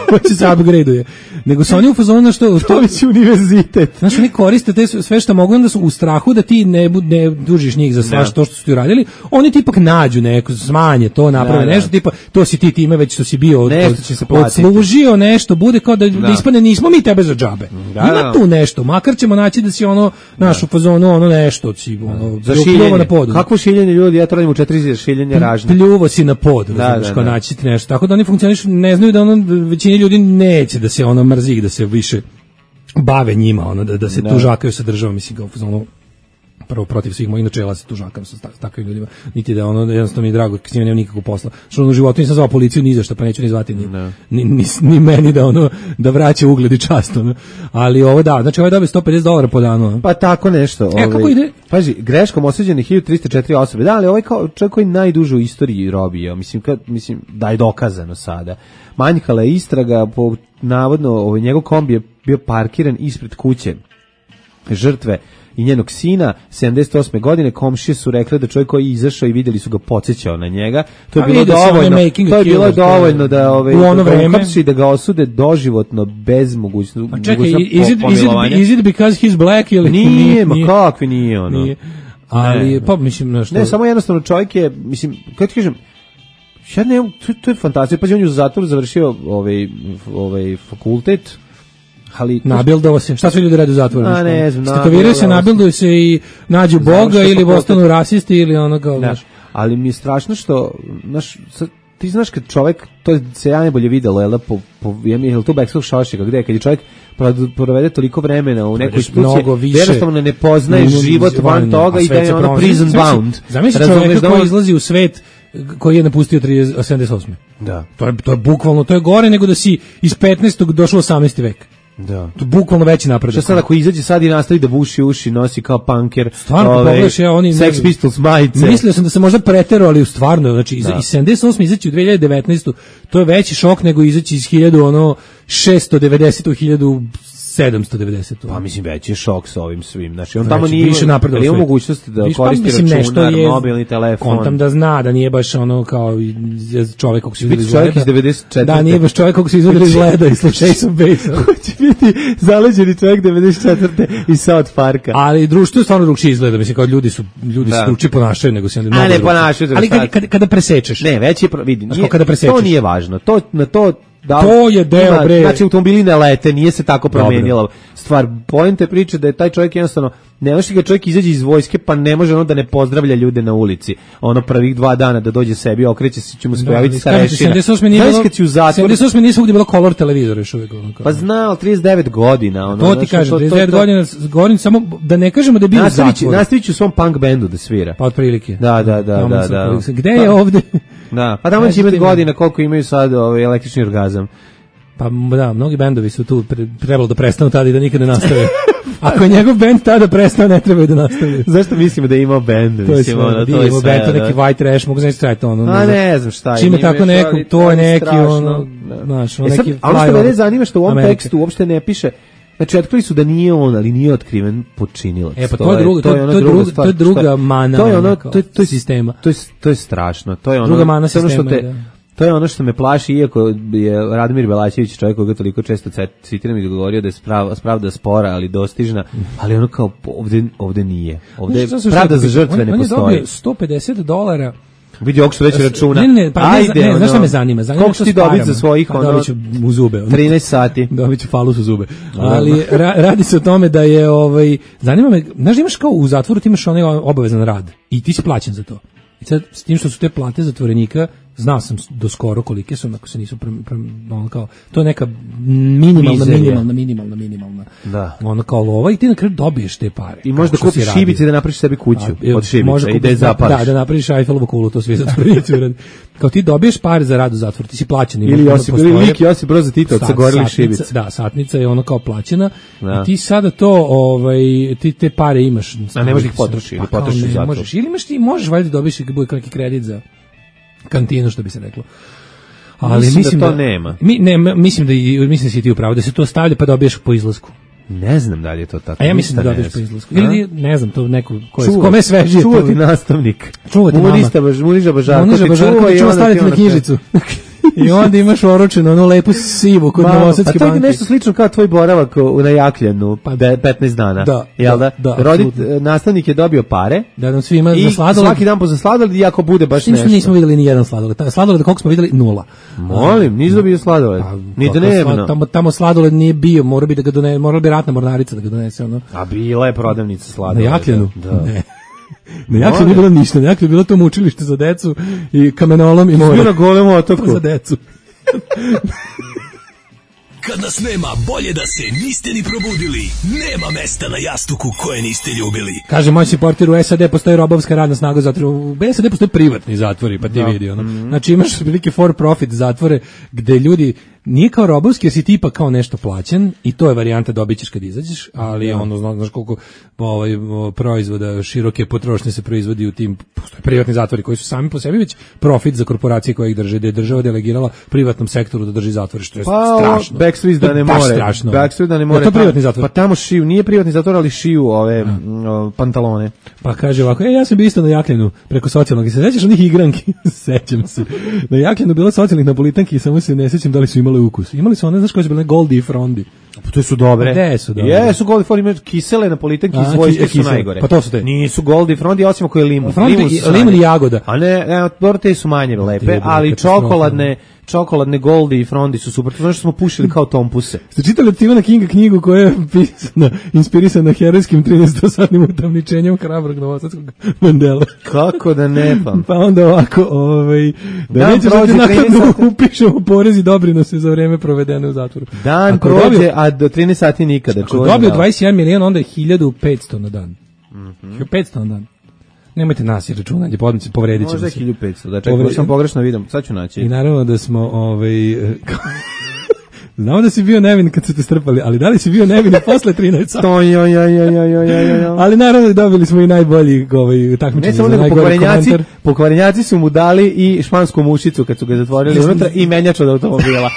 Hoće se upgrade-uje. Nego su oni u fazonu na što to već univerzitet. Znaš, oni koriste sve što mogu, onda su u strahu da ti ne dužiš njih za sve to što su ti uradili. Oni ti ipak nađu neko, smanje to, naprave nešto, tipa, to si ti time već što si bio odslužio nešto, bude kao da ispane nismo mi tebe za džabe. Ima tu nešto, makar ćemo naći da si naš u fazonu, nešto si, za šiljenje na podu. Kakvo šiljenje ljudi, ja tražim u 4 šiljenja ražnje. Pljuvo si na podu, kao naći ti nešto. Tako da oni funkcionišu, ne znaju da većina ljudi neće da se mrzi, da se više bave njima, da se tužakaju sa državom, mislim, kao prvo protiv svih mojih načela se tužakam sa takvim ljudima, niti da jednostavno mi je drago, s njima nema nikakvog posla. Što u životu nisam zvao policiju ni za šta, pa neću ni zvati ni meni da vraća ugled i čast. Ali ovo znači ovo je dobio $150 po danu. Pa tako nešto. Kako ide? Pazi, greškom osuđeni 1304 osobe. Da, ali ovaj kao čovjek koji najduže u istoriji robio, mislim da je dokazano sada. Manjkala je istraga, navodno njegov kombi je bio parkiran ispred kuće žrtve i njenog sina, 78. godine, komšije su rekli da čovjek koji je izašao i vidjeli su ga podsjećao na njega. To je bilo dovoljno da uhapsi, da ga osude doživotno bez mogućnosti. Is it because he's black ili nije? Ma kakvi nije ono. Nije. Ali pa mislim nešto. Ne, samo jednostavno čovjek je, mislim, kako ti kažem, ja ne, to je fantazija. Pa on je u zatvoru završio ovaj fakultet. Ali nabildovo se. Šta su ljudi rade u zatvoru? A ne znam. Statoviraju se, nabilduju se i nađu Boga ili postanu rasisti ili kao znaš. Ali mi je strašno što ti znaš kad čovjek, to se ja najbolje videlo, je to Bekskog Šošika, gde kad je čovjek provede toliko vremena u nekoj instituciji, jednostavno ne poznaje život van toga i da je prison bound. Zamisli čovjeka koji izlazi u svet koji je napustio 78. Da. To je bukvalno, to je gore nego da si iz 15. došao u 18. vek. Da. To bukvalno veći napredak. Šta sad ako izađe sad i nastavi da buši uši, nosi kao punker, stvarno pogledaš oni Sex Pistols majice. Mislio sam da se možda preterao, ali stvarno, znači iz 78 izaći u 2019. To je veći šok nego izaći iz 1690 u 1790. Pa mislim veći je šok sa ovim svim. Znači on tamo nije više napredovao. Ima mogućnost da koristi računar, mobilni telefon. On tam da zna da nije baš kao čovjek kako se izgleda iz čovjek iz 94. Da, nije baš čovjek kako se izgleda iz leda i sluša Ace of Base. Hoće biti zaleđeni čovjek 94. iz South Parka. Ali društvo je stvarno drugčije izgleda. Mislim kao ljudi se drugačije ponašaju nego se onda mnogo. A ne ponašaju. Ali kada presečeš. Ne, već je vidi. To nije važno. To je deo bre. Znači automobili ne lete, nije se tako promenila stvar. Poenta priče da je taj čovjek jednostavno, ne može ga čovjek izađe iz vojske pa ne može da ne pozdravlja ljude na ulici. Prvih 2 dana da dođe sebi, okreće se, će mu se pojaviti starešina. 78 nije svugdje bilo color televizor još uvijek. Pa znao, 39 godina. To ti kažem, 39 godina, govorim samo da ne kažemo da je bio zatvor. Nastavit ću u svom punk bendu da svira. Pa otprilike. Da. Gde je ovde? Da, pa tamo će imati godina koliko imaju sad električni orgazam. Pa da, mnogi bendovi su tu trebalo da prestanu tada i da nikad ne nastave. Ako je njegov bend tada prestao, ne trebaju da nastavi. Zašto mislimo da je imao bend? To je sve, to je sve. To neki white trash, mogu znači trajati ono. A ne znam šta je. Čime tako neko, to je neki ono, znaš, ono neki. Ali što mene zanima što u ovom tekstu uopšte ne piše. Znači, otkrili su da nije on, ali nije otkriven počinilac. Pa to je druga mana sistema. To je strašno. To je ono, druga mana sistema, to je ono što me plaši, iako je Radomir Belačević čovjek koga toliko često citiram i govorio da je pravda spora, ali dostižna, ali ono kao ovde nije. Ovde pravda za žrtve ne postoji. On je dobio $150. Vidi ovog što već računa. Ne, pa ajde, znaš šta me zanima? Koliko ću ti dobiti za svojih dobit ću u zube. 13 sati. Dobit ću falus u zube. Ali radi se o tome da je, zanima me, znaš da imaš kao u zatvoru, ti imaš onaj obavezan rad i ti si plaćen za to. I sad, s tim što su te plate zatvorenika, znao sam do skoro kolike su, ako se nisu ono kao, to je neka minimalna. Da. Ono kao lova i ti na kraju dobiješ te pare. I možda kupiš šibice da napraviš sebi kuću od šibica i da je zapališ. Da napraviš Eiffelovu kulu, to svi zatvorenici uradi. Kao ti dobiješ pare za rad u zatvoru, ti si plaćen. Ili Josip Broz Tito od sagorelih šibica. Da, satnica je ono kao plaćena i ti sada to, ti te pare imaš. A ne možeš ih potrošiti ili potrošiš u zatvoru. Ili imaš ti, možeš valjda dobiješ neki kredit za kantinu, što bi se reklo. Ali mislim da to nema. Mislim da si ti upravo da se to stavlja pa dobiješ po izlasku. Ne znam da li je to tako. A ja mislim da dobiješ po izlasku. Ili ne znam, to neko kome je svežije. Čuvati nastavnik. Čuvati mama. Muniža Bažarko. Čuva staviti na knjižicu. I onda imaš oročeno onu lepu sivu kod Novosadske banke. Pa to je nešto slično kao tvoj boravak na Jakljanu 15 dana. Jel da? Nastavnik je dobio pare. Da nam svima za sladoled. Svaki dan po za sladoled i ako bude baš nešto. Nismo vidjeli ni jedan sladoled. Sladoled koliko smo vidjeli 0. Molim, nisi dobio sladoled. Ni dnevno. Tamo sladoled nije bio, morala bi ratna mornarica da ga donese ono. A bila je prodavnica sladoleda. Na Jakljanu? Ne. Na Jakljanu nije bilo ništa, na Jakljanu je bilo to učilište za decu i kamenolom i more. Bio na golem otoku. Za decu. Kad nas nema, bolje da se niste ni probudili. Nema mesta na jastuku koje niste ljubili. Kaže moj supporter, u SAD postoji robovska radna snaga zatvora. U SAD postoji privatni zatvori, pa ti vidi ono. Znači imaš velike for profit zatvore gde ljudi nije kao robovski, jer si tipa kao nešto plaćen i to je varijanta dobit ćeš kad izađeš, ali ono, znaš koliko proizvoda široke potrošnje se proizvodi u tim privatni zatvori koji su sami po sebi već profit za korporacije koje ih drže, da je država delegirala privatnom sektoru da drži zatvore, što je strašno. Backstreet da ne more. Backstreet da ne more. To privatni zatvor. Pa tamo šiju, nije privatni zatvor, ali šiju ove pantalone. Pa kaže ovako, ja sam bio isto na Jakljanu preko socijalnog, i se sećaš onih igranki? Sećam se. Na Jakljanu bilo socijalnih napolitanki i samo se ne sećam da li su imali ukus. Imali su one, znaš koje su bile Goldie i Frondi. Pa to su dobre. Gde su dobre? Jesu Goldie i Frondi, imaju kisele napolitanke i svojske su najgore. Pa to su te. Nisu Goldie i Frondi, osim ako je limun. Limun i jagoda. A ne, dobro, te su manje lepe, ali čokoladne Goldie i Frondi su super. To znači što smo pušili kao tompuse. Ste čitali od Stephena Kinga knjigu koja je inspirisana herojskim 13-satnim utamničenjem hrabrog novosadskog Mandela? Kako da ne pam? Pa onda ovako, da nećeš da ti nakladno upišemo porez i doprinose za vreme provedene u zatvoru. Dan prođe, a do 13 sati nikada. Ako dobio 21 milijon, onda je 1500 na dan. 1500 na dan. Nemojte nas i računanje, povredit ćemo se. Možda 1500, da čekaj, sam pogrešno vidim, sad ću naći. I naravno da smo, znamo da si bio nevin kad su te strpali, ali da li si bio nevin posle 13 sati? Ali naravno dobili smo i najbolji takmičenje za najgori komentar. Pokvarenjaci su mu dali i špansku mušicu kad su ga zatvorili unutra i menjač od automobila.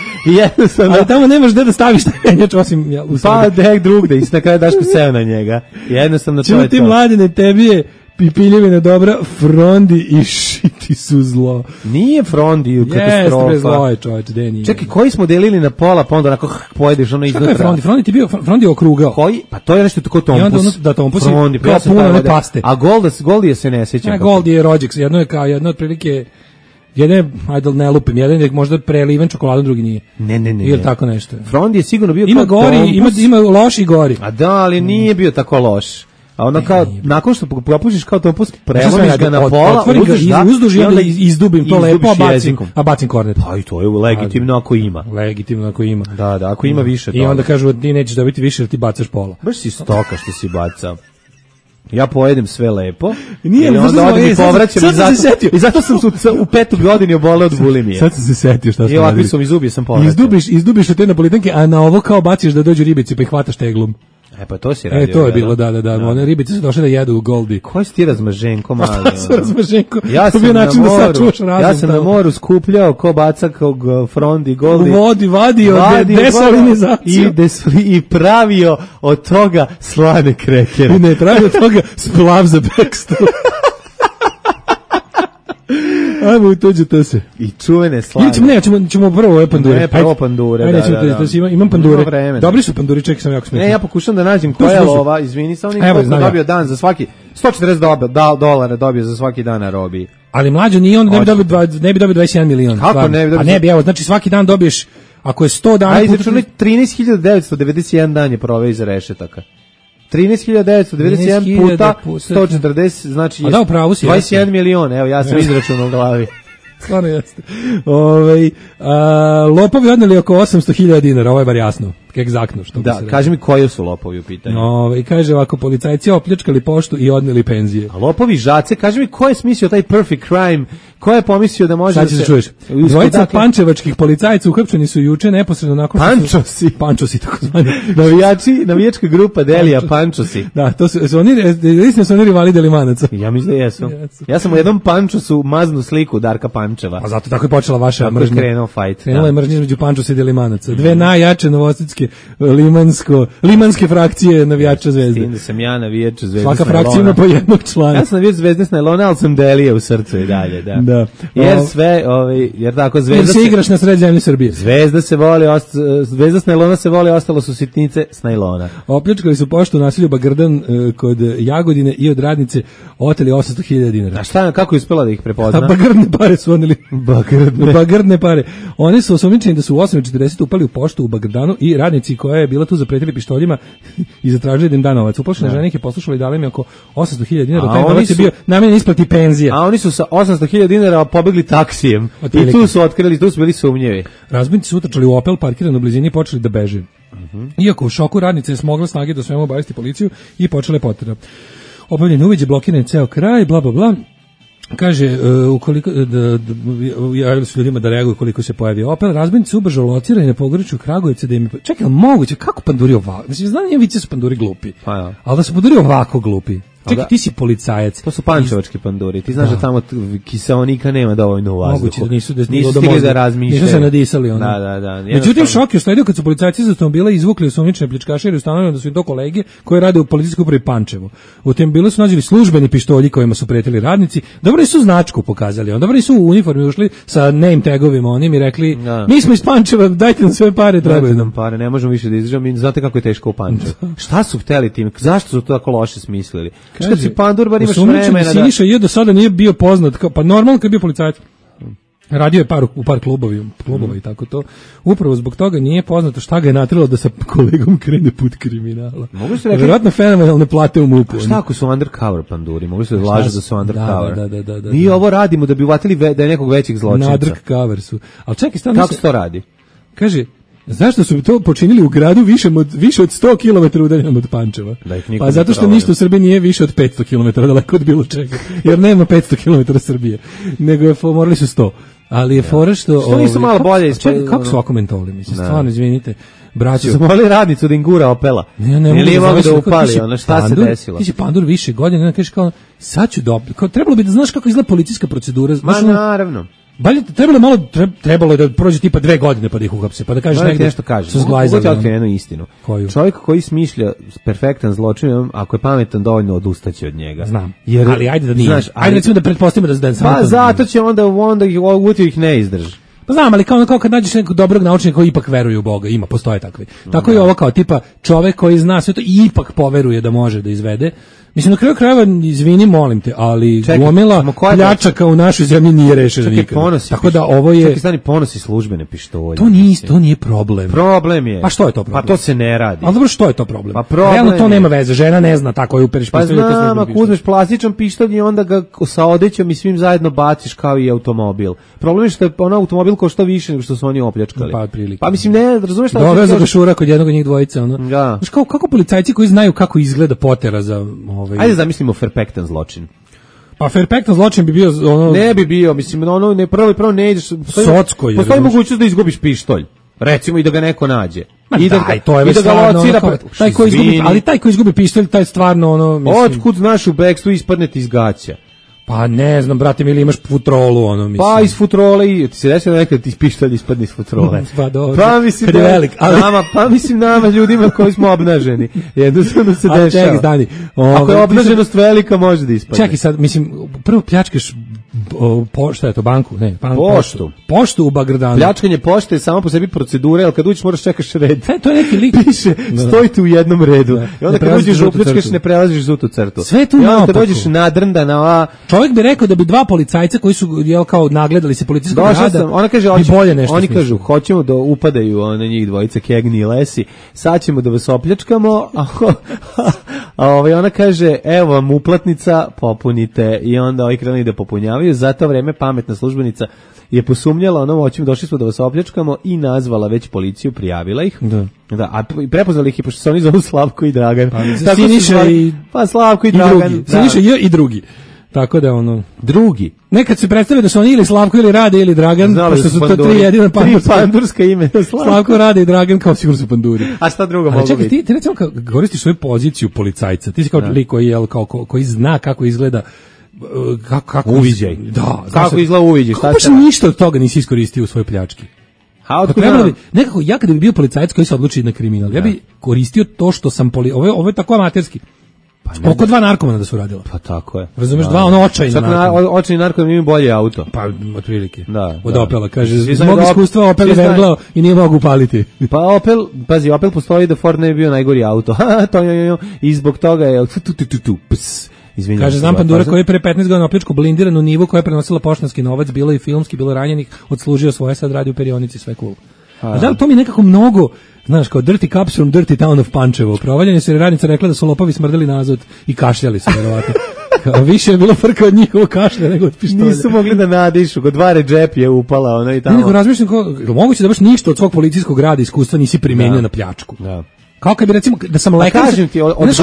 Ali tamo nemaš gde da staviš taj menjač osim u pa dek drugde i na kraju daš seo na njega. Jednostavno to je to. Čuo ti mladine, tebi je pipiljevina dobra, Frondi i šiti su zlo. Nije Frondi katastrofa. Jeste, zlo je čovječ, gde nije. Čekaj, koji smo delili na pola, pa onda onako pojedeš ono iznutra. Šta je Frondi? Frondi ti bio, Frondi je okrugao. Koji? Pa to je nešto tako tompus. I onda da tompus Frondi, kao puno one paste. A Goldije se ne sjećam. Goldije je rođak, jedno otprilike, jedan, ajde ne lupim, jedan je možda preliven čokoladom, drugi nije. Ne. Ili tako nešto. Frondi je sigurno bio ima gori, ima loš i gori. A da, ali nije bio tako loš. A onda kao, nakon što popušiš kao tompus, prelomiš ga na pola, uzduž i onda izdubim to lepo, a bacim kornet. Pa i to je legitimno ako ima. Legitimno ako ima. Da, ako ima više. I onda kažu, ti nećeš dobiti više jer ti bacaš pola. Baš si stoka što si bacao. Ja pojedem sve lepo. Nije, i onda odem i povraćam i zato sam u 5. godini oboleo od bulimije. Sad sam se setio šta smo radili. I ovakvi su mi zubi, sam povraćao. Izdubiš od te napolitanke, a na ovo kao baciš da dođu ribici pa ih hvataš teglom. Pa to si radio. To je bilo, da. One ribice su došle da jedu u Goldi. Koji si ti razmaženko mali? Šta su razmaženko? Ja sam, ja sam na moru skupljao ko bacakog Frondi Goldi. U vodi vadio desalinizaciju. I pravio od toga slane krekere. I ne pravio od toga splav za backstop. Ajmo u tuđe to se. I čuvene slane. Ćemo prvo ove pandure. Ne, prvo pandure, da. Imam pandure. Dobri su panduri, čekaj, sam jako smetno. Ja pokušam da nađem koja je ova, izvini, sam koliko dobio dan za svaki, $140 dobio za svaki dan na robiji. Ali mlađo nije on, ne bi dobio 21 milion. Kako ne bi dobio? A ne bi, evo, znači svaki dan dobiješ, ako je 100 dana... Ajde, izračunaj 13.991 dan je proveo iza rešetaka. 13.991 puta 140, znači 21 milion, evo ja sam izračunao u glavi. Stvarno jeste. Lopovi odneli oko 800.000 dinara, ovo je bar jasno, egzaktno što bi se rekao. Kaži mi koji su lopovi u pitanju. Kaže ovako, policajci opljačkali poštu i odneli penzije. A lopovi žace, kaži mi ko je smislio taj perfect crime, ko je pomislio da može da se... čuješ. Dvojica pančevačkih policajca uhapšeni su juče neposredno nakon što su... Pančosi, tako zvani. Navijačka grupa Delija Pančosi. Da, to su oni rivali Delimanaca. Ja mislim da jesu. Ja sam u jednom Pančosu maznu sliku Darka Pančeva. A zato tako je počela vaša mržnja. Krenuo fight. Krenula je mržnja između Pančosa i Delimanaca. Dve najjače novosadske limanske frakcije navijača Zvezde. Tim da sam ja navijač Zvezde. Svaka frakcija ima po jednog člana. Ja sam navijač Zvezde s najlona, ali sam Delija u srcu i dalje, da. Jer tako Zvezda... Jer se igraš na sred zemlje Srbije. Zvezda s najlona se voli, ostalo su sitnice s najlona. Opljačkali su poštu u naselju Bagrdan kod Jagodine i od radnice oteli 800.000 dinara. A šta, kako je uspela da ih prepozna? A Bagrdne pare su onili. Bagrdne pare. Oni su osumnjičeni da su u 8:40 upali u poštu u Bagrdanu i radnici koja je bila tu zapretili pištoljima i zatražili da im da novac. Uplašene žene ih je poslušala i dali im oko 800.000 dinara. Taj novac je bio namenjen isplati penzija. A oni su sa 800.000 dinara pobegli taksijem. I tu su otkrili, tu su bili sumnjevi. Razbojnici su utrčali u Opel parkiran u blizini i počeli da beže. Iako u šoku radnice je smogla snage da svemu obavesti policiju i počele potrebe. Obavljeni uviđe, blokiran ceo kraj, bla bla bla. Kaže, ukoliko javili su ljudima da reaguju koliko se pojavi Opel, razbojnici ubrzo locirani na pogoričju Kragujevca da im... Čekaj, moguće, kako panduri ovako? Znači, znam nije vice su panduri glupi, ali da su panduri ovako glupi. Čekaj, ti si policajac. To su pančevački panduri. Ti znaš da tamo kiseonika nema dovoljno u vazduhu. Moguće da nisu stigli da razmišljaju. Nisu se nadisali. Da. Međutim, šok je usledio kad su policajci iz automobila izvukli osumnjičene pljačkaše jer je ustanovljeno da su im to kolege koji rade u policijskoj upravi Pančevo. U automobilu su nađeli službeni pištolji kojima su pretili radnici. Dobro nisu značku pokazali. Dobro nisu u uniformi ušli sa name tagovima onim i rekli mi smo iz Pančeva, dajte nam sve pare, trebaju nam pare, ne možemo više da izdržamo i znate kako je teško u Pančevu. Šta su hteli tim? Zašto su to tako loše smislili? Što si pandur, bar imaš vremena da... Siniša je do sada nije bio poznat, pa normalno kad je bio policajac. Radio je u par klubova i tako to. Upravo zbog toga nije poznato šta ga je natrilo da sa kolegom krene put kriminala. Vjerojatno fenomenalne plate u MUP-u. Šta ako su undercover panduri? Mogli su da lažu da su undercover. Da. Mi ovo radimo da bi uvatili da je nekog većeg zločinca. Undercover su. Ali čekaj, kako se to radi? Kaže, zašto su to počinili u gradu više od 100 km udaljenom od Pančeva? Pa zato što ništa u Srbiji nije više od 500 km daleko od bilo čega. Jer nema 500 km Srbije. Nego morali su 100. Ali je fora što nisu malo bolje ispred. Kako su ovako mentoli, mislim, stvarno, izvinite. Braćo, su molili radnicu da im gura Opela. Ili mogu da upali, šta se desilo? Ti si pandur više godina, kažeš kao, sad ću dobiti. Trebalo bi da znaš kako izgleda policijska procedura. Naravno. Trebalo je da prođe tipa 2 godine pa da ih uhapse, pa da kažeš negdje nešto kaže. Su zglajzali. Mogu ti jednu istinu. Čovjek koji smišlja perfektan zločin, ako je pametan dovoljno odustaće od njega. Znam. Ali ajde da nije. Znaš, ajde recimo da pretpostavimo da samo. Pa zato će onda ih ne izdrži. Pa znam, ali kao kad nađeš nekog dobrog naučnika koji ipak veruje u Boga, postoje takvi. Tako je ovo kao tipa čovek koji zna sve to i ipak poveruje da može da izvede. Mislim, na kraju krajeva, izvini, molim te, ali gomila pljačaka u našoj zemlji nije rešena nikada. Tako da ovo je... Čekaj, stani, ponosi službene pištolje. To nije problem. Problem je. Pa što je to problem? Pa to se ne radi. Ali dobro, što je to problem? Pa problem realno to nema veze, žena ne zna tako je uperiš pištolje. Pa znam, ako uzmeš plastičan pištolj i onda ga sa odećom i svim zajedno baciš kao i automobil. Problem je što je automobil košta više nego što su oni opljačkali. Pa mislim, ne, razumeš šta... Doveo za gašura kod jednog od njih dvojice, ono. Da. Znaš, kako policajci koji znaju kako izgleda potera za Ajde zamislimo perfektan zločin. Pa perfektan zločin bi bio ono... Ne bi bio, mislim, ono, ne, prvo ne ideš... Socko je. Postoji mogućnost da izgubiš pištolj. Recimo i da ga neko nađe. I da to je već stvarno ono, taj ko izgubi, ali taj ko izgubi pištolj, taj stvarno ono, mislim... Otkud znaš u bekstvu ispadne ti iz gaća? Pa ne znam, brate, ili imaš futrolu, ono, mislim. Pa iz futrole i ti se desilo nekad ti pištolj ispadne iz futrole. Pa dobro. Pa mislim kad je velik, ali... nama ljudima koji smo obnaženi. Jednostavno se dešava. Čekaj, stani. Ako je obnaženost velika, može da ispadne. Čekaj sad, mislim, prvo pljačkaš šta je to, banku? Ne, poštu. Poštu u Bagradanu. Pljačkanje pošte je samo po sebi procedura, ali kad uđeš moraš čekaš red. To je neki lik. Piše, stojite u jednom redu. I onda kad uđeš upljačkaš, ne prelaziš žutu crtu. Sve tu naopako. I onda kad dođeš nadrndana, čovjek bi rekao da bi dva policajca koji su kao nagledali se policijskog rada. Ona kaže, bolje nešto. Oni kažu, hoćemo da upadaju na njih dvojica Kegni i Lesi. Sad ćemo da vas opljačkamo. A ona kaže, evo vam uplatnica, popunite. I onda ovi krenuli da popunjavaju. Za to vreme pametna službenica je posumnjala, hoćemo, došli smo da vas opljačkamo i nazvala već policiju, prijavila ih. Da, a prepoznali ih i pošto se oni zovu Slavko i Dragan. Pa Slavko i Dragan. Siniša i drugi. Tako da drugi. Nekad se predstavlja da su oni ili Slavko ili Rade ili Dragan, pošto su to tri jedina pandurska imena. Slavko, Rade i Dragan kao sigurno su panduri. A šta drugo mogu biti? Ti recimo kao koristiš svoju poziciju policajca, ti si kao lik koji zna kako izgleda kako uviđaj. Da, kako izgleda uviđaj. Kako baš ništa od toga nisi iskoristio u svojoj pljački. Nekako ja kada bi bio policajac koji se odluči na kriminal, ja bi koristio to što sam ovo je tako amaterski. Oko dva narkomana da su radila. Pa tako je. Razumeš, dva očajna narkomana. Očajni narkoman imaju bolje auto. Pa otprilike. Da. Od Opela, kaže, zbog iskustva Opel je verglao i nije mogu upaliti. Pa Opel postoji da Ford ne bi bio najgori auto. I zbog toga je... Izvinjam. Kaže, znam pandura koji je pre 15 godina opljačkao blindiranu Nivu koja je prenosila poštanski novac, bilo i filmski, bilo ranjenih, odslužio svoje, sad radi u perionici, sve cool. A da li to mi nekako mnogo, znaš, kao Dirty Cops from Dirty Town of Pančevo, provaljanje se jer radnica rekla da su lopovi smrdeli na azot i kašljali su, verovatno. Više je bilo frka od njihovog kašlja nego od pištolja. Nisu mogli da nadišu, kod dva džep je upala, i tamo. Nego razmišljam, moguće da baš ništa od svog policijskog rada iskustva nisi primenio na pljačku. Da. Kao kad bi recimo da sam lekar, kažem ti, od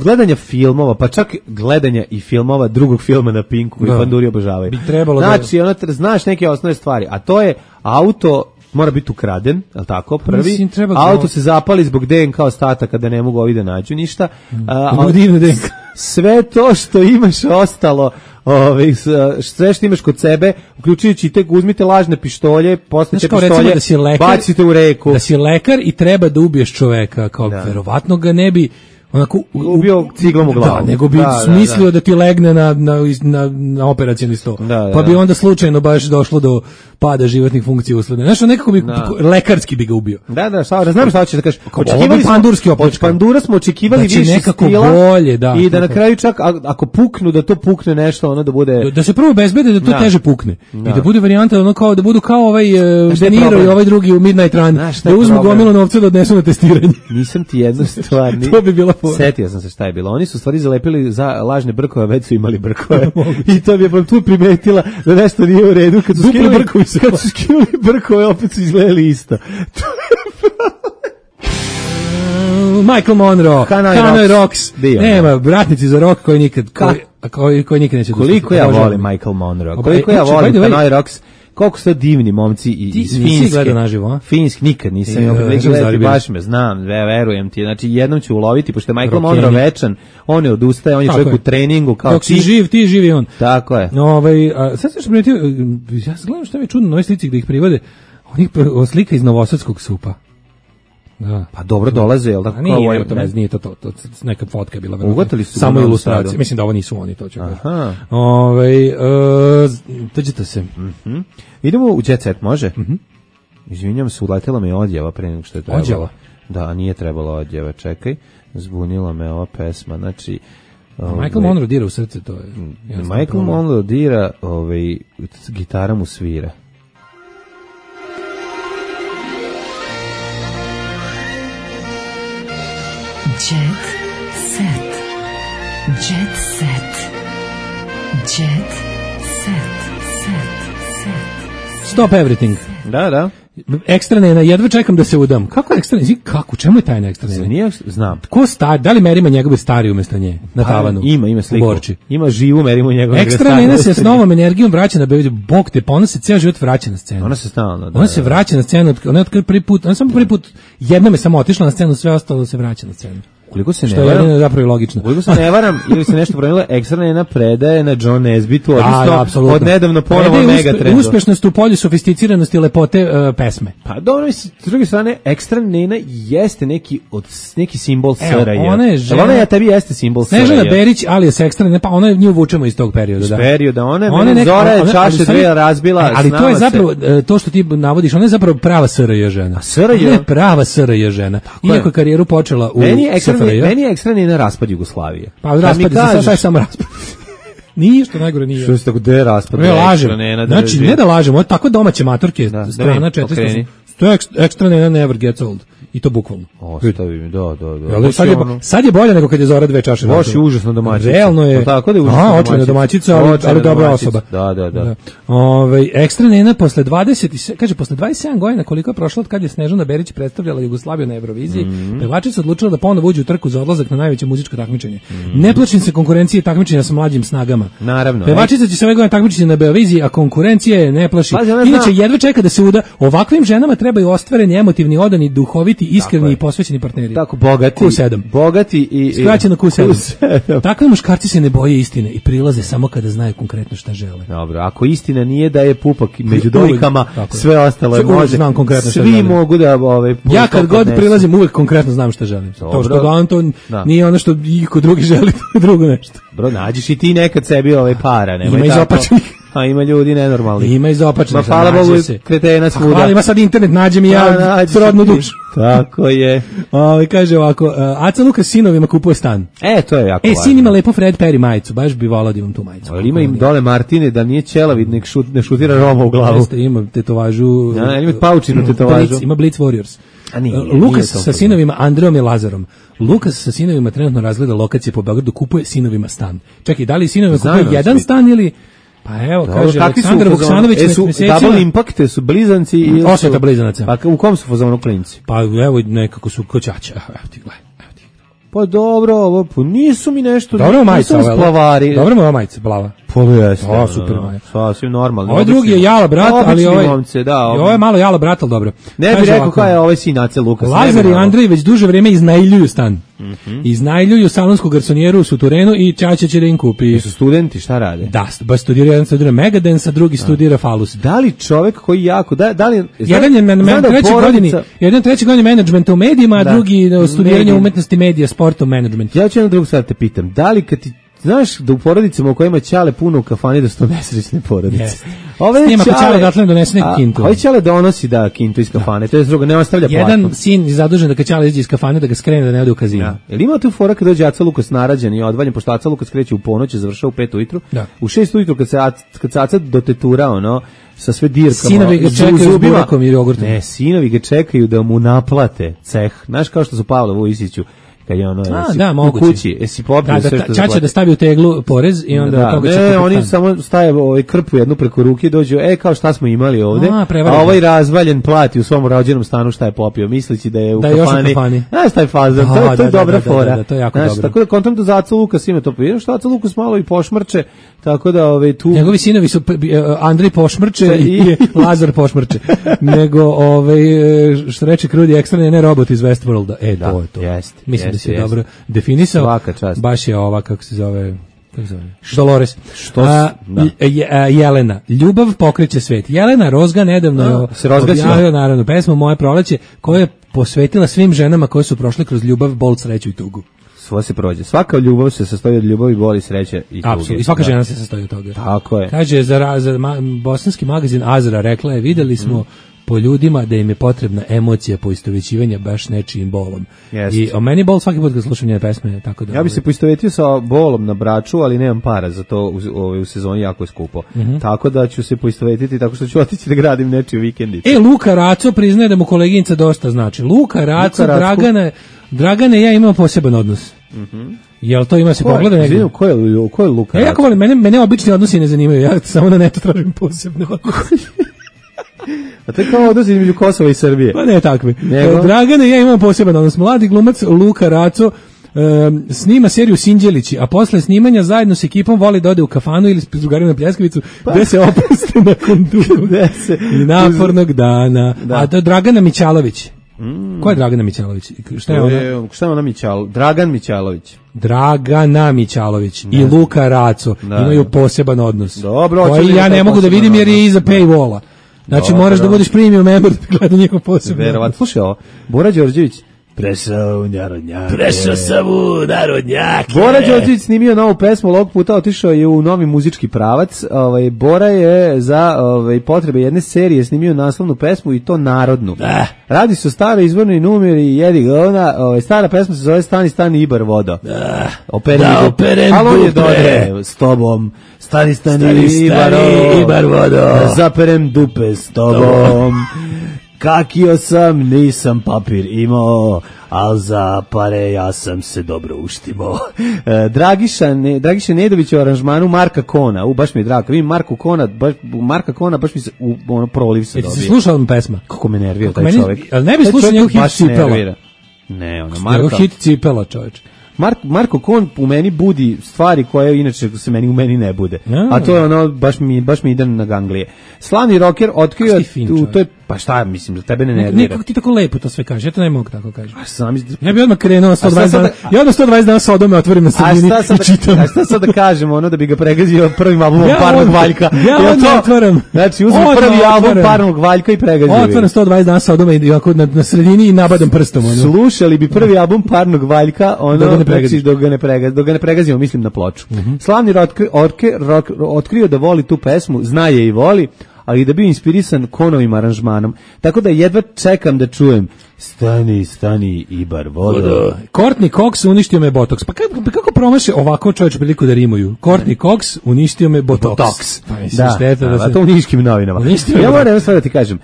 gledanja filmova, pa čak gledanja i filmova drugog filma na Pinku koji panduri obožavaju. Bi trebalo znači, znaš neke osnovne stvari, a to je auto mora biti ukraden, je li tako, prvi, auto se zapali zbog DNK ostataka da ne mogu ovi da nađu ništa, sve to što imaš ostalo, sve što imaš kod sebe, uključujući te, uzmite lažne pištolje, postavite pištolje, bacite u reku. Da si lekar i treba da ubiješ čoveka, kao verovatno ga ne bi onako ubio ciglom u glavu. Da, nego bi smislio da ti legne na operacioni sto. Pa bi onda slučajno baš došlo do pada životnih funkcija usleda. Znaš, nekako bi lekarski bi ga ubio. Da, znam šta hoćeš da kažeš. Od pandura smo očekivali više stila bolje, i da na kraju čak ako puknu, da to pukne nešto, ono da bude... Da se prvo bezbede da to teže pukne. I da bude varijanta ono kao da budu kao ovaj De Niro i ovaj drugi u Midnight Run. Da uzmu gomilu novca da odnesu na testiranje. Nisam ti jednu stvar. To bi bila setio sam se šta je bilo. Oni su stvari zalepili za lažne brkove, već su imali brkove. I to bi je tu primetila da nešto nije u redu. Kad su skinuli brkove, opet su izgledali isto. Michael Monroe, Hanoi Rocks. Nema, bratnici za rock koji nikad neće doći. Koliko ja volim Michael Monroe, koliko ja volim Hanoi Rocks. Koliko su to divni momci iz Finjske. Finjski nikad nisam gledati, baš me znam, verujem ti. Znači jednom ću uloviti, pošto je Michael Monroe večan, on ne odustaje, on je čovjek u treningu. Dok si živ, ti živi on. Tako je. Sad sam što primetio, ja gledam što mi je čudno na ovoj slici gde ih privode, onih slika iz Novosadskog supa. Da. Pa dobro dolaze, jel tako? Nije to neka fotka je bila. Ugatili su samo ilustracije. Mislim da ovo nisu oni, to ću kažem. Dođete se. Idemo u Jet Set, može? Izvinjam se, uletela me odjava pre nego što je trebalo. Odjava? Da, nije trebalo odjava, čekaj. Zbunila me ova pesma, znači... Michael Monroe dira u srce, to je... Michael Monroe dira, gitara mu svira. Jet set. Jet set. Jet set. Stop everything. Da. Ekstra nena, jedva čekam da se udam. Kako ekstra nena? Kako? Čemu je tajna ekstra nena? Nije, znam. Ko stari? Da li Merima njegove stari umjesto nje? Na tavanu? Ima sliku. Ima živu Merimu njegove. Ekstra nena se s novom energijom vraća na Beograd. Bog te, pa ona se ceo život vraća na scenu. Ona se stalno. Ona se vraća na scenu. Ona je prvi put, ona samo prvi put jednom je samo otišla na scenu, sve ostalo se vraća na scenu. Koliko se ne varam, je zapravo logično. Koliko se ne varam ili se nešto promenilo, ekstra nena predaje na John Nesbitu, odnosno od nedavno ponovo Megatrendu. Uspešnost u polju sofisticiranosti lepote pesme. Pa dobro, mislim, s druge strane, ekstra nena jeste neki simbol SRJ. Ona ja tebi jeste simbol SRJ. Snežana Berić, ali je ekstra nena, pa ona nju vučemo iz tog perioda. Iz perioda, ona Zora je čaše dve razbila. Ali to je zapravo, to što ti navodiš, ona je zapravo prava SRJ žena. SRJ? Ona je prava SRJ žena. Iako karijeru počela u meni je ekstra nena raspad Jugoslavije. Pa raspad, sad je samo raspad. Nije što najgore nije. Što se tako de raspad? Ne lažem. Znači, ne da lažemo, tako domaće matorke, strana 400. To je ekstra nena never gets old. I to bukvalno. Ostavi mi, da. Sad je bolje nego kad je Zora dve čaše. Baš je užasno domaćica. Realno je. Tako da je užasno domaćica. Očajna domaćica, ali dobra osoba. Da. Ekstra nena posle 27 godina koliko je prošlo od kad je Snežana Berić predstavljala Jugoslaviju na Euroviziji, pevačica odlučila da ponovo uđe u trku za odlazak na najveće muzičko takmičenje. Ne plašim se konkurencije takmičenja sa mlađim snagama. Naravno. Pevačica će se ove godine takmičiti na Euroviziji, a konkurencije ne plaši. Inače jedva čeka da se uda. Ovakvim ženama trebaju ostvareni, emotivni, odani, duhoviti, iskreni i posvećeni partneri. Tako, bogati. Q7. Bogati i skraćeno Q7. Takvi muškarci se ne boje istine i prilaze samo kada znaju konkretno šta žele. Dobro, ako istina nije da je pupak među dojkama, sve ostalo je može. Znam konkretno šta svi želim. Mogu da ja kad god prilazim uvek konkretno znam šta želim. To što gledam to nije ono što iko drugi želi, to je drugo nešto. Bro, nađiš i ti nekad sebi para, nemoj tako. Ima izopačenih. A ima ljudi nenormalni. Ima izopačenih. Hvala Bogu, kretena svuda. Hvala, ima sad internet, nađem i ja srodnu dušu. Tako je. Kaže ovako, Aca Lukas sinovima kupuje stan. To je jako važno. Sin ima lepo Fred Perry majicu, baš bi volao da imam tu majicu. Ali ima im dole Martine, da nije ćelavid, ne šutira Roma u glavu. Ima tetovažu. Ima paučinu tetovažu. Ima Blitz Warriors. Lukas sa sinovima Andreom i Lazarom. Lukas sa sinovima trenutno razgleda lokacije po Beogradu, kupuje sinovima stan. Čekaj, da li sinovima kupuje jedan stan ili... Pa evo, kaže Aleksandar Vuksanović su Double Impact, su blizanci ili osveta blizanaca. Pa u kom su fazonu klinci? Pa evo nekako su koćaća. Evo ti gledaj. Pa dobro, ovo nisu mi nešto. Dobro majica, splavari. Dobro mu majica, plava. Pa jeste. Super majica. Sasvim normalno. Ovaj drugi je Jala brat, ali ovo je malo Jala brat, al dobro. Ne bih rekao kao je ovaj sin Ace Lukas. Lazar i Andrej već duže vrijeme iznajmljuju stan. Iznajmljuju salonsku garsonijeru u Suturenu i Ćaća će da im kupi. Su studenti, šta rade? Da, baš jedan studira Megadance, a drugi studira Falus. Da li čovjek koji jako, da li... Jedan je treći godini menadžmenta u medijima, a drugi studiranje umetnosti medija, sporta u menadžmentu. Ja ću jednu drugu stvar te pitam, da li kad ti znaš da u porodicama u kojima Ćale puno u kafani da su to nesrećne porodice. Snima ko Ćale datle donese neku kintu. Ovaj Ćale donosi kintu iz kafane, to je drugo, ne ostavlja platno. Jedan sin je zadužen da kad Ćale izađe iz kafane da ga skrene da ne ode u kazino. Jel ima tu fora kad dođe Aca Lukas narađen i odvaljen, pošto Aca Lukas kreće u ponoć, završava u 5 ujutru. U 6 ujutru kad se Aca dotetura, sa sve dirkama. Sinovi ga čekaju s burakom i jogurtom. Ne, sinovi ga čekaju da mu naplate ceh. Znaš kao što su Pavla Vujisiću kad je u kući, jesi popio sve što Čača da stavi u teglu porez i onda toga će kupiti. Oni samo staje krpu jednu preko ruke i dođu, kao šta smo imali ovde, a ovaj razvaljen plati u svom rođenom stanu šta je popio, misleći da je u kafani. Znaš taj fazon, to je dobra fora. To je jako dobro. Tako da kontam da za Aca Lukas ima to popio, što Aca Lukas malo i pošmrče, tako da tu... Njegovi sinovi su Andrej pošmrče i Lazar pošmrče. Nego, što reče Krudi, ekstra ne robot iz Westworlda. To je to. Mislim da si dobro definisao. Baš je ova, kako se zove Dolores. Jelena. Ljubav pokreće svet. Jelena Rozga nedavno je objavila naravno pesmu Moje proleće, koju je posvetila svim ženama koje su prošle kroz ljubav, bol, sreću i tugu. Svo se prođe. Svaka ljubav se sastoji od ljubavi, boli, sreće i tuge. Apsolutno. I svaka žena se sastoji od toga. Tako je. Kaže, za bosanski magazin Azra rekla je, videli smo po ljudima da im je potrebna emocija poistovećivanja baš nečijim bolom. I o meni bol svaki put kad slušam njene pesme, tako da... Ja bi se poistovetio sa bolom na Braču, ali nemam para za to, u sezoni jako je skupo. Tako da ću se poistovetiti tako što ću otići da gradim nečiju vikendicu. Luka Raco priznaje da mu koleginica dosta znači. Luka Raco, Dragane, ja imam poseban odnos. Jel to ima se pogleda negdje? Ko je Luka Raco? Ja jako volim, mene obični odnosi ne zanimaju, ja samo na netu tražim posebne odnose. A to je kao odnos između Kosova i Srbije. Pa ne takvi. Dragana i ja imamo poseban odnos. Mladi glumac Luka Raco snima seriju Sinđelići, a posle snimanja zajedno s ekipom voli da ode u kafanu ili s drugarima na pljeskavicu, gde se opuste nakon dugog i napornog dana. A to je Dragana Mićalović. Ko je Dragana Mićalović? Šta je ona? Šta je ona Mićalović? Dragan Mićalović. Dragana Mićalović i Luka Raco imaju poseban odnos. Dobro, koji ja ne mogu da vidim jer je iza paywalla. Znači moraš da budeš premium member da gleda njihov poseban. Verovatno. Slušaj ovo, Bora Đorđević. Prešao sam u narodnjake. Bora Đorđević snimio novu pesmu, ovog puta otišao je u novi muzički pravac. Bora je za potrebe jedne serije snimio naslovnu pesmu i to narodnu. Radi se o staroj izvornoj numeri Jedi govna. Stara pesma se zove Stani Ibar vodo. Operem dupe s tobom. Stani Ibar vodo. Zaperem dupe s tobom. Kakio sam, nisam papir imao, al za pare ja sam se dobro uštimo. Dragiša Nedović u aranžmanu Marka Kona, baš mi je drago, vidim Marka Kona, baš mi se proliv se dobije. Jesi slušao vam pesma? Kako me nervira taj čovjek. Ali ne bi slušao njegov hit Cipela. Ne, njegov hit Cipela, čoveč. Marko Kon u meni budi stvari koje inače se u meni ne bude. A to je ono, baš mi ide na ganglije. Slavni rocker otkrio, to je, pa šta, mislim, da tebe ne nervira. Kako ti tako lepo to sve kažeš, ja to ne mogu tako kažem. Ja bi odmah krenuo 120 dana, ja odmah 120 dana Sodome otvorim na sredini i čitam. A šta sad da kažemo, ono da bi ga pregazio prvim albumom Parnog Valjka? Ja odmah otvorim. Znači, uzmi prvi album Parnog Valjka i pregazio. Otvorim 120 dana Sodome i na sredini i nabadam prstom. Slušali bi prvi album Parnog Valjka, ono, znači, dok ga ne pregazimo, mislim na ploču. Slavni rocker otkrio da voli tu pesmu, zna je i voli, ali da bi inspirisan Konovim aranžmanom. Tako da jedva čekam da čujem Stani Ibar vodo. Courtney Cox uništio me botoks. Pa kako promaše ovako čovječ priliku da rimuju? Courtney Cox uništio me botoks. Pa mislim, šteta to u niškim novinama. Ja moram sve da ti kažem,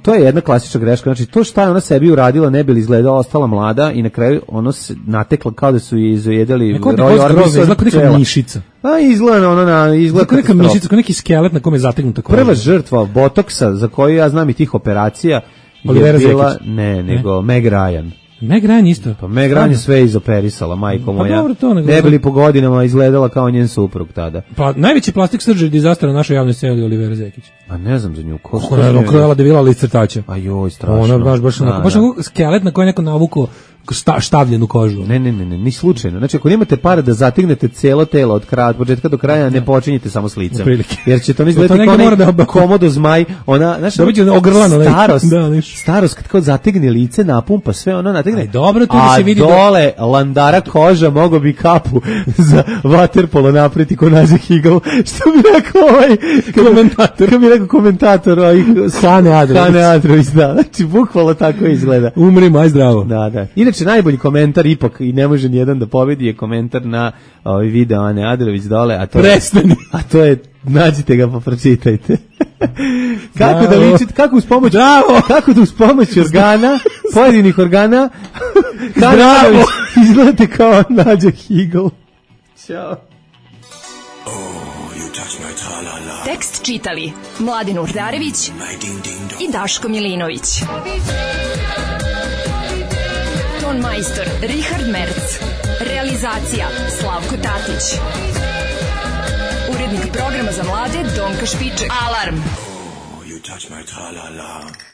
to je jedna klasična greška. Znači, to šta je ona sebi uradila, ne bi li izgledala, ostala mlada i na kraju ono se natekla kao da su je izojedali Roy Orbison. Izgleda kao neka mišica. A izgleda kao neka mišica, kao neki skelet na kome je zategnuta koža. Prva žrtva botoksa za koju ja znam i tih operacija je bila, nego Meg Ryan. Meg Ryan isto. Pa Meg Ryan je sve izoperisala, majko moja. Dobro, to ne bili po godinama izgledala kao njen suprug tada. Pa najveći plastik surgery disaster na našoj javnoj sceni je Olivera Zekić. A ne znam za nju. Ona krojala devila lice crtača. A joj, strašno. Ona baš onako skelet na koji neko navukao štavljenu kožu. Ne, ni slučajno. Znači, ako nemate para da zategnete celo telo od početka do kraja, ne počinjete samo s licem. Jer će to izgledati kao neki komodo zmaj. Ona, znaš, starost kad kao zategne lice, napumpa sve, ona nategne. Dobro, tu se vidi. A dole landara koža mogo bi kapu za vaterpolo napreti ko Nađe Higl. Što bi rekao komentator. Kako bi rekao komentator Hane Adrović, da. Znači, bukvalno tako izgleda. Umri, maj zdravo. Da. Inače, najbolji komentar ipak i ne može nijedan da pobedi je komentar na video Ane Adrović dole, Prestani. A to je, nađite ga pa pročitajte. Kako da ličite, kako da uz pomoć organa, pojedinih organa, Adrović izgledate kao Nađa Higl. Ćao. Tekst čitali Mladin Urdarević i Daško Milinović. Ton majstor Richard Merc. Realizacija Slavko Tatić. Urednik programa za mlade Donka Špiček. Alarm! Oh, you touch my tra-la-la.